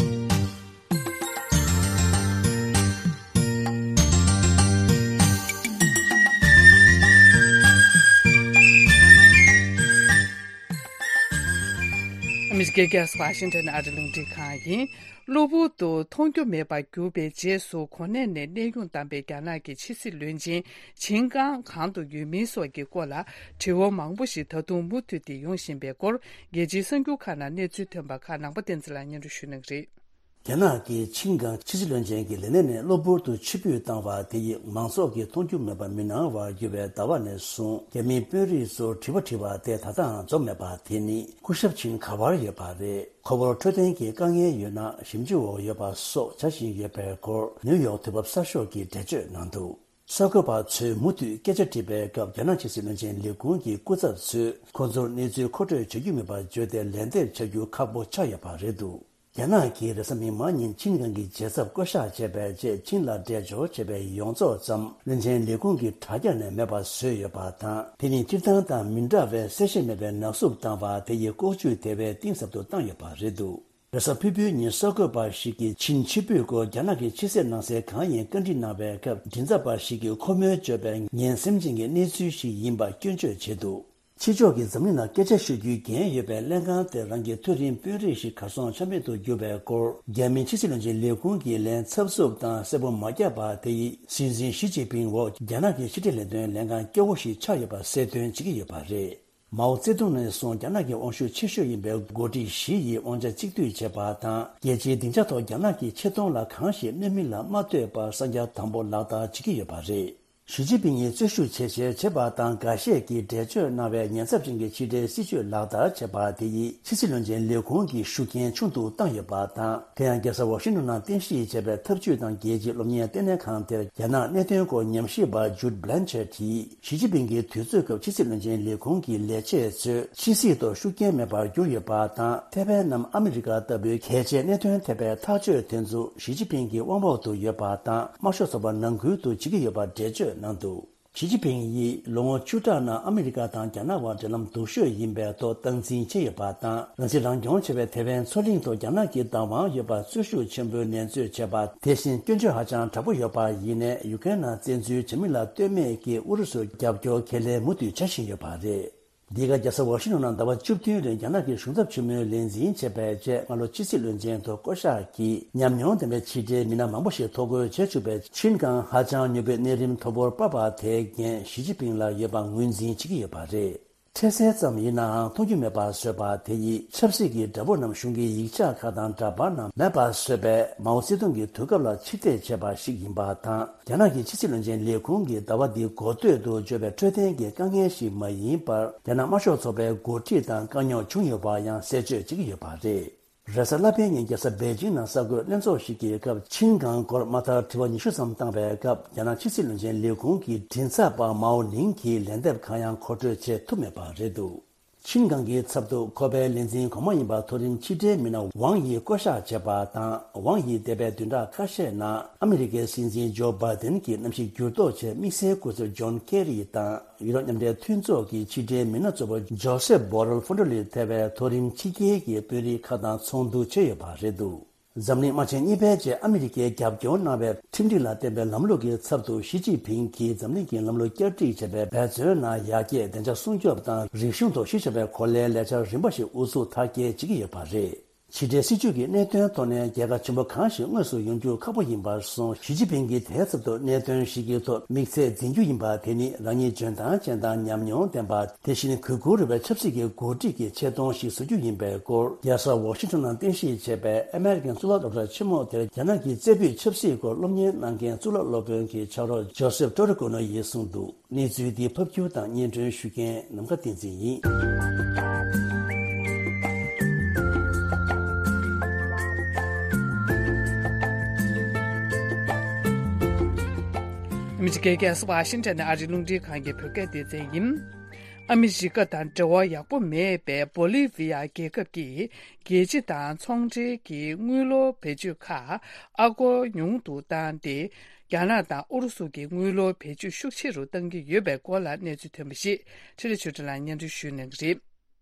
ཨ་མི་རི་ཀའི་རྒྱལ་ས་ཝ་ཤིང་ཊོན་ཨ་རི་རླུང་འཕྲིན་ཁང་ཡིན། གློ་བུར་དུ་མཐོང་རྒྱུ་མེད་པར་གྱུར་པའི་རྗེས་སུ་གོ་གནས་ནས་གནས་དབྱུང་བཏང་པའི་རྒྱ་ནག་གི་ཕྱི་སྲིད་བློན་ཆེན་ཆིན་ཀང་གང་དུ་ཡོད་མིན་སོགས་ཀྱི་སྐོར་ལ་དྲི་བ་མང་པོ་ཞིག་ད་དུང་མུ་མཐུད་དེ་ཡོང་བཞིན་པའི་སྐོར། རྒྱལ་སྤྱིའི་གསར་འགྱུར་ཁག་ནང་གནས་ཚུལ་ཐོན་པ་ཁག་ནང་པ་བསྟན་འཛིན་ལགས་སྙན་སྒྲོན་ཞུ་གནང་གི་རེད། རྒྱ་ནག་གི་ཆིན་ཀང་ཕྱི་སྲིད་བློན་ཆེན་གྱི་ལས་གནས་ནས་གློ་བུར་དུ་ཕྱིར་འབུད་བཏང་བ་དེ་ཡིས་མང་ཚོགས་ཀྱིས་མཐོང་རྒྱུ་མེད་པར་མི་སྣང་བར་གྱུར་བའི་ཟླ་བ་ནས་བཟུང་རྒྱ་མིའི་དཔོན་རིགས་ཚོར་དྲི་བ་དྲིས་པ་དེ་ད་ལྟའང་རྫོགས་མེད་པ་དེ་ནི་སྐུ་ཞབས་ཆིན་ག་པར་ཡོད་པ་རེད། ཁོ་བོར་འཕྲོད་བསྟེན་གྱི་དཀའ་ངལ་ཡོད་ན་ཞིབ་འཇུག་འོག་ཡོད་པ་སོགས་བྱ་བཞིན་ཡོད་པའི་སྐོར་ནིའུ་ཡོག་དུས་བབ་གསར་ཤོག་གིས་འགྲེལ་བརྗོད་གནང་འདུག་གསར་འགོད་པ་ཚོས་མུ་མཐུད་སྐད་ཆ་དྲིས་པའི་སྐབས་རྒྱ་ནག་ཕྱི་སྲིད་བློན་ཆེན་ལས་ཁུངས་ཀྱི་སྐུ་ཚབ་ཚོས་ཁོ་ཚོར་གནས་ཚུལ་མཁོ་སྤྲོད་བྱ་རྒྱུ་མེད་པར་བརྗོད་དེ་ལན་འདེབས་བྱ་རྒྱུ་ཁག་པོ་ཆགས་ཡོད་པ་རེད་འདུག་རྒྱ་ནག་གིས་རེས་གཟའ་མིག་དམར་ཉིན་ཆིན་ཀང་གི་རྒྱལ་ཚབ་བསྐོ་གཞག་བྱས་པའི་རྗེས་ཆིན་ལ་འབྲེལ་འབྱོར་བྱས་པའི་ཡོངས་རྫོགས་ཙམ་བློན་ཆེན་ལས་ཁུངས་ཀྱི་དྲ་རྒྱ་ནས་མེད་པ་བཟོས་ཡོད་པ་དང་། དེ་ནི་སྤྱིར་བཏང་དང་མི་འདྲ་བའི་གསལ་བཤད་མེད་པའི་ནག་བསུབ་བཏང་བ་དེ་ཡི་ལྐོག་ཇུས་དེ་བས་གཏིང་ཟབ་ཏུ་བཏང་ཡོད་པ་རེད་འདུག་རེས་གཟའ་ཕུར་བུའི་ཉིན་གསར་འགོད་པ་ཞིག་གིས་ཆིན་ཕྱིར་འབུད་སྐོར་རྒྱ་ནག་གི་ཕྱི་གསལ་ནང་གསལ་གང་ཡིན་བཀའ་འདྲི་གནང་བའི་སྐབས། མགྲིན་ཚབ་པ་ཞིག་གིས་ཁོ་མོས་བརྗོད་པའི་ངན་སེམས་ཅན་གྱི་གནས་ཚུལ་ཞིག་ཡིན་པ་སྐྱོན་བརྗོད་བྱས་འདུག་ཕྱི་ཕྱོགས་ཀྱིས་འཛམ་གླིང་ནང་སྐད་ཆ་ཞུ་རྒྱུའི་འགན་ཡོད་པའི་ལྷན་ཁང་དེར་རང་གི་མཐོ་རིམ་དཔོན་རིགས་ཤིག་གར་སོང་ཆ་མེད་དུ་གྱུར་བའི་སྐོར། རྒྱ་མིའི་ཕྱི་སྲིད་བློན་ཆེན་ལས་ཁུངས་ཀྱི་ལན་ཚབ་ཚུབ་དང་གསལ་པོ་མ་བརྒྱབ་པ་དེ་ཡིས་སྲིད་འཛིན་ཞི་ཅིན་ཕིང་འོག་རྒྱ་ནག་གི་ཕྱི་འབྲེལ་ལས་དོན་ལྷན་ཁང་སྐྱོ་བོ་ཞིག་ཆགས་ཡོད་པ་གསལ་སྟོན་བྱེད་ཀྱི་ཡོད་པ་རེད། མའོ་ཙེ་ཏུང་ནས་བཟུང་རྒྱ་ནག་གི་དབང་ཤུགས་ཆེ་ཤོས་ཡིན་པའི་འགོ་ཁྲིད་ཞི་ཡིས་དབང་ཆ་གཅིག་སྡུད་བྱས་པ་དང་། རྒྱལ་སྤྱིའི་སྡིངས་ཆ་ཐོག་རྒྱ་ནག་གི་ཆེ་མཐོང་ལ་གང་ཞིག་གནོད་མིན་ལ་མ་ལྟོས་པར་གསང་རྒྱ་དམ་པོ་ལག་བསྟར་བྱེད་ཀྱི་ཡོད་པ་རེད། ཞི་ཅིན་ཕིང་ཡིས་རྩོད་ཤུགས་ཇེ་ཆེར་བྱེད་པ་དང་། འགའ་ཤས་ཀྱིས་འགྲེལ་བརྗོད་གནང་བའི་ཉེན་ཚབས་ཅན་གྱི་ཕྱི་འབྲེལ་སྲིད་ཇུས་ལག་བསྟར་བྱས་པ་དེ་ཡིས་ཕྱི་སྲིད་བློན་ཆེན་ལས་ཁུངས་ཀྱི་ཤུགས་རྐྱེན་ཆུང་དུ་བཏང་ཡོད་པ་དང་། དེ་ཡང་རྒྱལ་ས་ཝ་ཤིང་ཏོན་ནང་རྟེན་གཞི་བྱས་པའི་འཐབ་ཇུས་དང་རྒྱལ་སྤྱིའི་སློབ་གཉེར་ལྟེ་གནས་ཁང་དེར་རྒྱ་ནག་གནད་དོན་སྐོར་ཉམས་ཞིབ་པ་ཇུད་བྷི་ལན་ཆར་གྱིས། ཞི་ཅིན་ཕིང་གི་དུས་ཚོད་སྐབས་ཕྱི་སྲིད་བློན་ཆེན་ལས་ཁུངས་ཀྱི་ལས་བྱེད་ཚོས་ཕྱི་སྲིད་ཐོག་ཤུགས་རྐྱེན་མེད་པར་གྱུར་ཡོད་པ་དང་། ཐའེ་ཝན་ནམ་ཨ་མི་རི་ཀ་ལྟ་བུའི་གལ་ཆེའི་གནད་དོན་ཐེ་བའི་ཐག་གཅོད་དེ་ཚོ་ཞི་ཅིན་ཕིང་གི་དབང་འོག་ཏུ་ཡོད་པ་དང་། དམར་ཤོག་ཚོགས་པ་ནང་ཁུལ་དུ་བྱེད་ཀྱི་ཡོད་པར་འགྲེལ་བརྗོད་གནང་འདུག་ཞི་ཅིན་ཕིང་ཡིས་ལོ་ངོ་བཅུ་ཕྲག་ནང་ཨ་མི་རི་ཀ་དང་རྒྱ་ནག་དབར་འབྲེལ་ལམ་སྡུག་ཤོས་ཡིན་པའི་ཐོག་སྟངས་འཛིན་བྱས་ཡོད་པ་དང་། རང་སྲིད་རང་སྐྱོང་བྱེད་པའི་ཐའེ་ཝན་མཚོ་གླིང་ཐོག་རྒྱ་ནག་གི་བདག་དབང་ཡོད་པར་རྩོད་ཤུགས་ཆེན་པོས་ནན་བརྗོད་བྱས་པ། དེ་བཞིན་སྐྱོན་བརྗོད་ཧ་ཅང་དྲག་པོ་ཡོད་པ་ཡིན་ནའི། ཡུ་ཀེ་རེན་ནང་བཙན་འཛུལ་བྱ་མིན་ལ་ལྟོས་མེད་ཀྱིས་ཨུ་རུ་སུར་རྒྱབ་སྐྱོར་ཁས་ལེན་མུ་མཐུད་བྱ་བཞིན་ཡོད་པ་རེད། འདི་ག་རྒྱལ་ས་ཝ་ཤིང་ཏོན་ནང་ཟླ་བ་བཅུ་བདུན་རིང་རྒྱ་ནག་གི་གཞུང་ཚབ་ཆེན་མོའི་ལས་འཛིན་བྱས་པའི་རྗེས། སྔ་ལོ་ཕྱི་སྲིད་བློན་ཆེན་ཐོག་བསྐོ་གཞག་གིས་ཉམས་མྱོང་ལྡན་པའི་ཕྱི་འབྲེལ་མི་སྣ་མང་པོ་ཞིག་ཐོ་འགོད་བྱེད་བཅུག་པའི་ཆིན་ཀང་ཧ་ཅང་མྱུར་པོའི་གནས་རིམ་མཐོ་པོར་སྤར་བ་དེའི་འགན་ཞི་ཅིན་ཕིང་ལ་ཡོད་པ་ངོས་འཛིན་བྱེད་ཀྱི་ཡོད་པ་རེད། འཕྲལ་སེལ་ཙམ་ཡིན་ནའང་མཐོང་རྒྱུ་མེད་པར་བཟོས་པ་དེ་ཡིས་ཆབ་སྲིད་ཀྱི་དགྲ་བོ་རྣམས་གཞུང་གི་ཡིག་ཆ་ཁག་དང་འདྲ་པར་རྣམས་མེད་པར་བཟོས་པས། མའོ་ཙེ་ཏུང་གི་དུས་སྐབས་ལ་ཕྱིར་འཐེན་བྱས་པ་ཞིག་ཡིན་པ་དང་། རྒྱ་ནག་གི་ཕྱི་སྲིད་བློན་ཆེན་ལས་ཁུངས་ཀྱིས་ཟླ་བ་འདིའི་འགོ་སྟོད་དུ་བརྗོད་པའི་འཕྲོད་བསྟེན་གྱི་དཀའ་ངལ་ཞིག་མ་ཡིན་པར། རྒྱ་ནག་དམར་ཤོག་ཚོགས་པའི་འགོ་ཁྲིད་དང་དཀའ་རྙོག་བྱུང་ཡོད་པ་ཡང་གསལ་བརྗོད་བྱེད་ཀྱི་ཡོད་པ་རེད། རེས་གཟའ་ལྷག་པའི་ཉིན་རྒྱལ་ས་པེ་ཅིང་ནང་གསར་འགོད་ལྷན་ཚོགས་ཤིག་གི་སྐབས། ཆིན་གྷང་སྐོར་མ་མཐར་དྲི་བ་ཉི་ཤུ་ཙམ་བཏང་བའི་སྐབས། རྒྱ་ནག་ཕྱི་སྲིད་བློན་ཆེན་ལས་ཁུངས་ཀྱི་མགྲིན་ཚབ་པ་མའོ་ནིང་གིས་ལན་འདེབས་གང་ཡང་མཁོ་སྤྲོད་བྱེད་ཐུབ་མེད་པ་རེད་འདུག་ཆིན་གྷང་གི་ཚབ་ཏུ་ཁོ་པའི་ལས་འཛིན་གོང་མ་ཡིན་པ་མཐོ་རིམ་ཕྱི་འབྲེལ་མི་སྣ་ཝང་ཡི་བསྐོ་གཞག་བྱས་པ་དང་། ཝང་ཡིས་འདས་པའི་བདུན་ཕྲག་ཁ་ཤས་ནང་ཨ་མི་རི་ཀའི་སྲིད་འཛིན་ཇོ་བྷའི་ཏིན་གྱི་གནམ་གཤིས་འགྱུར་ལྡོག་ཆེད་དམིགས་བསལ་སྐུ་ཚབ་ཇོན་ཁེ་རི་དང་། ཡུ་རོབ་མཉམ་འབྲེལ་མཐུན་ཚོགས་ཀྱི་ཕྱི་འབྲེལ་མི་སྣ་གཙོ་བོ་ཇོ་སེབ་བྷོ་རེལ་ཧྥོན་ཏྲོ་ལི་ཐེ་བའི་མཐོ་རིམ་ཕྱི་རྒྱལ་གྱི་དཔོན་རིགས་ཁག་དང་ཚོགས་འདུ་བྱས་ཡོད་པ་རེད་འདུག་འཛམ་གླིང་དམག་ཆེན་གཉིས་པའི་རྗེས་ཨ་མི་རི་ཀས་རྒྱབ་སྐྱོར་གནང་བའི་ཁྲིམས་སྒྲིག་ལ་བརྟེན་པའི་ལམ་ལུགས་ཀྱི་ཚབ་ཏུ་ཞི་ཅིན་ཕིང་གིས་འཛམ་གླིང་གི་ལམ་ལུགས་བསྐྱར་སྒྲིག་བྱས་པའི་འབད་བརྩོན་ནང་ཡར་རྒྱས་བདེ་འཇགས་སྲུང་སྐྱོབ་དང་རིག་གཞུང་ཐོག་གཞི་བཞག་པའི་གོ་ལའི་ལས་འཆར་རིམ་པ་ཞིག་དབུ་ཚུགས་མཐར་སྐྱེལ་བྱེད་ཀྱི་ཡོད་པ་རེད། ཕྱི་འབྲེལ་སྲིད་ཇུས་ཀྱི་གནད་དོན་ཐོག་ནས་རྒྱལ་ཁ་ཆེན་པོ་གང་ཞིག་དངོས་སུ་ཡོང་རྒྱུ་ཁག་པོ་ཡིན་པར་སོང་། ཞི་ཅིན་ཕིང་གིས་དེའི་ཚབ་ཏུ་གནད་དོན་བཞི་གི་ཐོག་དམིགས་ཚད་འཛིན་རྒྱུ་ཡིན་པ། དེ་ནི་རང་ཉིད་འཇོན་ཐང་ཅན་དང་ཉམས་མྱོང་ལྡན་པ། དེ་བཞིན་གུས་བཀུར་འོས་པའི་ཆབ་སྲིད་ཀྱི་འགོ་ཁྲིད་ཀྱི་ཆེ་མཐོང་ཞིག་བཟོ་རྒྱུ་ཡིན་པའི་སྐོར། རྒྱལ་ས་ཝོ་ཤིང་ཊོན་ནང་རྟེན་གཞི་བྱས་པའི་ཨ་མེ་རི་ཀན་གཙུག་ལག་སློབ་གྲྭ་ཆེན་མོ་དེར་རྒྱ་ནག་གི་རྩེ་ཕུད་ཆབ་སྲིད་སྐོར་སློབ་གཉེར་གནང་མཁན་གཙུག་ལག་སློབ་དཔོན་གྱི་ཕྱག་རོགས་ཇོ་སེབ་ཏྲོ་རི་ཀོ་ནོ་ཡིས་གསུངས་འདུག་གནས་ཚུལ་འདི་ཕབ་སྒྱུར་དང་སྙན་སྒྲོན་ཞུ་མཁན་ནམ་མཁའ་བསྟན་འཛིན་ཡིན། ཨ་མི་རི་ཀའི་རྒྱལ་ས་ཝ་ཤིང་ཊོན་ནས་ཨ་རིའི་རླུང་འཕྲིན་ཁང་གི་བོད་སྐད་སྡེ་ཚན་ཡིན། ཨ་མི་རི་ཀ་དང་འབྲེལ་བ་ཡག་པོ་མེད་པའི་བོ་ལི་ཝི་ཡ་རྒྱལ་ཁབ་ཀྱིས་རྒྱལ་སྤྱི་དང་ཚོང་འབྲེལ་གྱི་དངུལ་ལོར་བེད་སྤྱོད་ཁག་ཨ་སྒོར་ཉུང་དུ་བཏང་སྟེ། རྒྱ་ནག་དང་ཨུ་རུ་སུ་གྱི་དངུལ་ལོར་བེད་སྤྱོད་ཤུགས་ཆེ་རུ་གཏང་གི་ཡོད་པའི་སྐོར་ལ་གནས་ཚུལ་ཐོན་པ་ཞིག་ཁྲི་ལི་ཆོས་སྒྲོན་ལགས་སྙན་སྒྲོན་ཞུ་གནང་གི་རེད།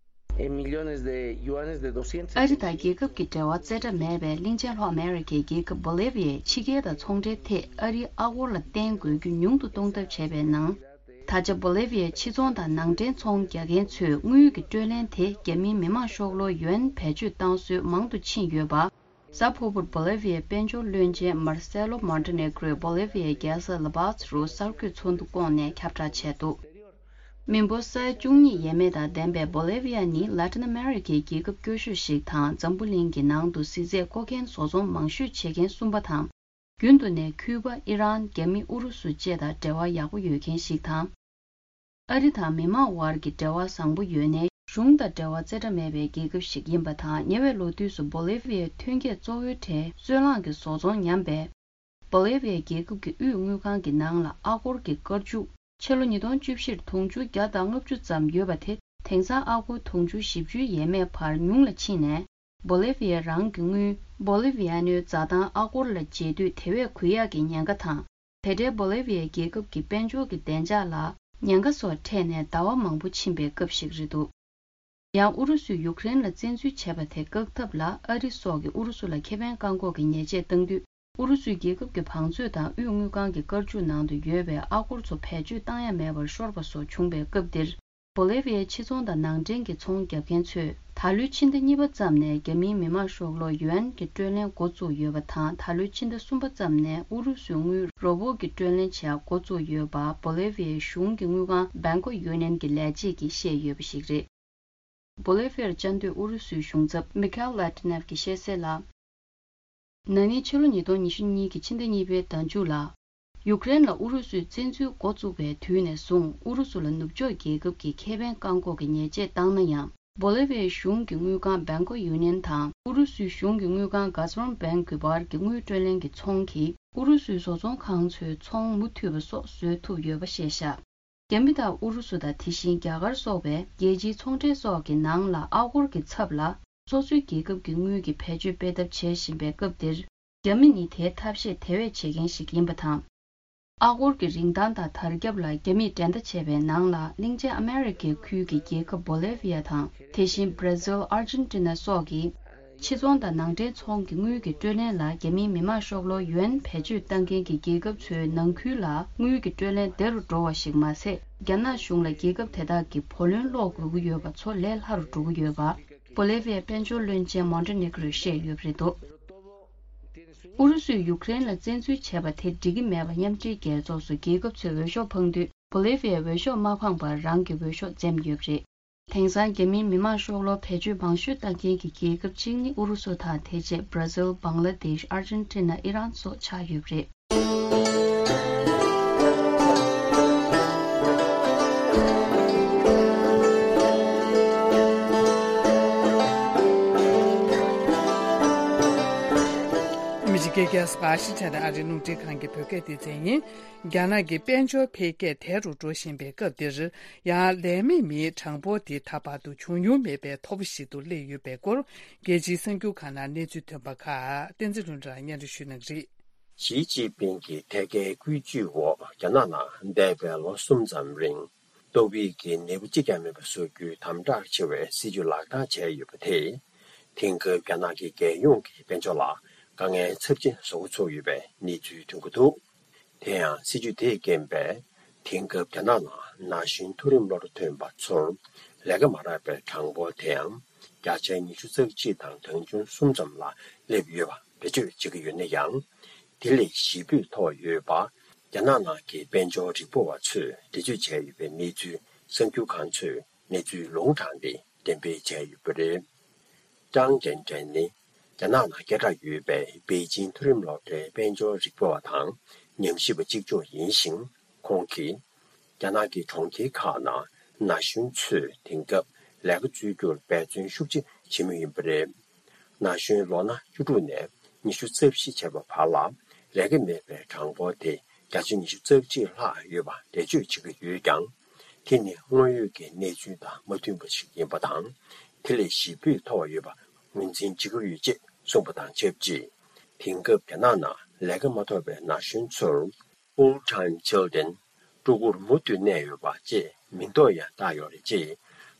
Eh, millones de yuanes, de doscientos ཨ་རི་དང་རྒྱལ་ཁབ་ཀྱི་འབྲེལ་བ་རྩེ་གྲ་མེད་པའི་གླིང་ཆེན་ལྷོ་ཨ་མེ་རི་ཁའི་རྒྱལ་ཁབ་བོ་ལི་ཝི་ཡས་ཕྱི་རྒྱལ་དང་ཚོང་འབྲེལ་ཐད་ཨ་རིའི་ཨ་སྒོར་ལ་བརྟེན་དགོས་རྒྱུ་ཉུང་དུ་གཏོང་ཐབས་བྱས་པའི་ནང་། ད་ཆ་བོ་ལི་ཝི་ཡའི་ཕྱི་ཚོང་དང་ནང་འདྲེན་ཚོང་རྒྱག་མཁན་ཚོས་དངུལ་གྱི་སྤྲོད་ལེན་དེ་རྒྱ་མིའི་མི་དམངས་ཤོག་ལོར་ཡུའན་བེད་སྤྱོད་བཏང་སྲོལ་མང་དུ་ཕྱིན་ཡོད་པ། གཟའ་ཕུར་བུར་བོ་ལི་ཝི་ཡའི་དཔལ་འབྱོར་བློན་ཆེན་མར་སེ་ལོ་མོན་ཏེ་ནེ་གྲོས་བོ་ལི་ཝི་ཡའི་རྒྱལ་ས་ལ་པཱ་ཛ་རུ་གསར་འགོད་ཚོགས་འདུ་བསྐོངས་ནས་ཁྱབ་བསྒྲགས་བྱས་འདུག་མི་འབོར་ས་ཡ་བཅུ་གཉིས་ཡས་མས་དང་ལྡན་པའི་བོ་ལི་ཝི་ཡ་ནི་ལ་ཏིན་ཨ་མེ་རི་ཁའི་རྒྱལ་ཁབ་སྐྱོ་ཤོས་ཤིག་དང་། འཛམ་བུ་གླིང་གི་ནང་དུ་གཟི་རྫས་མཁོ་མཁན་བཟོ་ཚོང་མང་ཤོས་བྱེད་མཁན་གསུམ་པ་དང་། རྒྱུན་དུ་ནས་ཁུ་པ། ཨི་རན། རྒྱ་མི། ཨུ་རུ་སུ་བཅས་དང་འབྲེལ་བ་ཡག་པོ་ཡོད་མཁན་ཞིག་དང་། ཨ་རི་དང་མི་མང་དབར་གྱི་འབྲེལ་བ་བཟང་པོ་ཡོད་ནའི་གཞུང་དང་འབྲེལ་བ་རྩེ་གྲ་མེད་པའི་རྒྱལ་ཁབ་ཞིག་ཡིན་པ་དང་། ཉེ་བའི་ལོ་དུས་སུ་བོ་ལི་ཝི་ཡའི་ཐོན་སྐྱེད་གཙོ་བོའི་གྲས་སོལ་རླངས་ཀྱི་བཟོ་ཚོང་ཉམས་པས། བོ་ལི་ཝི་ཡའི་རྒྱལ་ཁབ་ཀྱི་དབུས་དངུལ་ཁང་གི་ནང་ལ་ཨ་སྒོར་གྱི་སྐར་ཆུ་ཕྱི་ལོ་ཉིས་སྟོང་བཅུ་བཞིར་དུང་ཕྱུར་བརྒྱ་དང་ལྔ་བཅུ་ཙམ་ཡོད་པ་དེ། དེང་སང་ཨ་སྒོར་དུང་ཕྱུར་བཞི་བཅུའི་ཡས་མས་བར་ཉུང་ལ་ཕྱིན་ནས། བོ་ལི་ཝི་ཡ་རང་གི་དངུལ་བོ་ལི་ཝི་ཡ་ནོའི་འཛའ་ཐང་ཨ་སྒོར་ལ་འཇལ་དུས་དེ་བས་གུ་ཡངས་ཀྱི་ཉེན་ཁ་དང་། དེ་འབྲེལ་བོ་ལི་ཝི་ཡའི་རྒྱལ་ཁབ་ཀྱི་དཔལ་འབྱོར་གྱི་བདེ་འཇགས་ལ་ཉེན་ཁ་སོགས་འཕྲད་ནས་ཟླ་བ་མང་པོ་ཕྱིན་པའི་སྐབས་ཤིག་རེད་འདུག་ཡང་ཨུ་རུ་སུས་ཡུཀ་རེན་ལ་བཙན་འཛུལ་བྱས་པ་དེ་བཀག་ཐབས་ལ་ཨ་རི་སོགས་ཀྱིས་ཨུ་རུ་སུ་ལ་ཁེ་ཕན་བཀག་འགོག་གི་ཉེས་ཆད་བཏང་དུས། ཨུ་རུ་སུའི་རྒྱལ་ཁབ་ཀྱི་བང་མཛོད་དང་དབུས་དངུལ་ཁང་གི་སྐར་ཆུ་ནང་དུ་ཡོད་པའི་ཨ་སྒོར་ཚོ་བེད་སྤྱོད་བཏང་ཡ་མེད་པར་ཤོར་བ་སོགས་བྱུང་བའི་སྐབས་འདིར། བོ་ལི་ཝི་ཡའི་ཕྱི་ཚོང་དང་ནང་འདྲེན་གྱི་ཚོང་རྒྱབ་མཁན་ཚོས། ད་ལོའི་ཕྱི་ཟླ་གཉིས་པ་ཙམ་ནས་རྒྱ་མིའི་མི་དམངས་ཤོག་ལོར་ཡུའན་གྱི་སྤྲོད་ལེན་འགོ་བཙུགས་ཡོད་པ་དང་། ད་ལོའི་ཕྱི་ཟླ་གསུམ་པ་ཙམ་ནས་ཨུ་རུ་སུའི་དངུལ་རོ་བོ་གི་སྤྲོད་ལེན་བྱེད་ཡ་འགོ་བཙུགས་ཡོད་པ། བོ་ལི་ཝི་ཡའི་གཞུང་གི་དངུལ་ཁང་Bank of Union གྱི་ལས་བྱེད་ཀྱིས་བཤད་ཡོད་པ་ཞིག་རེད། བོ་ལི་ཝི་ཡར་བཅའ་སྡོད་ཨུ་རུ་སུའི་གཞུང་ཚབ་མི་ཁེལ་ལ་ཏི་ནེབ་ཀྱིས་བཤད་གསལ་ལ། ན་ནིང་ཕྱི་ལོ་ཉིས་སྟོང་ཉི་ཤུ་གཉིས་ཀྱི་ཕྱི་ཟླ་གཉིས་པའི་ཟླ་མཇུག་ལ། ཡུཀ་རེན་ལ་ཨུ་རུ་སུས་བཙན་འཛུལ་འགོ་བཙུགས་པའི་དུས་ནས་བཟུང་། ཨུ་རུ་སུ་ལ་ནུབ་ཕྱོགས་རྒྱལ་ཁབ་ཀྱིས་ཁེ་ཕན་བཀག་འགོག་གི་ཉེས་ཆད་བཏང་ན་ཡང་། བོ་ལི་ཝི་ཡའི་གཞུང་གི་དངུལ་ཁང་Bank of Union དང་ཨུ་རུ་སུའི་གཞུང་གི་དངུལ་ཁང་Gazprom Bank གི་བར་གྱི་དངུལ་སྤྲོད་ལེན་གྱི་ཚོང་གིས་ཨུ་རུ་སུའི་བཟོ་ཚོང་ཁང་ཚོའི་ཚོང་མུ་མཐུད་པ་སོགས་བཟོ་ཐུབ་ཡོད་པ་བཤད་བཞག་རྒྱ་མི་དང་ཨུ་རུ་སུ་དང་དེ་བཞིན་རྒྱ་གར་སོགས་པའི་རྒྱལ་སྤྱིའི་ཚོང་འབྲེལ་སོགས་ཀྱི་ནང་ལ་ཨ་སྒོར་གྱི་ཚབ་ལ་སོ་སོའི་རྒྱལ་ཁབ་ཀྱི་དངུལ་གྱི་བེད་སྤྱོད་སྤེལ་ཐབས་བྱེད་བཞིན་པའི་སྐབས་འདིར། རྒྱ་མི་ནི་དེའི་ཐབས་ཤེས་དེ་བས་བྱེད་མཁན་ཞིག་ཡིན་པ་དང་། ཨ་སྒོར་གྱི་རིན་ཐང་དང་དར་ཁྱབ་ལ་རྒྱ་མིས་འགྲན་ཟླ་བྱས་པའི་ནང་ལ་གླིང་ཆེན་ཨ་མེ་རི་ཁའི་ཁུལ་གྱི་རྒྱལ་ཁབ་བོ་ལི་ཝི་ཡ་དང་། དེ་བཞིན་བྷར་ཛིལ། ཨར་ཇེན་ཏི་ན་སོགས་ཀྱིས། ཕྱི་ཚོང་དང་ནང་འདྲེན་ཚོང་གི་དངུལ་གྱི་སྤྲོད་ལེན་ལ་རྒྱ་མིའི་མི་དམངས་ཤོག་ལོར་ཡུའན་བེད་སྤྱོད་བཏང་མཁན་གྱི་རྒྱལ་ཁབ་ཚོའི་ནང་ཁུལ་ལ་དངུལ་གྱི་སྤྲོད་ལེན་བདེ་རུ་འགྲོ་བ་ཞིག་མ་ཟད། རྒྱ་ནག་གཞུང་ལ་རྒྱལ་ཁབ་དེ་དག་གི་བུ་ལོན་སློག་དགོས་ཀྱི་ཡོད་པ་ཚོ་ལས་སླ་རུ་འགྲོ་གི་ཡོད་པ། བོ་ལི་ཝི་ཡའི་དཔལ་འབྱོར་བློན་ཆེན་མོན་ཏེ་ནེ་གྲོས་བཤད་ཡོད་པ་རེད་འདུག་ཨུ་རུ་སུས་ཡུཀ་རེན་ལ་བཙན་འཛུལ་བྱས་པ་དེ་འགྲིག་གི་མེད་པ་མཉམ་འབྲེལ་རྒྱལ་ཚོགས་སུ་རྒྱལ་ཁབ་ཚོས་འོས་ཤོག་འཕངས་དུས། བོ་ལི་ཝི་ཡས་འོས་ཤོག་མ་འཕངས་པར་རང་གི་འོས་ཤོག་འཛེམས་ཡོད་པ་རེད། དེང་སང་རྒྱ་མིའི་མི་དམངས་ཤོག་ལོར་བེད་སྤྱོད་མང་ཤོས་བཏང་མཁན་གྱི་རྒྱལ་ཁབ་གཅིག་ནི་ཨུ་རུ་སུ་དང་། དེ་རྗེས་བྷར་ཛིལ། བང་ལ་དེཤ། ཨར་ཇེན་ཏི་ན། ཨི་རན་སོགས་ཆགས་ཡོད་པ་རེད། རྒྱལ་ས་ཝ་ཤིང་ཊོན་ཨ་རིའི་རླུང་འཕྲིན་ཁང་གི་བོད་སྐད་སྡེ་ཚན་ཡིན། རྒྱ་ནག་གི་དཔལ་འབྱོར་འཕེལ་རྒྱས་དལ་དུ་འགྲོ་བཞིན་པའི་སྐབས་འདིར། ཡང་ལས་མེད་མིའི་གྲངས་འབོར་དེ་ད་བར་དུ་བྱུང་མྱོང་མེད་པའི་མཐོ་པོ་ཞིག་ཏུ་སླེབས་ཡོད་པའི་སྐོར། རྒྱལ་སྤྱིའི་གསར་འགྱུར་ཁག་ནང་གནས་ཚུལ་ཐོན་པ་ཁག་བསྟན་འཛིན་ལྷུན་གྲུབ་ལགས་སྙན་སྒྲོན་ཞུ་གནང་གི་རེད། ཞི་ཅིན་ཕིང་གི་ཐད་ཀའི་བཀོད་ཇུས་འོག་རྒྱ་ནག་ནང་འདས་པའི་ལོ་གསུམ་ཙམ་རིང་། ཏོག་དབྱིབས་ཀྱི་ནད་འབུ་གཅིག་ཀྱང་མེད་པ་བཟོ་རྒྱུའི་དམ་དྲག་ཆེ་བའི་སྲིད་ཇུས་ལག་བསྟར་བྱས་ཡོད་པ་དེས། དེང་སྐབས་རྒྱ་ནག་གི་རྒྱལ་ཡོངས་ཀྱི་དཔལ་འབྱོར་ལ་དཀའ་ངལ་ཚབས་ཆེན་བཟོ་འགོ་ཚུགས་ཡོད་པའི་གནས་ཚུལ་ཐོན་གྱི་འདུག་དེ་ཡང་སྲིད་ཇུས་དེས་རྐྱེན་པས། དེང་སྐབས་རྒྱ་ནག་ནང་ན་གཞོན་མཐོ་རིམ་སློབ་གྲྭ་ཐོན་པ་ཚོར་ལས་ཀ་མ་རག་པའི་གྲངས་འབོར་དེའང་བརྒྱ་ཆ་ཉི་ཤུ་རྩ་གཅིག་དང་གྲངས་ཆུང་གསུམ་ཙམ་ལ་སླེབས་ཡོད་པ་འགྲེལ་བརྗོད་བྱེད་ཀྱི་ཡོད་ན་ཡང་། དེ་ལས་ཞེ་པོས་མཐོ་བ་ཡོད་པ། རྒྱ་ནག་ནང་གི་དཔལ་འབྱོར་རིག་པ་བ་ཚོས་འགྲེལ་བརྗོད་བྱས་ཡོད་པའི་གནས་ཚུལ་གསར་འགྱུར་ཁང་ཚོས་གནས་ཚུལ་ལུང་དྲངས་ཏེ་འགྲེམས་སྤེལ་བྱས་ཡོད་པ་རེད། ཀྲང་ཅན་ཀྲེན་ནི་རྒྱ་ནག་ནང་སྐད་གྲགས་ཡོད་པའི་པེ་ཅིང་མཐོ་རིམ་སློབ་གྲྭའི་དཔལ་འབྱོར་རིག་པ་བ་དང་ཉམས་ཞིབ་པ་གཅིག་ལྕོགས་ཡིན་ཞིང་། ཁོང་གིས། རྒྱ་ནག་གི་གྲོང་ཁྱེར་ཁག་ནང་ན་གཞོན་ཚོས་དེང་སྐབས་ལས་ཀ་འཚོལ་རྒྱུར་འབད་བརྩོན་ཤུགས་ཆེ་བྱེད་མུས་ཡིན་པ་རེད། ན་གཞོན་ལོ་ན་བཅུ་དྲུག་ནས་ཉི་ཤུ་རྩ་བཞི་བྱས་པ་བར་ལ་ལས་ཀ་མེད་པའི་གྲངས་འབོར་དེ་བརྒྱ་ཆ་ཉི་ཤུ་རྩ་གཅིག་ལྷག་ཡོད་པ་འགྲེལ་བརྗོད་བྱེད་ཀྱི་ཡོད་ཀྱང་། དེ་ནི་དངོས་ཡོད་ཀྱི་གནས་ཚུལ་དང་མ་མཐུན་པ་ཞིག་ཡིན་པ་དང་། དེ་ལས་ཞེ་པོས་མཐོ་བ་ཡོད་པ་ངོས་འཛིན་བྱེད་ཀྱི་ཡོད་ཅེས་གསུངས་པ་དང་ཆབས་ཅིག་དེང་སྐབས་རྒྱ་ནག་ནང་ལས་ཀ་མ་ཐོབ་པའི་ན་གཞོན་ཚོར། Full-time children། ཕྲུ་གུར་མུ་མཐུད་གནས་ཡོད་པ་ཅེས་མིང་འདོགས་ཡང་བཏགས་ཡོད་རེད་ཅེས་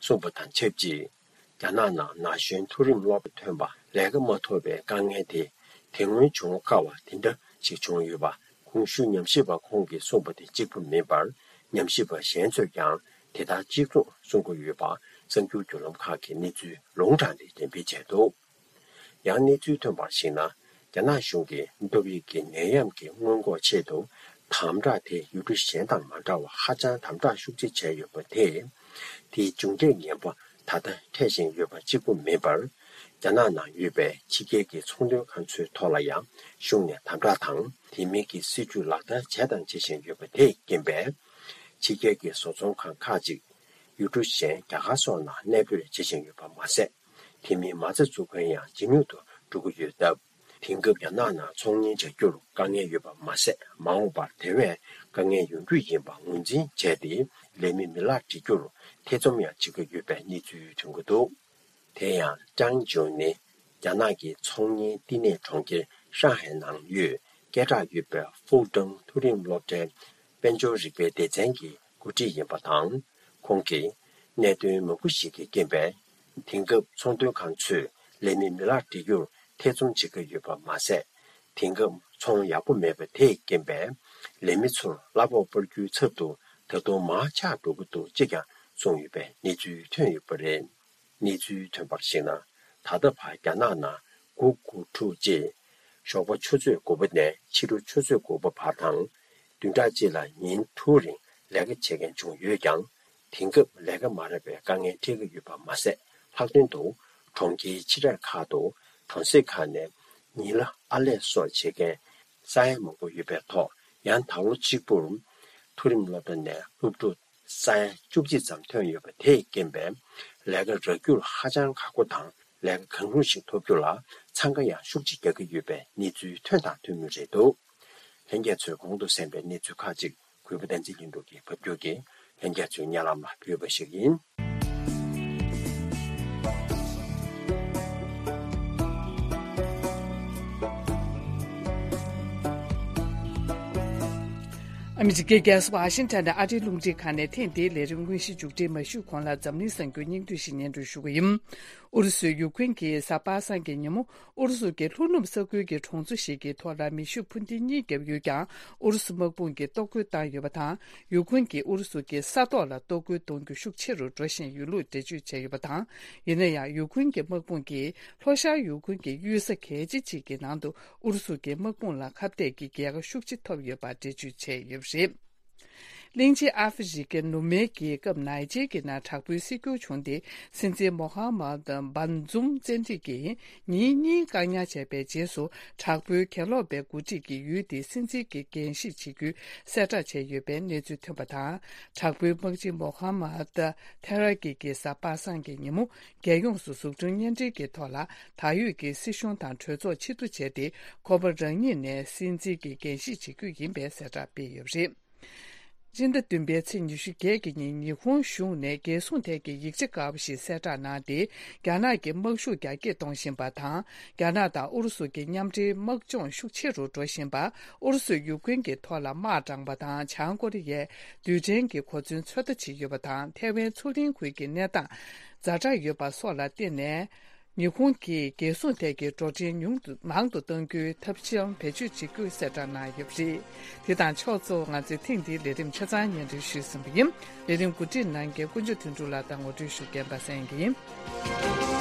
གསུངས་པ་དང་ཆབས་ཅིག་རྒྱ་ནག་ནང་ན་གཞོན་མཐོ་རིམ་སློབ་གྲྭ་ཐོན་པ་ལས་ཀ་མ་ཐོབ་པའི་དཀའ་ངལ་དེ་དེ་སྔོན་བྱུང་དཀའ་བ་དེ་འདྲ་ཞིག་བྱུང་ཡོད་པ། གོང་ཞུས་ཉམས་ཞིབ་པ་ཁོང་གིས་གསུངས་པ་དེ་གཅིག་པུ་མིན་པར། ཉམས་ཞིབ་པ་གཞན་ཚོས་ཀྱང་དེ་ལྟར་གཅིག་མཚུངས་གསུང་གི་ཡོད་པ། གསར་འགྱུར་བརྒྱུད་ལམ་ཁག་གིས་གནས་ཚུལ་ལུང་དྲངས་ཏེ་འགྲེམས་སྤེལ་བྱས་འདུག་ཡང་གནས་ཚུལ་ཐོན་པར་གཞིགས་ན། རྒྱ་ནག་གཞུང་གིས་ཏོག་དབྱིབས་ཀྱི་ནད་ཡམས་ཀྱི་སྔོན་འགོག་ཆེད་དུ་དམ་དྲག་དེ་ཡུལ་གྲུ་གཞན་དང་མ་འདྲ་བར་ཧ་ཅང་དམ་དྲག་ཤུགས་ཆེ་བྱས་ཡོད་པ་དེས། དེའི་མཇུག་འབྲས་ངན་པ་ད་ལྟ་འཕྲད་བཞིན་ཡོད་པ་གཅིག་པུ་མིན་པར། རྒྱ་ནག་ནང་ཡོད་པའི་ཕྱི་རྒྱལ་གྱི་ཚོང་དོན་ཁང་ཚོའི་ཐོག་ལ་ཡང་གཞུང་ནས་དམ་དྲག་དང་དེ་མིན་གྱི་སྲིད་ཇུས་ལག་བསྟར་བྱས་དང་བྱེད་བཞིན་ཡོད་པ་དེས་རྐྱེན་པས། ཕྱི་རྒྱལ་གྱི་བཟོ་ཚོང་ཁང་ཁག་ཅིག་ཡུལ་གྲུ་གཞན་རྒྱ་གར་སོགས་ནང་གནས་སྤོས་བྱེད་བཞིན་ཡོད་པ་མ་ཟད། དེ་མིན་མ་རྩ་འཛུགས་མཁན་ཡང་ཇེ་ཉུང་དུ་འགྲོ་གི་ཡོད་སྟབས། དེང་སྐབས་རྒྱ་ནག་ནང་ཚོང་གཉེར་བྱ་རྒྱུར་དཀའ་ངལ་ཡོད་པ་མ་ཟད། མ་འོངས་པར་དེ་བས་དཀའ་ངལ་ཡོང་རྒྱུ་ཡིན་པ་ངོས་འཛིན་བྱས་ཏེ། ལས་མེད་མི་ལག་སྒྲིག་རྒྱུར་ཐེ་ཚོམ་ཡང་བྱེད་ཀྱི་ཡོད་པའི་གནས་ཚུལ་ཐོན་གྱི་འདུག་དེ་ཡང་ཀྲང་ཅུན་ནི་རྒྱ་ནག་གི་ཚོང་གཉེར་བསྟི་གནས་གྲོང་ཁྱེར་ཧྲང་ཧའེ་ནང་ཡོད་སྐད་གྲགས་ཡོད་པའི་ཧྥུའུ་ཀྲང་མཐོ་རིམ་སློབ་གྲྭའི་དཔལ་འབྱོར་རིག་པའི་སྡེ་ཚན་གྱི་འགོ་ཁྲིད་ཡིན་པ་དང་། ཁོང་གིས་གནད་དོན་མང་པོ་ཞིག་གི་རྐྱེན་པས། དེང་སྐབས་ཚོང་དོན་ཁང་ཚོས་ལས་མེད་མི་ལག་སྒྲིག་རྒྱུར་ཐེ་ཚོམ་བྱེད་ཀྱི་ཡོད་པ་མ་ཟད། དེང་སྐབས་ཚོང་ཡག་པོ་མེད་པ་དེས་རྐྱེན་པས། ལས་མི་ཚོར་གླ་ཕོགས་སྤར་རྒྱུའི་ཚབ་ཏུ་ད་དུང་མར་ཆག་འགྲོ་གི་འདུག་ཅེས་ཀྱང་གསུངས་ཡོད་པའི་གནས་ཚུལ་ཐོན་ཡོད་པ་རེད། གནས་ཚུལ་ཐོན་པར་གཞིགས་ན། ད་ལྟ་བར་རྒྱ་ནག་ནང་དགུ་དགུ་དྲུག་ཅེས། ཞོགས་པ་ཆུ་ཚོད་དགུ་པ་ནས་ཕྱི་དྲོ་ཆུ་ཚོད་དགུ་པ་བར་དང་། བདུན་ཕྲག་གཅིག་ལ་ཉིན་དྲུག་རིང་ལས་ཀ་བྱེད་མཁན་བྱུང་ཡོད་ཀྱང་། དེང་སྐབས་ལས་ཀ་མ་རག་པའི་དཀའ་ངལ་འཕྲད་ཀྱི་ཡོད་པ་མ་ཟད། ལྷག་དོན་དུ་གྲོང་ཁྱེར་ཆེ་གྲས་ཁག་ཏུ་གྲོང་གསེབ་ཁག་ནས་ཉིན་གླ་ཨར་ལས་སོགས་བྱེད་མཁན་ས་ཡ་མང་པོ་ཡོད་པའི་ཐོག་ཡང་ད་ལོ་གཅིག་པུར་མཐོ་རིམ་སློབ་གྲྭ་ནས་སློབ་ཕྲུག་ས་ཡ་བཅུ་གཅིག་ཙམ་ཐོན་ཡོད་པ་དེས་རྐྱེན་པས། ལས་ཀ་རག་རྒྱུར་ཧ་ཅང་ཁག་པོ་དང་། ལས་ཀ་གང་རུང་ཞིག་ཐོབ་རྒྱུ་ལ་འཚང་ཁ་ཡང་ཤུགས་ཆེ་རྒྱག་གི་ཡོད་པའི་གནས་ཚུལ་ཐོན་དང་ཐོན་མུས་རེད་འདུག་ལྷན་རྒྱས་ཚོས་གོང་དུ་གསན་པའི་གནས་ཚུལ་ཁག་ཅིག་གུས་པ་བསྟན་འཛིན་ལྷུན་གྲུབ་ཀྱིས་ཕབ་སྒྱུར་གྱིས་ལྷན་རྒྱས་ཚོའི་སྙན་ལམ་ལ་ཕུལ་བ་ཞིག་ཡིན། ཨ་མི་རི་ཀའི་རྒྱལ་ས་ཝ་ཤིང་ཊོན་ནས་ཨ་རིའི་རླུང་འཕྲིན་ཁང་ནས་ཐེངས་འདིའི་ལས་རིམ་དངོས་གཞི་མཇུག་སྒྲིལ་མ་ཞུས་གོང་ལ་འཛམ་གླིང་གསར་འགྱུར་སྙིང་བསྡུས་ཤིག་སྙན་སྒྲོན་ཞུ་གི་ཡིན། ཨུ་རུ་སུས་ཡུ་ཁུན་གྱི་གཟའ་པ་སངས་ཀྱི་ཉིན་མོ་ཨུ་རུ་སུ་གྱི་ལྷོ་ནུབ་ས་ཁུལ་གྱི་གྲོང་ཚོ་ཞིག་གི་ཐོག་ལ་མེ་ཤུགས་འཕུར་མདེལ་གཉིས་བརྒྱབ་ཡོད་ཀྱང་། ཨུ་རུ་སུ་དམག་དཔུང་གིས་གཏོར་རྒོལ་བཏང་ཡོད་པ་དང་། ཡུ་ཁུན་གྱིས་ཨུ་རུ་སུ་གྱི་ས་ཐོག་ལ་གཏོར་རྒོལ་གཏོང་རྒྱུ་ཤུགས་ཆེ་རུ་འགྲོ་བཞིན་ཡོད་ལུགས་འགྲེལ་བརྗོད་བྱས་ཡོད་པ་དང་། ཡིན་ན་ཡང་ཡུ་ཁུན་གྱི་དམག་དཔུང་གིས་ལྷོ་ཤར་ཡུ་ཁུན་གྱི་གཡུལ་ས་གལ་ཆེ་གཅིག་གི་ནང་དུ་ཨུ་རུ་སུ་གྱི་དམག་དཔུང་ལ་ཁ་གཏད་ཀྱི་རྒྱལ་ཁ་ཤུགས་ཆེ་ཐོབ་ཡོད་པ་འགྲེལ་བརྗོད་བྱས་ཡོད་པ་རེད། གླིང་ཆེན་ཨ་ཧྥེ་རི་ཁའི་ནུབ་མའི་རྒྱལ་ཁབ་ནའི་ཇེར་གྱི་ནང་དྲག་པོའི་སྲིད་སྐྱོང་བྱུང་སྟེ། སྲིད་འཛིན་མོ་ཧ་མད་བན་ཛུམ་བཙན་ཁྲིད་ཀྱིས་ཉིན་གཉིས་བཀག་ཉར་བྱས་པའི་རྗེས་སུ། དྲག་པོའི་གྱེན་ལོག་པའི་འགོ་ཁྲིད་ཀྱི་ཡུལ་དེའི་སྲིད་འཛིན་གྱི་འགན་བཞེས་བྱེད་རྒྱུའི་གསལ་བསྒྲགས་བྱས་ཡོད་པའི་གནས་ཚུལ་ཐོན་པ་དང་། དྲག་པོའི་དམག་སྤྱི་མོ་ཧ་མད་ཐེ་ར་ཀི་གིས་གཟའ་པ་སངས་ཀྱི་ཉིན་མོ། རྒྱལ་ཡོངས་སུ་གཟུགས་མཐོང་བརྙན་འཕྲིན་གྱི་ཐོག་ལ། ད་ཡོད་ཀྱི་སྲིད་གཞུང་དང་གྲོས་ཚོགས་ཕྱིར་བསྡུ་བྱས་ཏེ། ཁོ་པ་རང་ཉིད་ནས་སྲིད་འཛིན་གྱི་འགན་བཞེས་བྱེད་རྒྱུ་ཡིན་པའི་གསལ་བསྒྲགས་སྤེལ་ཡོད་པ་རེད། སྤྱི་ཟླ་བདུན་པའི་ཚེས་ཉི་ཤུ་བརྒྱད་ཀྱི་ཉིན། ཉི་ཧོང་གཞུང་ནས་རྒྱལ་སྲུང་ཐད་ཀྱི་ཡིག་ཆ་དཀར་པོ་ཞིག་གསལ་བསྒྲགས་གནང་སྟེ། རྒྱ་ནག་གི་དམག་ཤུགས་རྒྱ་སྐྱེད་གཏོང་བཞིན་པ་དང་། རྒྱ་ནག་དང་ཨུ་རུ་སུ་གྱི་མཉམ་འབྲེལ་དམག་སྦྱོང་ཤུགས་ཆེ་རུ་འགྲོ་བཞིན་པ། ཨུ་རུ་སུས་ཡུཀ་རེན་གྱི་ཐོག་ལ་དམག་དྲངས་པ་དང་། བྱང་ཀོ་རི་ཡས་རྡུལ་ཕྲན་གྱི་གོ་མཚོན་ཚོད་ལྟ་བྱེད་ཡོད་པ་དང་། ཐའེ་ཝན་མཚོ་གླིང་ཁུལ་གྱི་གནས་སྟངས་ཛ་དྲག་ཡོད་པ་སོགས་ལ་བརྟེན་ནས། ཉི་ཧོང་གིས་རྒྱལ་སྲུང་ཐད་ཀྱི་འགྲོ་གྲོན་ཉུང་དུ་མང་དུ་གཏོང་རྒྱུའི་ཐབས་ཤེས་བེད་སྤྱོད་བྱེད་རྒྱུ་གསལ་བསྒྲགས་གནང་ཡོད་པ་རེད། དེ་དང་ཕྱོགས་གཙོ་བོ། ང་ཚོའི་ཐེངས་འདིའི་ལས་རིམ་ཆ་ཚང་སྙན་སྒྲོན་ཞུས་ཟིན་པ་ཡིན། ལས་རིམ་གོ་སྒྲིག་གནང་མཁན་དཀོན་མཆོག་དོན་གྲུབ་ལགས་དང་ངོ་སྤྲོད་ཞུ་མཁན་པ་སངས་ཡིན།